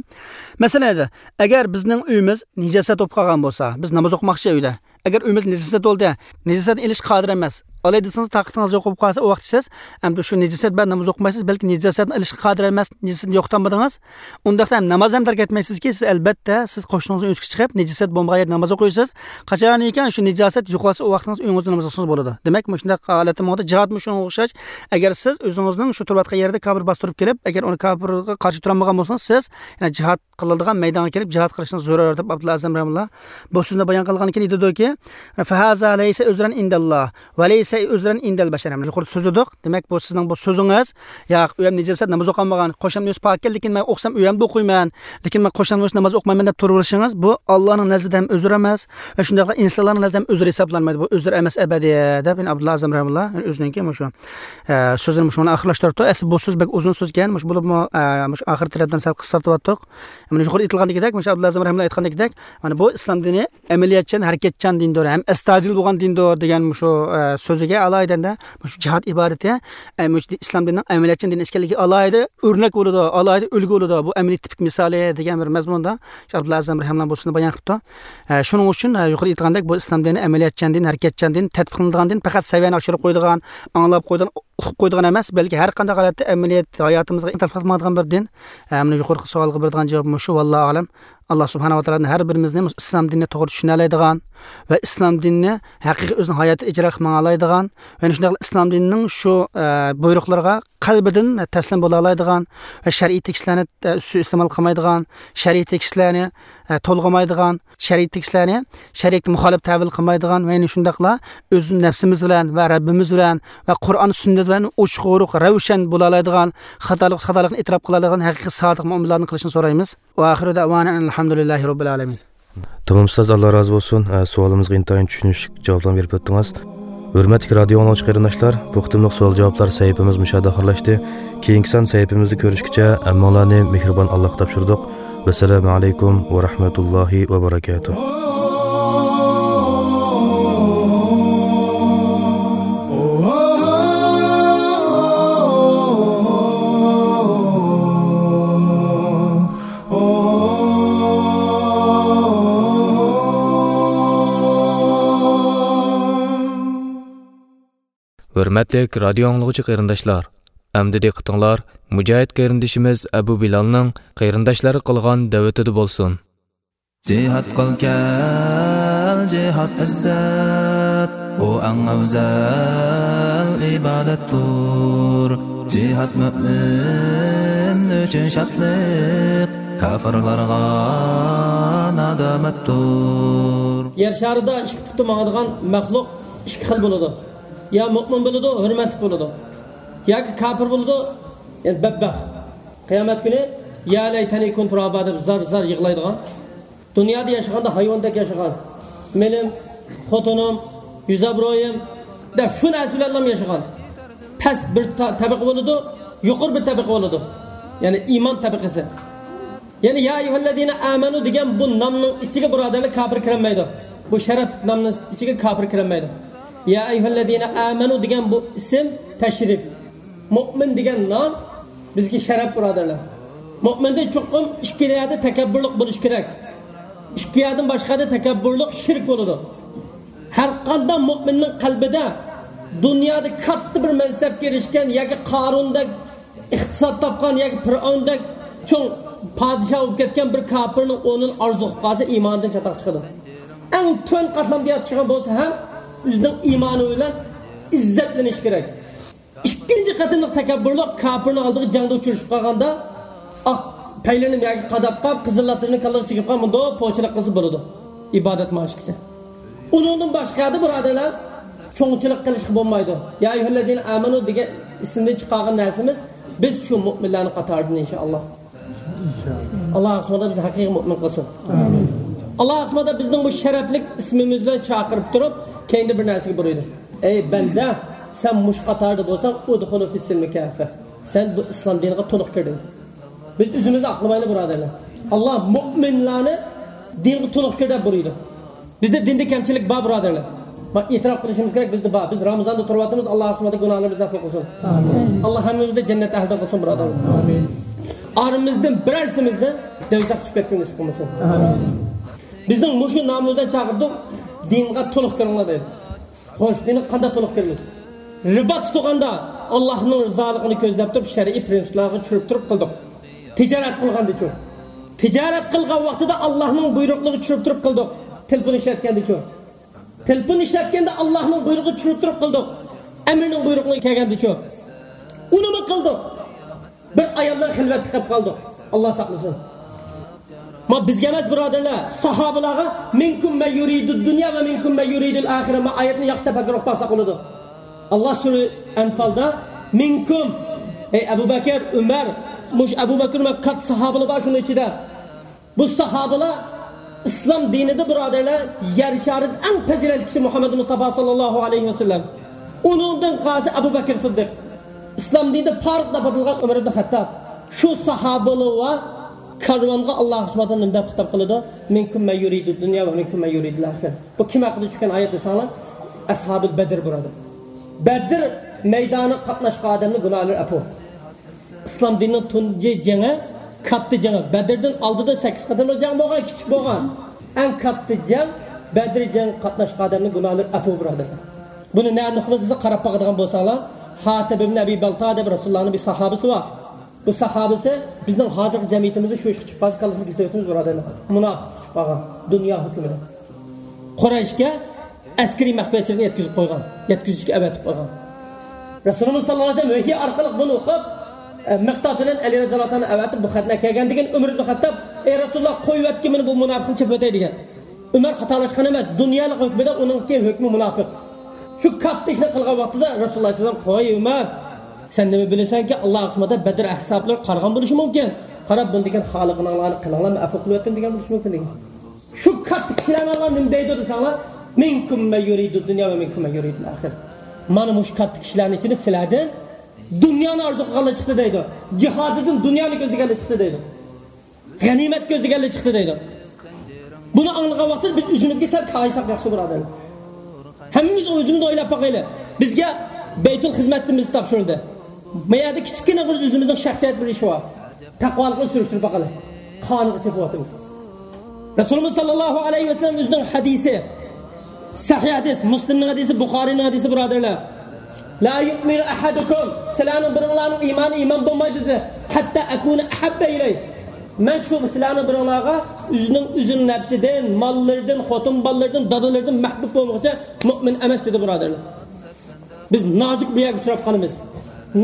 مەسىلەن، ئەگەر بىزنىڭ ئۆيىمىز نىجاسەت بولۇپ قالغان بولسا، بىز ناماز ئوقۇماقچى ئۆيدە، ئەگەر ئۆيىمىز نىجاسەت بولدى، نىجاسەتنى ئېلىشقا قادىر ئەمەس، ئالاي دېسىڭىز تاقىتىڭىز يوق بولۇپ قالسا، ئۇ ۋاقىتتا سىز ئەمدى شۇ نىجاسەت بىلەن ناماز ئوقۇمايسىز، بەلكى نىجاسەتنى ئېلىشقا قادىر ئەمەس، نىجاسەتنى يوقىتالمىدىڭىز. ئۇنداقتا ھەم ناماز ھەم تەرك ئەتمەيسىزكى، سىز ئەلبەتتە سىز قوشنىڭىزنىڭ ئۆيىگە چىقىپ، نىجاسەت بولمىغان يەردە ناماز ئوقۇيسىز. قاچانكى شۇ نىجاسەت يوقالسا، ئۇ ۋاقتىڭىز ئۆيىڭىزدە ناماز ئوقۇسىڭىز بولىدۇ. دېمەك، مۇشۇنداق ھالەتتە ماڭىدۇ. جىھادمۇ شۇنىڭغا ئوخشاش. ئەگەر سىز ئۆزىڭىزنىڭ شۇ تۇرۇۋاتقان يەردە كاپىر باستۇرۇپ كېلىپ، ئەگەر ئۇنى كاپىرغا قارشى تۇرالمىغان بولسىڭىز، سىز يەنە جىھاد قىلىدىغان مەيدانغا كېلىپ جىھاد قىلىشنىڭ زۆرۈر دەپ ئابدۇللا ئەزەم رەھىمۇللا بۇ سۆزنى بايان قىلغاندىن كېيىن ئېيتىدۇكى، فهذا ليس عذرا عند الله وليس عذرا عند البشر. يۇقىرىدا سۆزلىدۇق. دېمەك، بۇ سىزنىڭ بۇ سۆزىڭىز، ياق، ئۆيەم نىجاسەت، ناماز ئوقۇلمىغان، قوشنامنىڭ ئۆيى پاك ئىكەن، لېكىن مەن ئوقۇسام ئۆيەمدە ئوقۇيمەن، لېكىن مەن قوشنامنىڭ ئۆيىدە ناماز ئوقۇمايمەن دەپ تۇرۇۋېلىشىڭىز، بۇ ئاللانىڭ نەزىرىدە ھەم ئۆزۈر ئەمەس ۋە شۇنداقلا ئىنسانلارنىڭ نەزىرىدە ھەم ئۆزۈر ھېسابلانمايدۇ. بۇ ئۆزۈر ئەمەس ئەبەدىي دەپ، يەنە ئابدۇللا ئەزەم رەھىمۇللا ئۆزىنىڭكى مۇشۇ، ئە، سۆزىنى مۇشۇ بىلەن ئاخىرلاشتۇرۇپتۇ. ئەسلى بۇ سۆز بەك ئۇزۇن سۆزكەن، مۇشۇ بولۇپمۇ، ئە، مۇشۇ ئاخىر تەرەپلەرنى سەل قىسقارتىۋاتتۇق. مانا يۇقىرىدا ئېيتىلغاندىكىدەك، مۇشۇ ئابدۇللا ئەزەم رەھىمۇللا ئېيتقاندىكىدەك، مانا بۇ ئىسلام دىنى ئەمەلىيەتچان، ھەرىكەتچان دىندۇر، ھەم ئەستايىدىل بولغان دىندۇر دېگەن مۇشۇ، ئە، سۆزىگە ئالاھىدە مۇشۇ جىھاد ئىبادىتى، ئە، مۇشۇ ئىسلام دىنىنىڭ ئەمەلىيەتچان دىن ئىكەنلىكىگە ئالاھىدە ئۆرنەك بولىدۇ، ئالاھىدە ئۈلگە بولىدۇ. بۇ ئەمەلىي تىپىك مىسالى دېگەن بىر مەزمۇندا شۇ ئابدۇللا ئەزەم رەھىمۇللا بۇ سۆزنى بايان قىپتۇ. ئە، شۇنىڭ ئۈچۈن، ئە، يۇقىرىدا ئېيتقاندەك، بۇ ئىسلام دىنى ئەمەلىيەتچان دىن، ھەرىكەتچان دىن، تەتبىقلىنىدىغان دىن، پەقەت سەۋىيەنى ئاشۇرۇپ قويىدىغان، ئاڭلاپ قويىدىغان، ئۇقۇپ قويىدىغان ئەمەس، بەلكى ھەر قانداق ھالەتتە ئەمەلىيەت ھاياتىمىزغا تەتبىقلانغان بىر دىن. ئە، مانا يۇقىرىقى سوئالغا بېرىدىغان جاۋاب مۇشۇ. ۋاللاھۇ ئەلەم. ئاللا سۇبھانەھۇ ۋە تائالا ھەر بىرىمىزنى مۇشۇ ئىسلام دىنىنى توغرا چۈشىنەلەيدىغان ۋە ئىسلام دىنىنى ھەقىقىي ئۆزىنىڭ ھاياتىدا ئىجرا قىلىپ ماڭالايدىغان ۋە شۇنداقلا ئىسلام دىنىنىڭ شۇ، ئە، بۇيرۇقلىرىغا قەلبىدىن تەسلىم بولالايدىغان ۋە شەرئىي تېكىستلەرنى، ئە، سۇيىئىستېمال قىلمايدىغان، شەرئىي تېكىستلەرنى، ئە، تولغىمايدىغان، شەرئىي تېكىستلەرنى شەرىئەتكە مۇخالىپ تەۋىل قىلمايدىغان ۋە يەنە شۇنداقلا ئۆز نەپسىمىز بىلەن ۋە رەببىمىز بىلەن ۋە قۇرئان سۈننەت بىلەن ئوچۇق ئورۇق رەۋشەن بولالايدىغان، خاتالىق، خاتالىقنى ئېتىراپ قىلالايدىغان ھەقىقىي سادىق مۆمىنلەردىن قىلىشنى سورايمىز. ۋە ئاخىرۇ دەۋانا ئەنىل ھەمدۇلىللاھى رەببىل ئالەمىن. تامام ئۇستاز، ئاللا رازى بولسۇن. ئە، سوئالىمىزغا ئىنتايىن چۈشىنىشلىك جاۋابلارنى بېرىپ ئۆتتىڭىز. ھۆرمەتلىك رادىئو ئاڭلىغۇچى قېرىنداشلار، بۇ قېتىملىق سوئال جاۋابلار سەھىپىمىز مۇشۇ يەردە ئاخىرلاشتى. كېيىنكى سان سەھىپىمىزدە كۆرۈشكىچە ھەممىڭلارنى مېھرىبان ئاللاغا تاپشۇردۇق. ۋەسسالامۇ ئەلەيكۇم ۋە رەھمەتۇللاھى ۋە بەرەكاتۇھ. ھۆرمەتلىك رادىئو ئاڭلىغۇچى قېرىنداشلار، ئەمدى دىققىتىڭلار مۇجاھىد قېرىندىشىمىز ئەبۇ بىلالنىڭ قېرىنداشلارغا قىلغان دەۋىتىدە بولسۇن. جىھاد قىل كەل، جىھاد ئىززەت، ئۇ ئەڭ ئەۋزەل ئىبادەتتۇر. جىھاد مۆمىن ئۈچۈن شادلىق، كاپىرلارغا نادامەتتۇر. يەر شارىدا ئىككى پۇتى ماڭىدىغان مەخلۇق ئىككى خىل بولىدۇ. يا مۆمىن بولىدۇ، ھۆرمەتلىك بولىدۇ. ياكى كاپىر بولىدۇ، يەنى بەتبەخت. قىيامەت كۈنى، يا لەيتەنى كۇنتۇ تۇرابا دەپ زار-زار يىغلايدىغان. دۇنيادا ياشىغاندا ھايۋاندەك ياشىغان. مېلىم، خوتۇنۇم، يۈز ئابرۇيۇم دەپ شۇ نەرسە بىلەنلا ياشىغان. پەس بىر تا-، تەبىقە بولىدۇ، يۇقىرى بىر تەبىقە بولىدۇ. يەنى ئىمان تەبىقىسى. يەنى يا ئەييۇھەللەزىنە ئامەنۇ دېگەن بۇ نامنىڭ ئىچىگە بۇرادەرلەر كاپىر كىرەلمەيدۇ. بۇ شەرەپ نامنىڭ ئىچىگە كاپىر كىرەلمەيدۇ. يا ئەييۇھەللەزىنە ئامەنۇ دېگەن بۇ ئىسىم تەشرىپ. مۆمىن دېگەن نام بىزگە شەرەپ، بۇرادەرلەر. مۆمىندە چوقۇم ئىككىلا يەردە تەكەببۇرلۇق بولۇشى كېرەك. ئىككى يەردىن باشقا يەردە تەكەببۇرلۇق شىرك بولىدۇ. ھەر قانداق مۆمىننىڭ قەلبىدە دۇنيادا كاتتا بىر مەنسەپكە ئېرىشكەن ياكى قارۇندەك ئىقتىساد تاپقان ياكى پىرئەۋندەك چوڭ پادىشاھ بولۇپ كەتكەن بىر كاپىرنىڭ ئورنىنى ئارزۇ قىلىپ قالسا، ئىمانىدىن چاتاق چىقىدۇ. ئەڭ تۆۋەن قاتلامدا ياتىشىغان بولسا ھەم، ئۆزىنىڭ ئىمانى بىلەن ئىززەتلىنىش كېرەك. ئىككىنچى قېتىملىق تەكەببۇرلۇق كاپىرنىڭ ئالدىغا جەڭدە ئۇچرىشىپ قالغاندا، ئاق پەيلىرىنى يەرگە قاداپ قاپ، قىزىل ئاتلىرىنى كاللىغا چىگىپ قاپ، مۇنداق پوچىلىق قىلسا بولىدۇ. ئىبادەت ماشىكىسى. ئۇنىڭدىن باشقا يەردە، بۇرادەرلەر، چوڭچىلىق قىلىشقا بولمايدۇ. يا ئەييۇھەللەزىنە ئامەنۇ دېگەن ئىسىمدىن چىقارغان نەرسىمىز، بىز شۇ مۆمىنلەرنىڭ قاتارىدىن، ئىنشائاللا. ئاللا سۇبھانەھۇ بىزنى ھەقىقىي مۆمىن قىلسۇن. ئاللا سۇبھانەھۇ بىزنىڭ بۇ شەرەپلىك ئىسمىمىز بىلەن چاقىرىپ تۇرۇپ، كەينىدە بىر نەرسىگە بۇيرۇيدۇ. ئەي بەندە، سەن مۇشۇ قاتاردا بولساڭ، ئۇدخۇلۇ فىسسىلمى كافە. سەن بۇ ئىسلام دىنىغا تولۇق كىر دەيدۇ. بىز ئۆزىمىزنى ئاقلىمايلى، بۇرادەرلەر. ئاللا مۆمىنلارنى دىنغا تولۇق كىر دەپ بۇيرۇيدۇ. بىزدە دىندا كەمچىلىك بار، بۇرادەرلەر. ما-، ئېتىراپ قىلىشىمىز كېرەك، بىزدە بار. بىز رامىزاندا تۇرۇۋاتىمىز، ئاللا سۇبھانەھۇ گۇناھلىرىمىزنى ئەپۇ قىلسۇن. ئاللا ھەممىمىزنى جەننەت ئەھلىدىن قىلسۇن، بۇرادەرلەر. ئارىمىزدىن بىرەرسىمىزنى دوزاخقا چۈشۈپ كەتكىلى نېسىپ قىلمىسۇن. بىزنىڭ مۇشۇ نامىمىز بىلەن چاقىرىدۇ. دىنغا تولۇق كىرىڭلار دەيدۇ. خوش، دىنغا قانداق تولۇق كىرىمىز؟ رىبا تۇتقاندا ئاللاھنىڭ رىزالىقىنى كۆزلەپ تۇرۇپ، شەرئىي پرىنسىپلارغا چۈشۈرۈپ تۇرۇپ قىلدۇق. تىجارەت قىلغاندىچۇ؟ تىجارەت قىلغان ۋاقتىدا ئاللاھنىڭ بۇيرۇقلىرىغا چۈشۈرۈپ تۇرۇپ قىلدۇق. تېلېفون ئىشلەتكەندىچۇ؟ تېلېفون ئىشلەتكەندە ئاللاھنىڭ بۇيرۇقىغا چۈشۈرۈپ تۇرۇپ قىلدۇق. ئەمىرنىڭ بۇيرۇقىغا كەلگەندىچۇ؟ ئۇنىمۇ قىلدۇق. بىر ئايال بىلەن خىلۋەتتە قېلىپ قالدۇق. ئاللا ساقلىسۇن. ما بىزگە ئەمەس، بۇرادەرلەر، ساھابىلارغا، مىنكۇم مەن يۇرىدۇ دۇنيا ۋە مىنكۇم مەن يۇرىدۇل ئاخىرە. ما ئايەتنى ياخشى تەپەككۇر قىلىپ باقساق بولىدۇ. ئاللا سۈرە ئەنفالدا، مىنكۇم، ئەي ئەبۇ بەكىر، ئۆمەر، مۇشۇ ئەبۇ بەكىر ۋە كاتتا ساھابىلار بار شۇنىڭ ئىچىدە. بۇ ساھابىلار ئىسلام دىنىدا، بۇرادەرلەر، يەر شارىدا ئەڭ پەزىلەتلىك كىشى مۇھەممەد مۇستافا ساللاللاھۇ ئەلەيھى ۋەسەللەم. ئۇنىڭدىن قالسا ئەبۇ بەكىر سىددىق. ئىسلام دىنىدا پارق تاپىدىغان ئۆمەر ئىبن خەتتاب. شۇ ساھابىلار ۋە كارۋانغا ئاللا سۇبھانەھۇ ۋە تائالا نېمە دەپ خىتاب قىلىدۇ؟ مىنكۇم مەن يۇرىدۇ دۇنيا ۋە مىنكۇم مەن يۇرىدۇل ئاخىرە. بۇ كىم ھەققىدە چۈشكەن ئايەت دېسەڭلار، ئەسھابۇل بەدر، بۇرادەر. بەدر مەيدانىغا قاتناشقان ئادەمنىڭ گۇناھلىرى ئەپۇ. ئىسلام دىنىنىڭ تۇنجى جېڭى، كاتتا جېڭى. بەدىردىن ئالدىدا سەككىز قېتىملىق جەڭ بولغان، كىچىك بولغان. ئەڭ كاتتا جەڭ، بەدر جەڭگە قاتناشقان ئادەمنىڭ گۇناھلىرى ئەپۇ، بۇرادەرلەر. بۇنى نەدىن ئۇقىمىز دېسە، قاراپ باقىدىغان بولساڭلار، ھاتىب ئىبن ئەبى بەلتا دەپ رەسۇلۇللانىڭ بىر ساھابىسى بار. بۇ ساھابىسى بىزنىڭ ھازىرقى جەمئىيىتىمىزدە شۇ ئىشقا چۈشۈپ قالسا، كاللىسىنى كېسىۋېتىمىز، بۇرادەرلەر. مۇناپىق چۈشۈپ قالغان دۇنيا ھۆكمىدە. قۇرەيشكە ئەسكىرىي مەخپىيەتچىلىكنى يەتكۈزۈپ قويغان، يەتكۈزۈشكە ئەۋەتىپ قويغان. رەسۇلىمىز ساللاللاھۇ ئەلەيھى ۋەسەللەم ۋەھىي ئارقىلىق بۇنى ئوقۇپ، ئە، مىقداد بىلەن ئەلى رەزىياللاھۇ تائالا ئەۋەتىپ، بۇ خەتنى ئەكەلگەن دېگەن ئۆمەر ئىبن خەتتاب، ئەي رەسۇلاللا، قويۇۋەتكىن مېنى، بۇ مۇناپىقنى چېپىۋېتەي دېگەن. ئۆمەر خاتالاشقان ئەمەس، دۇنيالىق ھۆكمىدە ئۇنىڭكى ھۆكمى مۇناپىق. شۇ كاتتا ئىشنى قىلغان ۋاقتىدا رەسۇلۇللاھ سەللەللاھۇ ئەلەيھى ۋەسەللەم، قوي ئۆمەر، سەن نېمە بىلىسەنكى، ئاللا سۇبھانەھۇ ۋە تائالا بەدر ئەھزابلىرى قارىغان بولۇشى مۇمكىن. قاراپ، بۇنى دېگەن خالىقىڭلارنى قىلىڭلار، مەن ئەپۇ قىلىۋەتتىم دېگەن بولۇشى مۇمكىن دېگەن. شۇ كاتتا كىشىلەرنى ئاللا نېمە دەيدۇ دېسەڭلار، مىنكۇم مەن يۇرىدۇ دۇنيا ۋە مىنكۇم مەن يۇرىدۇل ئاخىرە. مانا مۇشۇ كاتتا كىشىلەرنىڭ ئىچىدە سىلەردىن دۇنيانى ئارزۇ قىلغانلار چىقتى دەيدۇ. جىھادىدىن دۇنيانى كۆزلىگەنلەر چىقتى دەيدۇ. غەنىيمەت كۆزلىگەنلەر چىقتى دەيدۇ. بۇنى ئاڭلىغان ۋاقىتتا بىز ئۆزىمىزگە سەل كايىساق ياخشى، بۇرادەرلەر. ھەممىمىز ئۆزىمىزنى ئويلاپ باقايلى. بىزگە بەيتۇل خىزمەتتىن بىز تاپشۇرۇلدى. ما يەردە كىچىككىنە بىر ئۆزىمىزنىڭ شەخسىيەت بىر ئىشى بار. تەقۋالىقنى سۈرۈشتۈرۈپ باقايلى. قانغا چېپىۋاتىمىز. رەسۇلىمىز ساللاللاھۇ ئەلەيھى ۋەسەللەم ئۆزىنىڭ ھەدىسى، سەھىھ ھەدىس، مۇسلىمنىڭ ھەدىسى، بۇخارىنىڭ ھەدىسى، بۇرادەرلەر. لا يؤمن أحدكم، سىلەرنىڭ بىرىڭلارنىڭ ئىمانى ئىمان بولمايدۇ دېدى. حتى أكون أحب إليه، مەن شۇ سىلەرنىڭ بىرىڭلارغا ئۆزىنىڭ، ئۆزىنىڭ نەپسىدىن، ماللىرىدىن، خوتۇن بالىلىرىدىن، دادىلىرىدىن مەھبۇب بولمىغۇچە مۇئمىن ئەمەس دېدى، بۇرادەرلەر. بىز نازۇك بىر يەرگە ئۇچراپ قالىمىز.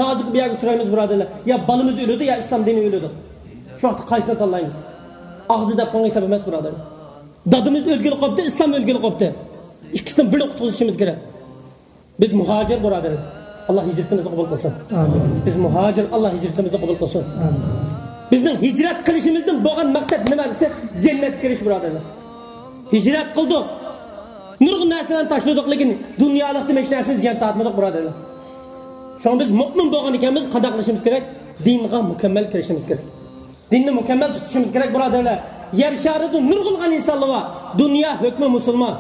نازۇك بىر يەرگە ئۇچرايمىز، بۇرادەرلەر. يا بالىمىز ئۆلىدۇ، يا ئىسلام دىنى ئۆلىدۇ. شۇ ۋاقىتتا قايسىنى تاللايمىز؟ ئاغزى دەپ قالغان ھېساب ئەمەس، بۇرادەرلەر. دادىمىز ئۆلگىلى قوپتى، ئىسلام ئۆلگىلى قوپتى. ئىككىسىدىن بىرنى قۇتقۇزۇشىمىز كېرەك. بىز مۇھاجىر، بۇرادەر. ئاللا ھىجرىتىمىزنى قوبۇل قىلسۇن. ئامىن. بىز مۇھاجىر، ئاللا ھىجرىتىمىزنى قوبۇل قىلسۇن. ئامىن. بىزنىڭ ھىجرەت قىلىشىمىزدىن بولغان مەقسەت نېمە دېسە، جەننەتكە كىرىش، بۇرادەرلەر. ھىجرەت قىلدۇق. نۇرغۇن نەرسىلەرنى تاشلىدۇق، لېكىن دۇنيالىقتىن ھېچ نەرسىنى زىيان تارتمىدۇق، بۇرادەرلەر. شۇڭا بىز مۇئمىن بولغان ئىكەنمىز، قانداق قىلىشىمىز كېرەك؟ دىنغا مۇكەممەل كىرىشىمىز كېرەك. دىننى مۇكەممەل تۇتۇشىمىز كېرەك، بۇرادەرلەر. يەر شارىدا نۇرغۇنلىغان ئىنسانلار بار. دۇنيا ھۆكمى مۇسۇلمان.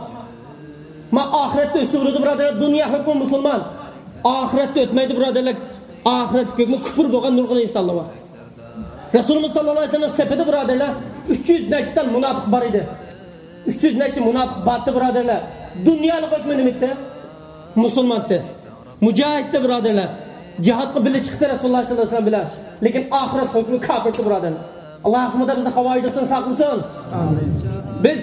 ما ئاخىرەتتە ئۆتسە بولىدۇ، بۇرادەرلەر. دۇنيا ھۆكمى مۇسۇلمان. ئاخىرەتتە ئۆتمەيدۇ، بۇرادەرلەر. ئاخىرەتلىك ھۆكمى كۇپۇر بولغان نۇرغۇن ئىنسانلار بار. رەسۇلىمىز ساللاللاھۇ ئەلەيھى ۋەسەللەمنىڭ سېپىدە، بۇرادەرلەر، ئۈچ يۈز نەچچە تال مۇناپىق بار ئىدى. ئۈچ يۈز نەچچە مۇناپىق بارتى، بۇرادەرلەر. دۇنيالىق ھۆكمى نېمىتتى؟ مۇسۇلمانتى. مۇجاھىدتى، بۇرادەرلەر. جىھادقا بىللە چىقتى رەسۇلۇللاھ ساللاللاھۇ ئەلەيھى ۋەسەللەم بىلەن. لېكىن ئاخىرەت ھۆكمى كاپىرتى، بۇرادەرلەر. ئاللا ھەققىمىزدا بىزنى خاۋارىجلىقتىن ساقلىسۇن. ئامىن. بىز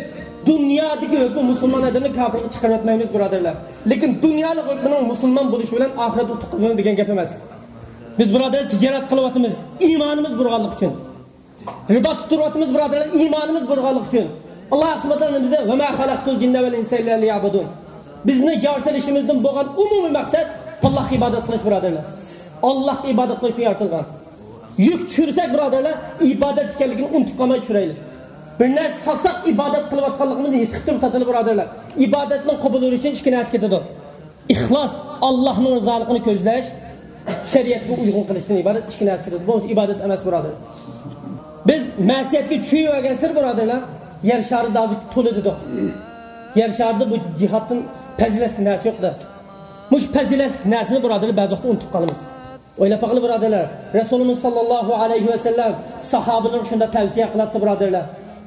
دۇنيادىكى ھۆكمى مۇسۇلمان ئادەمنى كاپىرغا چىقىرىۋەتمەيمىز، بۇرادەرلەر. لېكىن دۇنيالىق ھۆكمىنىڭ مۇسۇلمان بولۇشى بىلەن ئاخىرەت ئۇتۇق قازىنىدۇ دېگەن گەپ ئەمەس. بىز، بۇرادەرلەر، تىجارەت قىلىۋاتىمىز، ئىمانىمىز بۇرغانلىقى ئۈچۈن. رىبا تۇتۇۋاتىمىز، بۇرادەرلەر، ئىمانىمىز بۇرغانلىقى ئۈچۈن. ئاللا سۇبھانەھۇ ۋە تائالا نېمە دېدى؟ ۋە ما خەلەقتۇل جىننە ۋەل ئىنسە ئىللا لىيەبۇدۇن. بىزنى يارىتىلىشىمىزدىن بولغان ئومۇمىي مەقسەت ئاللاھقا ئىبادەت قىلىش، بۇرادەرلەر. ئاللاھقا ئىبادەت قىلىش ئۈچۈن يارىتىلغان. يۈك چۈشۈرسەك، بۇرادەرلەر، ئىبادەت ئىكەنلىكىنى ئۇنتۇپ قالماي چۈشۈرەيلى. بىر نەرسە ساتساق، ئىبادەت قىلىۋاتقانلىقىمىزنى ھېس قىلىپ تۇرۇپ ساتىلى، بۇرادەرلەر. ئىبادەتنىڭ قوبۇل بولۇشى ئۈچۈن ئىككى نەرسە كېتىدۇ. ئىخلاس، ئاللاھنىڭ رىزالىقىنى كۆزلەش، شەرىئەتكە ئۇيغۇن قىلىشتىن ئىبارەت ئىككى نەرسە كىرىدۇ. بۇ ئىبادەت ئەمەس، بۇرادەر. بىز مەسىيەتكە چۈشۈۋەرگەنسېرى، بۇرادەرلەر، يەر شارىدا ھازىر تولا دېدۇق. يەر شارىدا بۇ جىھادتىن پەزىلەتلىك نەرسە يوق دەپ. مۇشۇ پەزىلەتلىك نەرسىنى، بۇرادەرلەر، بەزى ۋاقىتتا ئۇنتۇپ قالىمىز. ئويلاپ باقىلى، بۇرادەرلەر. رەسۇلىمىز ساللاللاھۇ ئەلەيھى ۋەسەللەم ساھابىلىرىگە شۇنداق تەۋسىيە قىلاتتى، بۇرادەرلەر.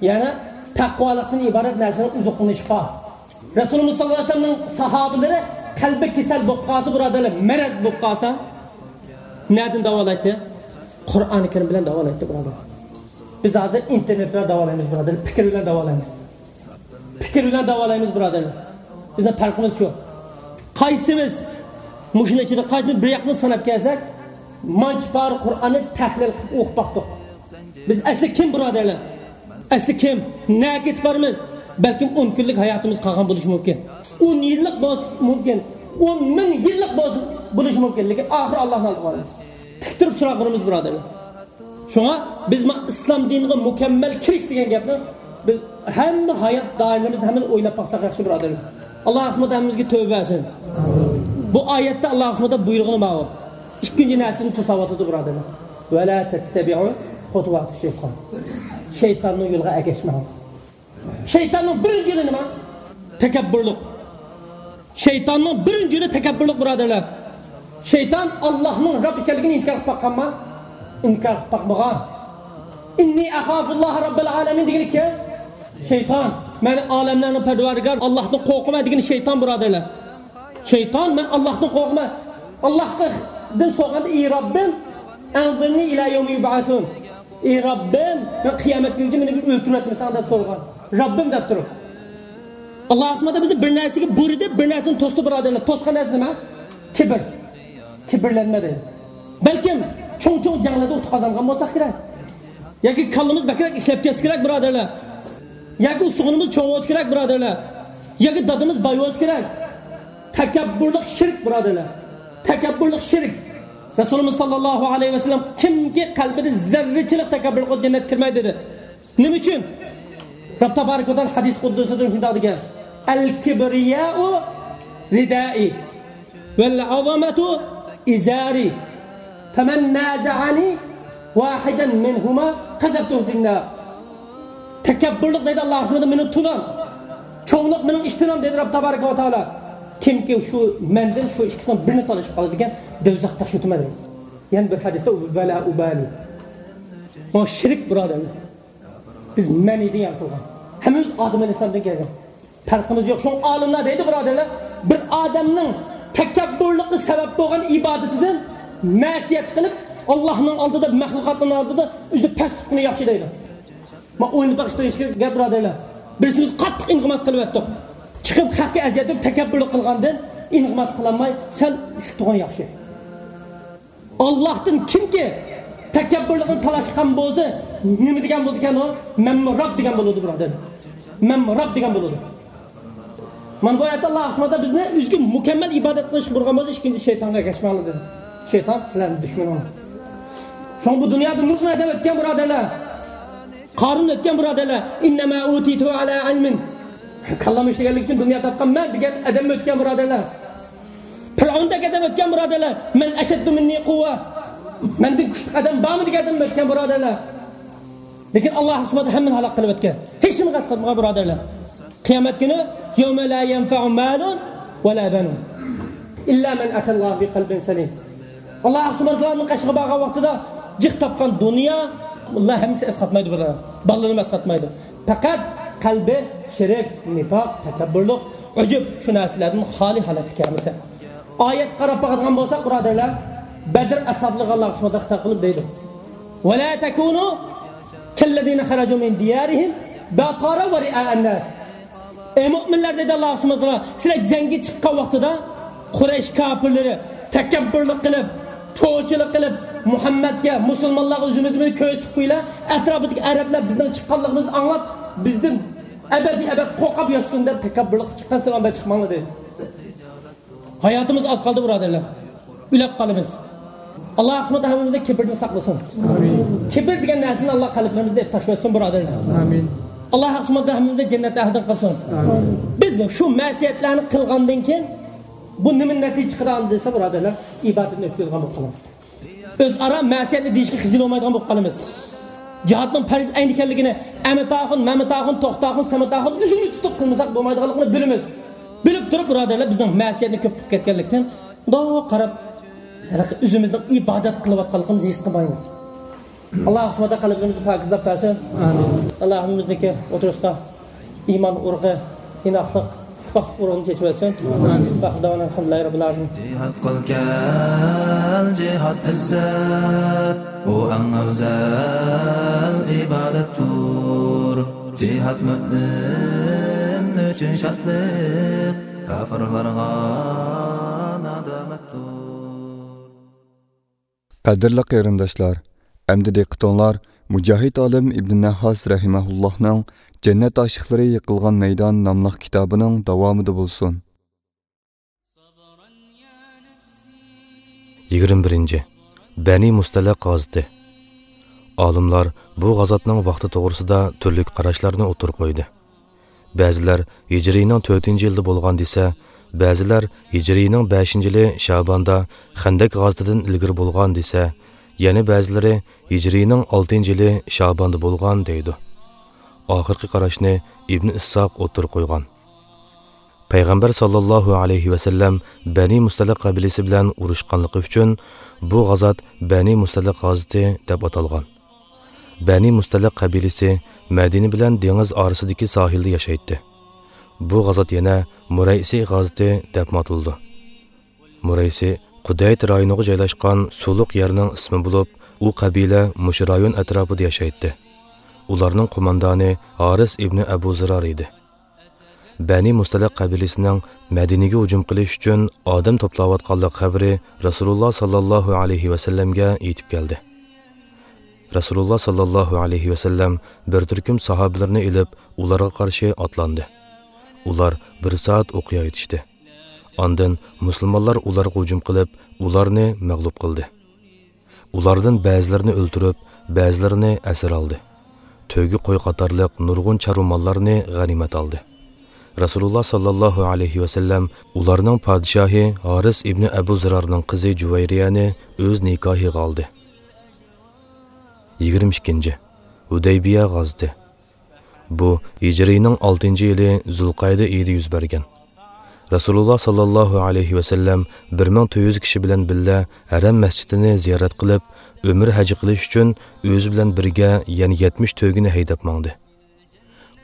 يەنى تەقۋالىقتىن ئىبارەت نەرسىنىڭ ئوزۇقلىنىشى بار. رەسۇلىمىز ساللاللاھۇ ئەلەيھى ۋەسەللەمنىڭ ساھابىلىرى قەلبى كېسەل بولۇپ قالسا، بۇرادەرلەر، مەرەز بولۇپ قالسا، نەدىن داۋالايتتى؟ قۇرئانى كەرىم بىلەن داۋالايتتى، بۇرادەر. بىز ھازىر ئىنتېرنېت بىلەن داۋالايمىز، بۇرادەر، پىكىر بىلەن داۋالايمىز. پىكىر بىلەن داۋالايمىز، بۇرادەرلەر. بىزنىڭ پەرقىمىز شۇ. قايسىمىز مۇشۇنىڭ ئىچىدە، قايسىمىز بىر ياقنى ساناپ كەلسەك، مانچە پارە قۇرئاننى تەھلىل قىلىپ ئوقۇپ باقتۇق. بىز ئەسلى كىم، بۇرادەرلەر؟ ئەسلى كىم؟ نەگە كېتىپ بارىمىز؟ بەلكىم ئون كۈنلۈك ھاياتىمىز قالغان بولۇشى مۇمكىن. ئون يىللىق بولسا مۇمكىن. ئون مىڭ يىللىق بولسا، بولۇشى مۇمكىن. لېكىن ئاخىرى ئاللاھنىڭ ئالدىغا بارىمىز. تىك تۇرۇپ سوراق بېرىمىز، بۇرادەرلەر. شۇڭا بىز ما ئىسلام دىنىغا مۇكەممەل كىرىش دېگەن گەپنى بىز ھەممە ھايات دائىرىلىرىمىزدە ھەممىنى ئويلاپ باقساق ياخشى، بۇرادەرلەر. ئاللا سۇبھانەھۇ تەئالا ھەممىمىزگە تەۋبە بەرسۇن. بۇ ئايەتتە ئاللا سۇبھانەھۇ تەئالا بۇيرۇغىنى بار ئۇ. ئىككىنچى نەرسىنى توساۋاتىدۇ، بۇرادەرلەر. ۋەلا تەتتەبىئۇ خۇتۇۋاتى شەيتان. شەيتاننىڭ يولىغا ئەگەشمەڭ. شەيتاننىڭ بىرىنچى يولى نېمە؟ تەكەببۇرلۇق. شەيتاننىڭ بىرىنچى يولى تەكەببۇرلۇق، بۇرادەرلەر. شەيتان ئاللاھنىڭ رەب ئىكەنلىكىنى ئىنكار قىلىپ باققانما؟ ئىنكار قىلىپ باقمىغان. ئىننى ئەخافۇللاھە رەببەل ئالەمىن دېگىنى كىم؟ شەيتان. مەن ئالەملەرنىڭ پەرۋەردىگارى ئاللاھتىن قورقىمەن دېگىنى شەيتان، بۇرادەرلەر. شەيتان، مەن ئاللاھتىن قورقىمەن. ئاللاھتىن سورىغاندا، ئى رەببىم، ئەنزىرنى ئىلە يەۋمى يۇبئەسۇن. ئى رەببىم، مەن قىيامەت كۈنىگىچە مېنى بىر ئۆلتۈرۈۋەتمىسەڭ دەپ سورىغان. رەببىم دەپ تۇرۇپ. ئاللا سۇبھانەھۇ بىزنى بىر نەرسىگە بۇيرۇدى، بىر نەرسىنى توستى، بۇرادەرلەر. توسقان نەرسە نېمە؟ كىبىر. كىبىرلەنمە دەيدۇ. بەلكىم چوڭ-چوڭ جەڭلەردە ئۇتۇق قازانغان بولساق كېرەك. ياكى كاللىمىز بەكرەك ئىشلەپ كەتسە كېرەك، بۇرادەرلەر. ياكى ئۇستىخىنىمىز چوڭ بولسا كېرەك، بۇرادەرلەر. ياكى دادىمىز باي بولسا كېرەك. تەكەببۇرلۇق شىرك، بۇرادەرلەر. تەكەببۇرلۇق شىرك. رەسۇلىمىز ساللاللاھۇ ئەلەيھى ۋەسەللەم، كىمكى قەلبىدە زەررىچىلىك تەكەببۇرلۇق بولسا، جەننەتكە كىرمەيدۇ دېدى. نېمە ئۈچۈن؟ رەب تابارەك ۋە تائالا ھەدىس قۇدسىدا شۇنداق دېگەن، ئەل كىبرىيائۇ رىدائى ۋەل ئەزەمەتۇ ئىزارى، فەمەن نازەئەنى ۋاھىدەن مىنھۇما قەزەفتۇھۇ فىننار. تەكەببۇرلۇق دەيدۇ ئاللا سۇبھانەھۇ، مېنىڭ تۇنام. چوڭلۇق مېنىڭ ئىشتىنام دەيدۇ رەب تابارەك ۋە تائالا. كىمكى شۇ مەندىن شۇ ئىككىسىنىڭ بىرىنى تالىشىپ قالىدىكەن، دوزاختا شۇتىمەن دەيدۇ. يەنە بىر ھەدىستە ۋەلا ئۇبالى. ئۇ شىرك، بۇرادەرلەر. بىز مەنىدىن يارىتىلغان. ھەممىمىز ئادەم ئەلەيھىسسالامدىن كەلگەن. پەرقىمىز يوق. شۇڭا ئالىملار دەيدۇ، بۇرادەرلەر، بىر ئادەمنىڭ تەكەببۇرلۇقى سەۋەب بولغان ئىبادىتىدىن مەسىيەت قىلىپ، ئاللانىڭ ئالدىدا، مەخلۇقاتنىڭ ئالدىدا ئۆزىنى پەس تۇتقىنى ياخشى دەيدۇ. ما ئويلىنىپ بېقىشتا ھېچ گەپ، بۇرادەرلەر. بىرسىمىز قاتتىق ئىلتىماس قىلىۋەتتۇق. چىقىپ خەققە ئەزىيەت بېرىپ تەكەببۇرلۇق قىلغاندىن ئىلتىماس قىلالماي سەل شۇ تۇرغىنى ياخشى. ئاللاھتىن كىمكى تەكەببۇرلۇقنى تالاشقان بولسا، نېمە دېگەن بولىدىكەن ئۇ؟ مەنمۇ رەب دېگەن بولىدۇ، بۇرادەر. مەنمۇ رەب دېگەن بولىدۇ. مانا بۇ ئايەتتە ئاللا سۇبھانەھۇ بىزنى ئۆزىگە مۇكەممەل ئىبادەت قىلىشقا بۇيرۇغان بولسا، ئىككىنچى شەيتانغا ئەگەشمەڭلار دېدى. شەيتان سىلەرنىڭ دۈشمىنىڭلار. شۇڭا بۇ دۇنيادا نۇرغۇن ئادەم ئۆتكەن، بۇرادەرلەر. قارۇن ئۆتكەن، بۇرادەرلەر. ئىننەما ئۇتىتۇ ئەلا ئىلمىن. كاللام ئىشلىگەنلىك ئۈچۈن دۇنيا تاپقان مەن دېگەن ئادەم ئۆتكەن، بۇرادەرلەر. پىرئەۋندەك ئادەم ئۆتكەن، بۇرادەرلەر. مەن ئەشەددۇ مىننى قۇۋۋە. مەندىن كۈچلۈك ئادەم بارمۇ دېگەن ئادەم ئۆتكەن، بۇرادەرلەر. لېكىن ئاللا سۇبھانەھۇ ھەممىنى ھالاك قىلىۋەتكەن. ھېچنېمە قالمىغان، بۇرادەرلەر. قىيامەت كۈنى، يَوْمَ لَا يَنْفَعُ مَالٌ وَلَا بَنُونَ إِلَّا مَنْ أَتَى اللَّهَ بِقَلْبٍ سَلِيمٍ. ئاللا سۇبھانەھۇ تائالانىڭ قېشىغا بارغان ۋاقتىدا جىق تاپقان دۇنيا، ئۇلار ھەممىسى ئەسقاتمايدۇ، بۇرادەر. بالىلىرىمۇ ئەسقاتمايدۇ. پەقەت قەلبى شىرك، نىپاق، تەكەببۇرلۇق، ئۇجۇب، شۇ نەرسىلەردىن خالىي ھالەتكە كەلمىسە. ئايەتكە قاراپ باقىدىغان بولساق، بۇرادەرلەر، بەدر ئەسھابلىرىغا ئاللا سۇبھانەھۇ تائالا خىتاب قىلىپ دەيدۇ، وَلَا تَكُونُوا كَالَّذِينَ خَرَجُوا مِنْ دِيَارِهِمْ بَطَرًا وَرِئَاءَ النَّاسِ. ئەي مۆمىنلەر، دېدى ئاللا سۇبھانەھۇ تائالا، سىلەر جەڭگە چىققان ۋاقتىدا قۇرەيش كاپىرلىرى تەكەببۇرلۇق قىلىپ، توچىلىق قىلىپ، مۇھەممەدكە، مۇسۇلمانلارغا ئۆزىمىزنى بىر كۆرسىتىپ قويىلا، ئەتراپىدىكى ئەرەبلەر بىزنىڭ چىققانلىقىمىزنى ئاڭلاپ، بىزدىن ئەبەدىي ئەبەد قورقۇپ ياتسۇن دەپ تەكەببۇرلۇق قىلىپ چىققان، سىلەر ئانداق چىقماڭلار دېدى. ھاياتىمىز ئاز قالدى، بۇرادەرلەر. ئۆلۈپ قالىمىز. ئاللا سۇبھانەھۇ ھەممىمىزنى كىبىردىن ساقلىسۇن. ئامىن. كىبىر دېگەن نەرسىنى ئاللا قەلبلىرىمىزدىن ئېلىپ تاشلىۋەتسۇن، بۇرادەرلەر. ئامىن. ئاللا سۇبھانەھۇ ھەممىمىزنى جەننەت ئەھلىدىن قىلسۇن. ئامىن. بىز شۇ مەسىيەتلەرنى قىلغاندىن كېيىن بۇ نېمە نەتىجە چىقىرىدۇ دېسە، بۇرادەرلەر، ئىبادەتنى ئۆچۈرىدىغان بولۇپ قالىمىز. ئۆزئارا مەسىيەتنى دېيىشكە خىجىل بولمايدىغان بولۇپ قالىمىز. جىھادنىڭ پەرز ئەينى ئىكەنلىكىنى ئەمىتاخۇن، مەمىتاخۇن، توختاخۇن، سەمىتاخۇن ئۆزىمىز تۇتۇپ قىلمىساق بولمايدىغانلىقىنى بىلىمىز. بىلىپ تۇرۇپ، بۇرادەرلەر، بىزنىڭ مەسىيەتنى كۆپ قىلىپ كەتكەنلىكتىن، مۇنداق قاراپ، ھېلىقى ئۆزىمىزنىڭ ئىبادەت قىلىۋاتقانلىقىمىزنى ھېس قىلمايمىز. ئاللا سۇبھانەھۇ قەلبىمىزنى پاكىزلاپ بەرسۇن. ئامىن. ئاللا ھەممىمىزنىڭكى ئوتتۇرىسىغا ئىمان ئۇرۇقى، ئىناقلىق، باخت ئۇرۇغۇنى چېچىۋەتسۇن. ئامىن. باخت داۋان، ئەلھەمدۇلىللاھى رەببىل ئالەمىن. جىھاد قىلغىن، جىھاد ئىززەت، ئۇ ئەڭ ئەۋزەل ئىبادەتتۇر. جىھاد مۆمىن ئۈچۈن شادلىق، كاپىرلارغا نادامەتتۇر. قەدىرلىك قېرىنداشلار، ئەمدى دىققىتىڭلار مۇجاھىد ئالىم ئىبن نەھھاس رەھىمەھۇللاھنىڭ جەننەت ئاشىقلىرى يىقىلغان مەيدان ناملىق كىتابىنىڭ داۋامىدا بولسۇن. يىگىرمە بىرىنچى، بەنى مۇستەلىق غازىتى. ئالىملار بۇ غازاتنىڭ ۋاقتى توغرىسىدا تۈرلۈك قاراشلارنى ئوتتۇرىغا قويدى. بەزىلەر ھىجرىينىڭ تۆتىنچى يىلىدا بولغان دېسە، بەزىلەر ھىجرىينىڭ بەشىنچى يىلى شاباندا خەندەك غازىتىدىن ئىلگىرى بولغان دېسە، يەنە بەزىلىرى ھىجرىينىڭ ئالتىنچى يىلى شاباندا بولغان دەيدۇ. ئاخىرقى قاراشنى ئىبن ئىسساق ئوتتۇرىغا قويغان. پەيغەمبەر ساللاللاھۇ ئەلەيھى ۋەسەللەم بەنى مۇستەلىق قەبىلىسى بىلەن ئۇرۇشقانلىقى ئۈچۈن بۇ غازات بەنى مۇستەلىق غازىتى دەپ ئاتالغان. بەنى مۇستەلىق قەبىلىسى مەدىنە بىلەن دېڭىز ئارىسىدىكى ساھىلدا ياشايتتى. بۇ غازات يەنە مۇرەيسى غازىتى دەپمۇ ئاتىلىدۇ. مۇرەيسى قۇدەيت رايونىغا جايلاشقان سۇلۇق يەرنىڭ ئىسمى بولۇپ، ئۇ قەبىلە مۇشۇ رايون ئەتراپىدا ياشايتتى. ئۇلارنىڭ قوماندانى ھارىس ئىبنى ئەبۇ زىرار ئىدى. بەنى مۇستەلىق قەبىلىسىنىڭ مەدىنىگە ھۇجۇم قىلىش ئۈچۈن ئادەم توپلاۋاتقانلىق خەۋىرى رەسۇلۇللا ساللاللاھۇ ئەلەيھى ۋەسەللەمگە يېتىپ كەلدى. رەسۇلۇللا ساللاللاھۇ ئەلەيھى ۋەسەللەم بىر تۈركۈم ساھابىلىرىنى ئېلىپ، ئۇلارغا قارشى ئاتلاندى. ئۇلار بىر سائەت ئوقيا ئېتىشتى. ئاندىن مۇسۇلمانلار ئۇلارغا ھۇجۇم قىلىپ، ئۇلارنى مەغلۇپ قىلدى. ئۇلاردىن بەزىلىرىنى ئۆلتۈرۈپ، بەزىلىرىنى ئەسىر ئالدى. تۆگە، قوي قاتارلىق نۇرغۇن چارۋا ماللارنى غەنىيمەت ئالدى. رەسۇلۇللا ساللاللاھۇ ئەلەيھى ۋەسەللەم ئۇلارنىڭ پادىشاھى ھارىس ئىبنى ئەبۇ زىرارنىڭ قىزى جۇۋەيرىيەنى ئۆز نىكاھىغا ئالدى. يىگىرمە ئىككىنچى، ھۇدەيبىيە غازىتى. بۇ ھىجرىينىڭ ئالتىنچى يىلى زۇلقەئدە ئېيىدا يۈز بەرگەن. رەسۇلۇللا ساللاللاھۇ ئەلەيھى ۋەسەللەم بىر مىڭ تۆت يۈز كىشى بىلەن بىللە ھەرەم مەسچىتىنى زىيارەت قىلىپ، ئۆمرە ھەجى قىلىش ئۈچۈن ئۆزى بىلەن بىرگە يەنە يەتمىش تۆگىنى ھەيدەپ ماڭدى.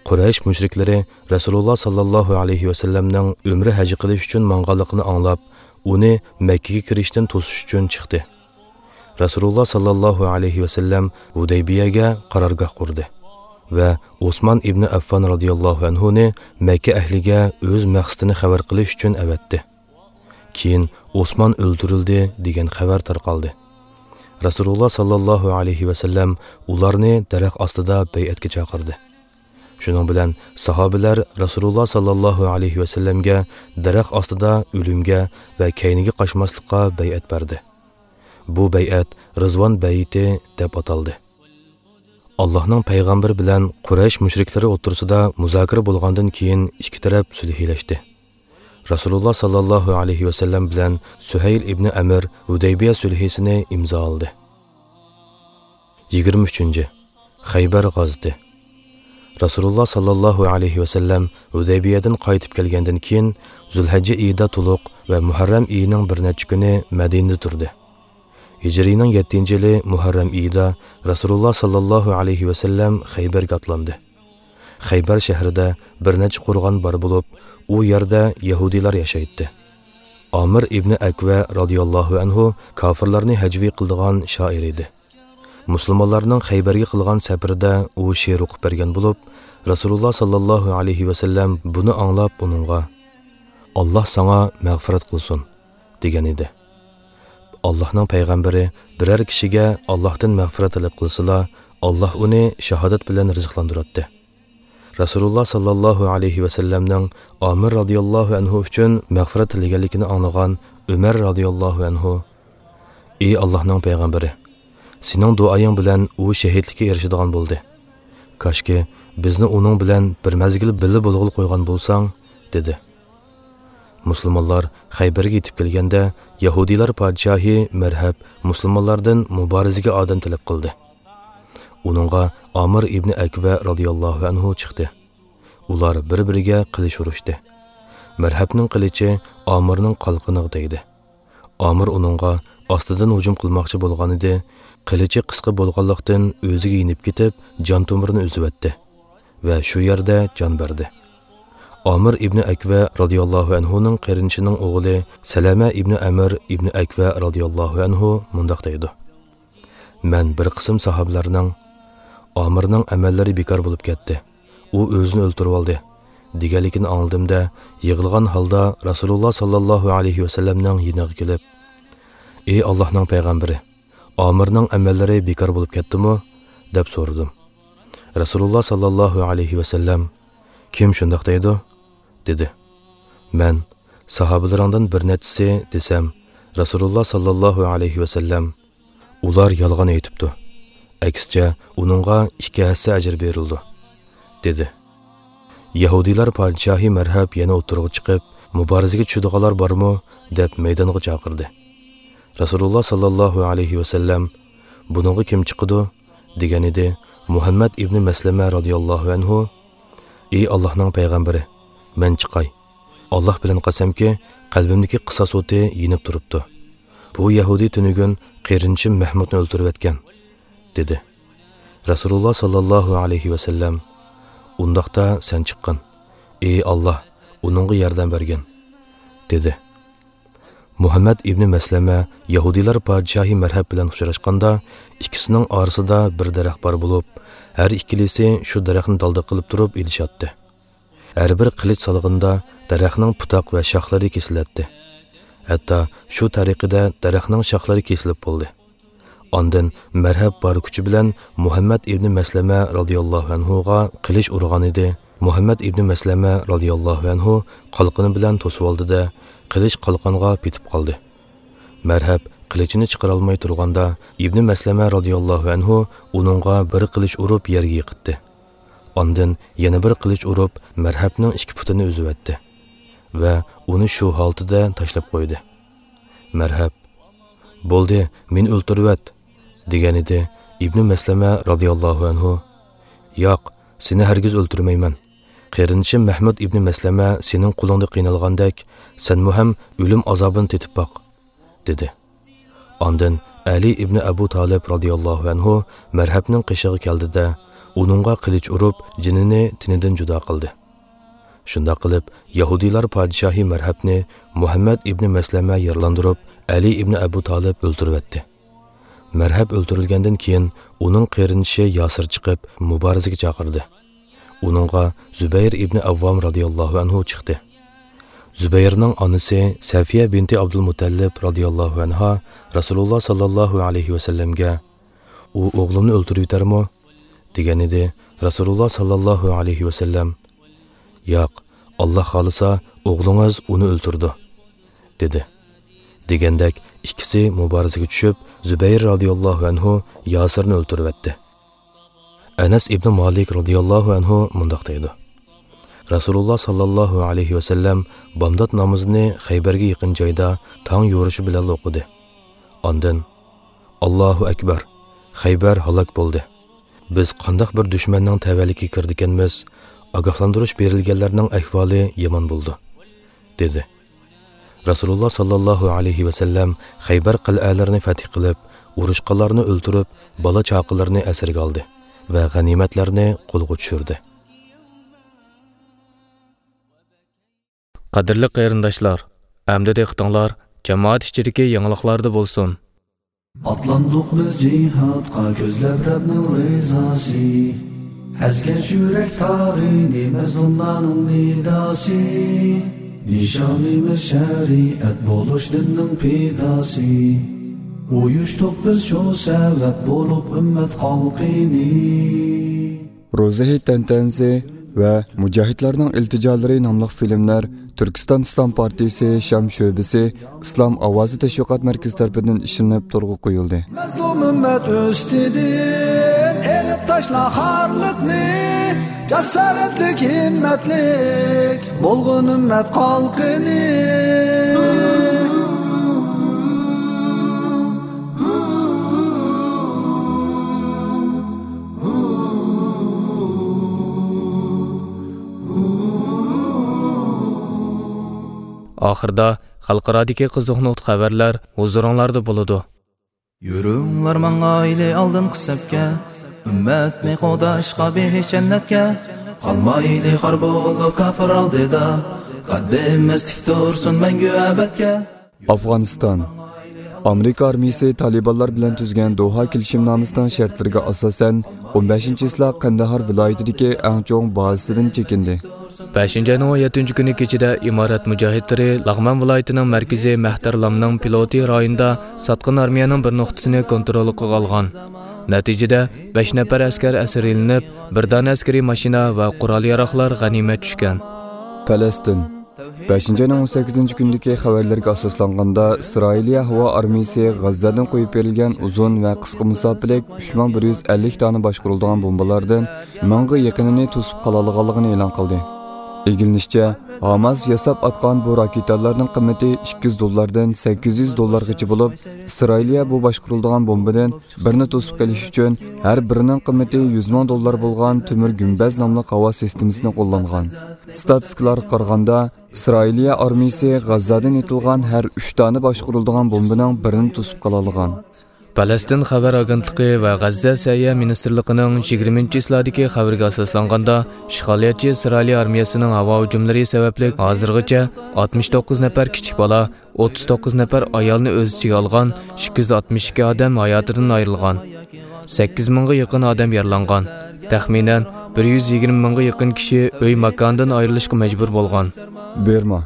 قۇرەيش مۇشرىكلىرى رەسۇلۇللا ساللاللاھۇ ئەلەيھى ۋەسەللەمنىڭ ئۆمرە ھەجى قىلىش ئۈچۈن ماڭغانلىقىنى ئاڭلاپ، ئۇنى مەككىگە كىرىشتىن توسۇش ئۈچۈن چىقتى. رەسۇلۇللا ساللاللاھۇ ئەلەيھى ۋەسەللەم ھۇدەيبىيەگە قارارگاھ قۇردى ۋە ئوسمان ئىبنى ئەففان رازىياللاھۇ ئەنھۇنى مەككە ئەھلىگە ئۆز مەقسىتىنى خەۋەر قىلىش ئۈچۈن ئەۋەتتى. كېيىن ئوسمان ئۆلتۈرۈلدى دېگەن خەۋەر تارقالدى. رەسۇلۇللا ساللاللاھۇ ئەلەيھى ۋەسەللەم ئۇلارنى دەرەخ ئاستىدا بەيئەتكە چاقىردى. شۇنىڭ بىلەن ساھابىلەر رەسۇلۇللا ساللاللاھۇ ئەلەيھى ۋەسەللەمگە دەرەخ ئاستىدا ئۆلۈمگە ۋە كەينىگە قاچماسلىققا بەيئەت بەردى. بۇ بەيئەت رىزۋان بەيئىتى دەپ ئاتالدى. ئاللاھنىڭ پەيغەمبىرى بىلەن قۇرەيش مۇشرىكلىرى ئوتتۇرىسىدا مۇزاكىرە بولغاندىن كېيىن ئىككى تەرەپ سۈلھىلەشتى. رەسۇلۇللا ساللاللاھۇ ئەلەيھى ۋەسەللەم بىلەن سۈھەيل ئىبنى ئەمىر ھۇدەيبىيە سۈلھىسىنى ئىمزالىدى. يىگىرمە ئۈچىنچى، خەيبەر غازىتى. رەسۇلۇللا ساللاللاھۇ ئەلەيھى ۋەسەللەم ھۇدەيبىيەدىن قايتىپ كەلگەندىن كېيىن، زۇلھەججە ئېيىدا تولۇق ۋە مۇھەررەم ئېيىنىڭ بىر نەچچە كۈنى مەدىنىدە تۇردى. ھىجرىينىڭ يەتتىنچى يىلى مۇھەررەم ئېيىدا رەسۇلۇللا ساللاللاھۇ ئەلەيھى ۋەسەللەم خەيبەرگە ئاتلاندى. خەيبەر شەھىرىدە بىر نەچچە قورغان بار بولۇپ، ئۇ يەردە يەھۇدىيلار ياشايتتى. ئامىر ئىبنى ئەكۋە رازىياللاھۇ ئەنھۇ كاپىرلارنى ھەجۋىي قىلىدىغان شائىر ئىدى. مۇسۇلمانلارنىڭ خەيبەرگە قىلغان سەپىرىدە ئۇ شېئىر ئوقۇپ بەرگەن بولۇپ، رەسۇلۇللا ساللاللاھۇ ئەلەيھى ۋەسەللەم بۇنى ئاڭلاپ ئۇنىڭغا، «ئاللاھ ساڭا مەغپىرەت قىلسۇن» دېگەن ئىدى. ئاللاھنىڭ پەيغەمبىرى بىرەر كىشىگە ئاللاھتىن مەغپىرەت تەلەپ قىلسىلا، ئاللاھ ئۇنى شاھادەت بىلەن رىزىقلاندۇراتتى. رەسۇلۇللا ساللاللاھۇ ئەلەيھى ۋەسەللەمنىڭ ئامىر رازىياللاھۇ ئەنھۇ ئۈچۈن مەغپىرەت تىلىگەنلىكىنى ئاڭلىغان ئۆمەر رازىياللاھۇ ئەنھۇ، «ئى ئاللاھنىڭ پەيغەمبىرى، سېنىڭ دۇئايىڭ بىلەن ئۇ شېھىتلىككە ئېرىشىدىغان بولدى. كاشكى، بىزنى ئۇنىڭ بىلەن بىر مەزگىل بىللە بولغىلى قويغان بولساڭ» دېدى. مۇسۇلمانلار خەيبەرگە يېتىپ كەلگەندە، يەھۇدىيلار پادىشاھى مەرھەب مۇسۇلمانلاردىن مۇبارىزىگە ئادەم تەلەپ قىلدى. ئۇنىڭغا ئامىر ئىبنى ئەكۋە رازىياللاھۇ ئەنھۇ چىقتى. ئۇلار بىر-بىرىگە قىلىچ ئۇرۇشتى. مەرھەبنىڭ قىلىچى ئامىرنىڭ قالقىنىغا تەگدى. ئامىر ئۇنىڭغا ئاستىدىن ھۇجۇم قىلماقچى بولغانىدى، قىلىچى قىسقا بولغانلىقتىن ئۆزىگە يېنىپ كېتىپ، جان تومۇرىنى ئۈزۈۋەتتى ۋە شۇ يەردە جان بەردى. ئامىر ئىبنى ئەكۋە رازىياللاھۇ ئەنھۇنىڭ قېرىندىشىنىڭ ئوغلى سەلەمە ئىبنى ئەمىر ئىبنى ئەكۋە رازىياللاھۇ ئەنھۇ مۇنداق دەيدۇ: مەن بىر قىسىم ساھابىلەرنىڭ «ئامىرنىڭ ئەمەللىرى بىكار بولۇپ كەتتى، ئۇ ئۆزىنى ئۆلتۈرۈۋالدى» دېگەنلىكىنى ئاڭلىدىم-دە، يىغلىغان ھالدا رەسۇلۇللا ساللاللاھۇ ئەلەيھى ۋەسەللەمنىڭ يېنىغا كېلىپ، «ئى ئاللاھنىڭ پەيغەمبىرى، ئامىرنىڭ ئەمەللىرى بىكار بولۇپ كەتتىمۇ؟» دەپ سورىدىم. رەسۇلۇللا ساللاللاھۇ ئەلەيھى ۋەسەللەم، «كىم شۇنداق دەيدۇ؟» دېدى. مەن، «ساھابىلىرىڭدىن بىر نەچچىسى» دېسەم، رەسۇلۇللا ساللاللاھۇ ئەلەيھى ۋەسەللەم، «ئۇلار يالغان ئېيتىپتۇ. ئەكسىچە، ئۇنىڭغا ئىككى ھەسسە ئەجىر بېرىلىدۇ» دېدى. يەھۇدىيلار پادىشاھى مەرھەب يەنە ئوتتۇرىغا چىقىپ، «مۇبارىزىگە چۈشىدىغانلار بارمۇ؟» دەپ مەيدانغا چاقىردى. رەسۇلۇللا ساللاللاھۇ ئەلەيھى ۋەسەللەم، «بۇنىڭغا كىم چىقىدۇ؟» دېگەنىدى. مۇھەممەد ئىبنى مەسلەمە رازىياللاھۇ ئەنھۇ، «ئى ئاللاھنىڭ پەيغەمبىرى، مەن چىقاي. ئاللاھ بىلەن قەسەمكى، قەلبىمدىكى قىساس ئوتى يېنىپ تۇرۇپتۇ. بۇ يەھۇدىي تۈنۈگۈن قېرىندىشىم مەھمۇدنى ئۆلتۈرۈۋەتكەن» دېدى. رەسۇلۇللا ساللاللاھۇ ئەلەيھى ۋەسەللەم، «ئۇنداقتا سەن چىققىن. ئى ئاللاھ، ئۇنىڭغا ياردەم بەرگىن» دېدى. مۇھەممەد ئىبنى مەسلەمە يەھۇدىيلار پادىشاھى مەرھەب بىلەن ئۇچراشقاندا، ئىككىسىنىڭ ئارىسىدا بىر دەرەخ بار بولۇپ، ھەر ئىككىلىسى شۇ دەرەخنى دالدى قىلىپ تۇرۇپ ئېلىشاتتى. ھەر بىر قىلىچ سالغىنىدا دەرەخنىڭ پۇتاق ۋە شاخلىرى كېسىلەتتى. ھەتتا شۇ تەرىقىدە دەرەخنىڭ شاخلىرى كېسىلىپ بولدى. ئاندىن مەرھەب بار كۈچى بىلەن مۇھەممەد ئىبنى مەسلەمە رازىياللاھۇ ئەنھۇغا قىلىچ ئۇرغانىدى. مۇھەممەد ئىبنى مەسلەمە رازىياللاھۇ ئەنھۇ قالقىنى بىلەن توسۇۋالدى-دە، قىلىچ قالقانغا پېتىپ قالدى. مەرھەب قىلىچىنى چىقىرالماي تۇرغاندا، ئىبنى مەسلەمە رازىياللاھۇ ئەنھۇ ئۇنىڭغا بىر قىلىچ ئۇرۇپ يەرگە يىقىتتى. ئاندىن يەنە بىر قىلىچ ئۇرۇپ، مەرھەبنىڭ ئىككى پۇتىنى ئۈزۈۋەتتى ۋە ئۇنى شۇ ھالىتىدە تاشلاپ قويدى. مەرھەب، «بولدى، مېنى ئۆلتۈرۈۋەت» دېگەنىدى. ئىبنى مەسلەمە رازىياللاھۇ ئەنھۇ، «ياق، سېنى ھەرگىز ئۆلتۈرمەيمەن. قېرىندىشىم مەھمۇد ئىبنى مەسلەمە سېنىڭ قولۇڭدا قىينالغاندەك، سەنمۇ ھەم ئۆلۈم ئازابىنى تېتىپ باق» دېدى. ئاندىن ئەلى ئىبنى ئەبۇ تالىپ رازىياللاھۇ ئەنھۇ مەرھەبنىڭ قېشىغا كەلدى-دە، ئۇنىڭغا قىلىچ ئۇرۇپ، جېنىنى تېنىدىن جۇدا قىلدى. شۇنداق قىلىپ، يەھۇدىيلار پادىشاھى مەرھەبنى مۇھەممەد ئىبنى مەسلەمە يارىلاندۇرۇپ، ئەلى ئىبنى ئەبۇ تالىپ ئۆلتۈرۈۋەتتى. مەرھەب ئۆلتۈرۈلگەندىن كېيىن، ئۇنىڭ قېرىندىشى ياسىر چىقىپ، مۇبارىزىگە چاقىردى. ئۇنىڭغا زۇبەير ئىبنى ئەۋۋام رازىياللاھۇ ئەنھۇ چىقتى. زۇبەيرنىڭ ئانىسى سەفىيە بىنتى ئابدۇلمۇتەللىپ رازىياللاھۇ ئەنھا رەسۇلۇللا ساللاللاھۇ ئەلەيھى ۋەسەللەمگە، «ئۇ ئوغلۇمنى ئۆلتۈرۈۋېتەرمۇ؟» دېگەنىدى. رەسۇلۇللا ساللاللاھۇ ئەلەيھى ۋەسەللەم، «ياق، ئاللاھ خالىسا، ئوغلىڭىز ئۇنى ئۆلتۈرىدۇ» دېدى. دېگەندەك، ئىككىسى مۇبارىزىگە چۈشۈپ، زۇبەير رازىياللاھۇ ئەنھۇ ياسىرنى ئۆلتۈرۈۋەتتى. ئەنەس ئىبنى مالىك رازىياللاھۇ ئەنھۇ مۇنداق دەيدۇ: رەسۇلۇللا ساللاللاھۇ ئەلەيھى ۋەسەللەم بامدات نامىزىنى خەيبەرگە يېقىن جايدا تاڭ يورۇشى بىلەن ئوقۇدى. ئاندىن، «ئاللاھۇ ئەكبەر! خەيبەر ھالاك بولدى! بىز قانداق بىر دۈشمەننىڭ تەۋەلىكىگە كىرىدىكەنمىز! ئاگاھلاندۇرۇش بېرىلگەنلەرنىڭ ئەھۋالى يامان بولىدۇ» دېدى. رەسۇلۇللا ساللاللاھۇ ئەلەيھى ۋەسەللەم خەيبەر قەلئەلىرىنى فەتھ قىلىپ، ئۇرۇشقانلارنى ئۆلتۈرۈپ، بالا-چاقىلىرىنى ئەسىرگە ئالدى ۋە غەنىيمەتلەرنى قولغا چۈشۈردى. قەدىرلىك قېرىنداشلار، ئەمدى دىققىتىڭلار جامائەت ئىچىدىكى يېڭىلىقلاردا بولسۇن. ئاتلاندۇق بىز جىھادقا كۆزلەپ رەبنىڭ رىزاسى. ئەزگەن يۈرەك تارىنى مەزلۇملارنىڭ نىداسى. نىشانىمىز شەرىئەت بولۇش دىننىڭ پىداسى. ئۇيۇشتۇق بىز شۇ سەۋەب بولۇپ ئۈممەت خەلقىنى. روزا ھېيت تەنتەنىسى ۋە مۇجاھىدلارنىڭ ئىلتىجالىرى ناملىق فىلىملەر تۈركىستان ئىسلام پارتىيىسى شام شۆبىسى ئىسلام ئاۋازى تەشۋىقات مەركىزى تەرىپىدىن ئىشلىنىپ تورغا قويۇلدى. مەزلۇم ئۈممەت ئۈستىدىن ئېلىپ تاشلا خارلىقنى، جاسارەتلىك، ھىممەتلىك بولغىن ئۈممەت خەلقىنى. ئاخىرىدا خەلقئارادىكى قىزىق نۇقتا خەۋەرلەر ھۇزۇرۇڭلاردا بولىدۇ. يۈرۈڭلار ماڭايلى ئالدىنقى سەپكە، ئۈممەتنى قوغداشقا بېھىشت جەننەتكە. قالمايلى خار بولۇپ كاپىر ئالدىدا، قەددىمىز تىك تۇرسۇن مەڭگۈ ئەبەدكە. ئافغانىستان. ئامېرىكا ئارمىيىسى تالىبانلار بىلەن تۈزگەن دوھا كېلىشىمنامىسىنىڭ شەرتلىرىگە ئاساسەن، ئون بەشىنچى چىسلا قەندىھار ۋىلايىتىدىكى ئەڭچوڭ بازىسىدىن چېكىندى. بەشىنچى ئاينىڭ ئون يەتتىنچى كۈنى كېچىدە ئىمارەت مۇجاھىدلىرى لەغمان ۋىلايىتىنىڭ مەركىزى مەھتەرلامنىڭ پىلوتى رايونىدا ساتقىن ئارمىيەنىڭ بىر نۇقتىسىنى كونتروللۇقىغا ئالغان. نەتىجىدە، بەش نەپەر ئەسكەر ئەسىرلىنىپ، بىر دانە ئەسكىرىي ماشىنا ۋە قورال-ياراغلار غەنىيمەت چۈشكەن. پەلەستىن. بەشىنچى ئاينىڭ ئون سەككىزىنچى كۈنىدىكى خەۋەرلەرگە ئاساسلانغاندا، ئىسرائىلىيە ھاۋا ئارمىيىسى غەززەدىن قويۇپ بېرىلگەن ئۇزۇن ۋە قىسقا مۇساپىلىك ئۈچ مىڭ بىر يۈز ئەللىك دانە باشقۇرۇلىدىغان بومبىلاردىن مىڭغا يېقىنىنى توسۇپ قالالىغانلىقىنى ئېلان قىلدى. ئىگىلىنىشىچە، ھاماس ياساپ ئاتقان بۇ راكېتالارنىڭ قىممىتى ئىككى يۈز دوللاردىن سەككىز يۈز دوللارغىچە بولۇپ، ئىسرائىلىيە بۇ باشقۇرۇلىدىغان بومبىدىن بىرنى توسۇپ قېلىش ئۈچۈن ھەر بىرىنىڭ قىممىتى يۈز مىڭ دوللار بولغان تۆمۈر گۈمبەز ناملىق ھاۋا سىستېمىسىنى قوللانغان. ستاتىستىكىلارغا قارىغاندا، ئىسرائىلىيە ئارمىيىسى غەززادىن ئېتىلغان ھەر ئۈچ دانە باشقۇرۇلىدىغان بومبىنىڭ بىرىنى توسۇپ قالالىغان. پەلەستىن خەۋەر ئاگېنتلىقى ۋە غەززە سەھىيە مىنىستىرلىقىنىڭ يىگىرمىنچى چىسلادىكى خەۋىرىگە ئاساسلانغاندا، ئىشغالىيەتچى ئىسرائىلىيە ئارمىيەسىنىڭ ھاۋا ھۇجۇملىرى سەۋەبلىك ھازىرغىچە ئاتمىش توققۇز نەپەر كىچىك بالا، ئوتتۇز توققۇز نەپەر ئايالنى ئۆز ئىچىگە ئالغان ئىككى يۈز ئاتمىش ئىككى ئادەم ھاياتىدىن ئايرىلغان. سەككىز مىڭغا يېقىن ئادەم يارىلانغان. تەخمىنەن بىر يۈز يىگىرمە مىڭغا يېقىن كىشى ئۆي ماكانىدىن ئايرىلىشقا مەجبۇر بولغان. بىرما.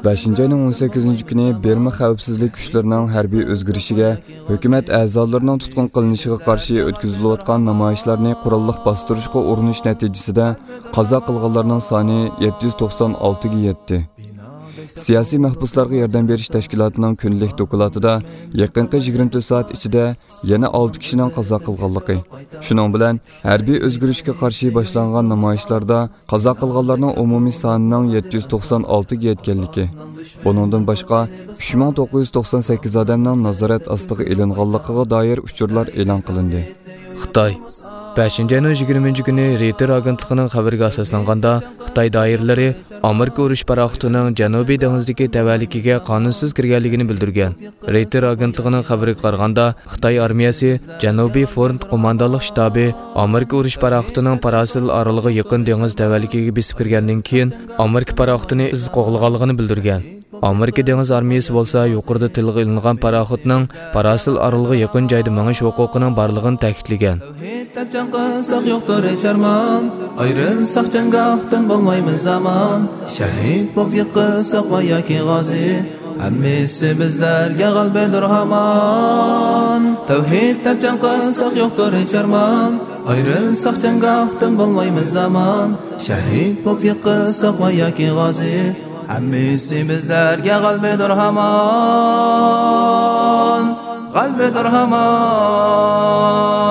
بەشىنچى ئاينىڭ ئون سەككىزىنچى كۈنى بىرما خەۋپسىزلىك كۈچلىرىنىڭ ھەربىي ئۆزگىرىشىگە ھۆكۈمەت ئەزالىرىنىڭ تۇتقۇن قىلىنىشىغا قارشى ئۆتكۈزۈلۈۋاتقان نامايىشلارنى قوراللىق باستۇرۇشقا ئۇرۇنۇش نەتىجىسىدە قازا قىلغانلارنىڭ سانى يەتتە يۈز توقسان ئالتىگە يەتتى. سىياسىي مەھبۇسلارغا ياردەم بېرىش تەشكىلاتىنىڭ كۈندىلىك دوكلاتىدا يېقىنقى يىگىرمە تۆت سائەت ئىچىدە يەنە ئالتە كىشىنىڭ قازا قىلغانلىقى، شۇنىڭ بىلەن ھەربىي ئۆزگىرىشكە قارشى باشلانغان نامايىشلاردا قازا قىلغانلارنىڭ ئومۇمىي سانىنىڭ يەتتە يۈز توقسان ئالتىگە يەتكەنلىكى، بۇنىڭدىن باشقا، ئۈچ مىڭ توققۇز يۈز توقسان سەككىز ئادەمنىڭ نازارەت ئاستىغا ئېلىنغانلىقىغا دائىر ئۇچۇرلار ئېلان قىلىندى. خىتاي. بەشىنچى ئاينىڭ يىگىرمىنچى كۈنى رېيتېر ئاگېنتلىقىنىڭ خەۋىرىگە ئاساسلانغاندا، خىتاي دائىرىلىرى ئامېرىكا ئۇرۇش پاراخوتىنىڭ جەنۇبىي دېڭىزدىكى تەۋەلىكىگە قانۇنسىز كىرگەنلىكىنى بىلدۈرگەن. رېيتېر ئاگېنتلىقىنىڭ خەۋىرىگە قارىغاندا، خىتاي ئارمىيەسى جەنۇبىي فرونت قوماندانلىق شتابى ئامېرىكا ئۇرۇش پاراخوتىنىڭ پاراسېل ئارىلىغا يېقىن دېڭىز تەۋەلىكىگە بېسىپ كىرگەندىن كېيىن، ئامېرىكا پاراخوتىنى ئىز قوغلىغانلىقىنى بىلدۈرگەن. ئامېرىكا دېڭىز ئارمىيەسى بولسا يۇقىرىدا تىلغا ئېلىنغان پاراخوتنىڭ پاراسېل ئارىلىغا يېقىن جايدا مېڭىش ھوقۇقىنىڭ بارلىقىنى تەكىتلىگەن. تەۋھىد دەپ جەڭ قىلساق يوقتۇر ھېچ ئارمان، ئايرىلساق جەڭگاھتىن بولمايمىز ئامان. شەھىد بولۇپ يىقىلساق ۋە ياكى غازى، ھەممىسى بىزلەرگە غەلىبىدۇر ھامان. تەۋھىد دەپ جەڭ قىلساق يوقتۇر ھېچ ئارمان، ئايرىلساق جەڭگاھتىن بولمايمىز ئامان. شەھىد بولۇپ يىقىلساق ۋە ياكى غازى، ھەممىسى بىزلەرگە غەلىبىدۇر ھامان، غەلىبىدۇر ھامان.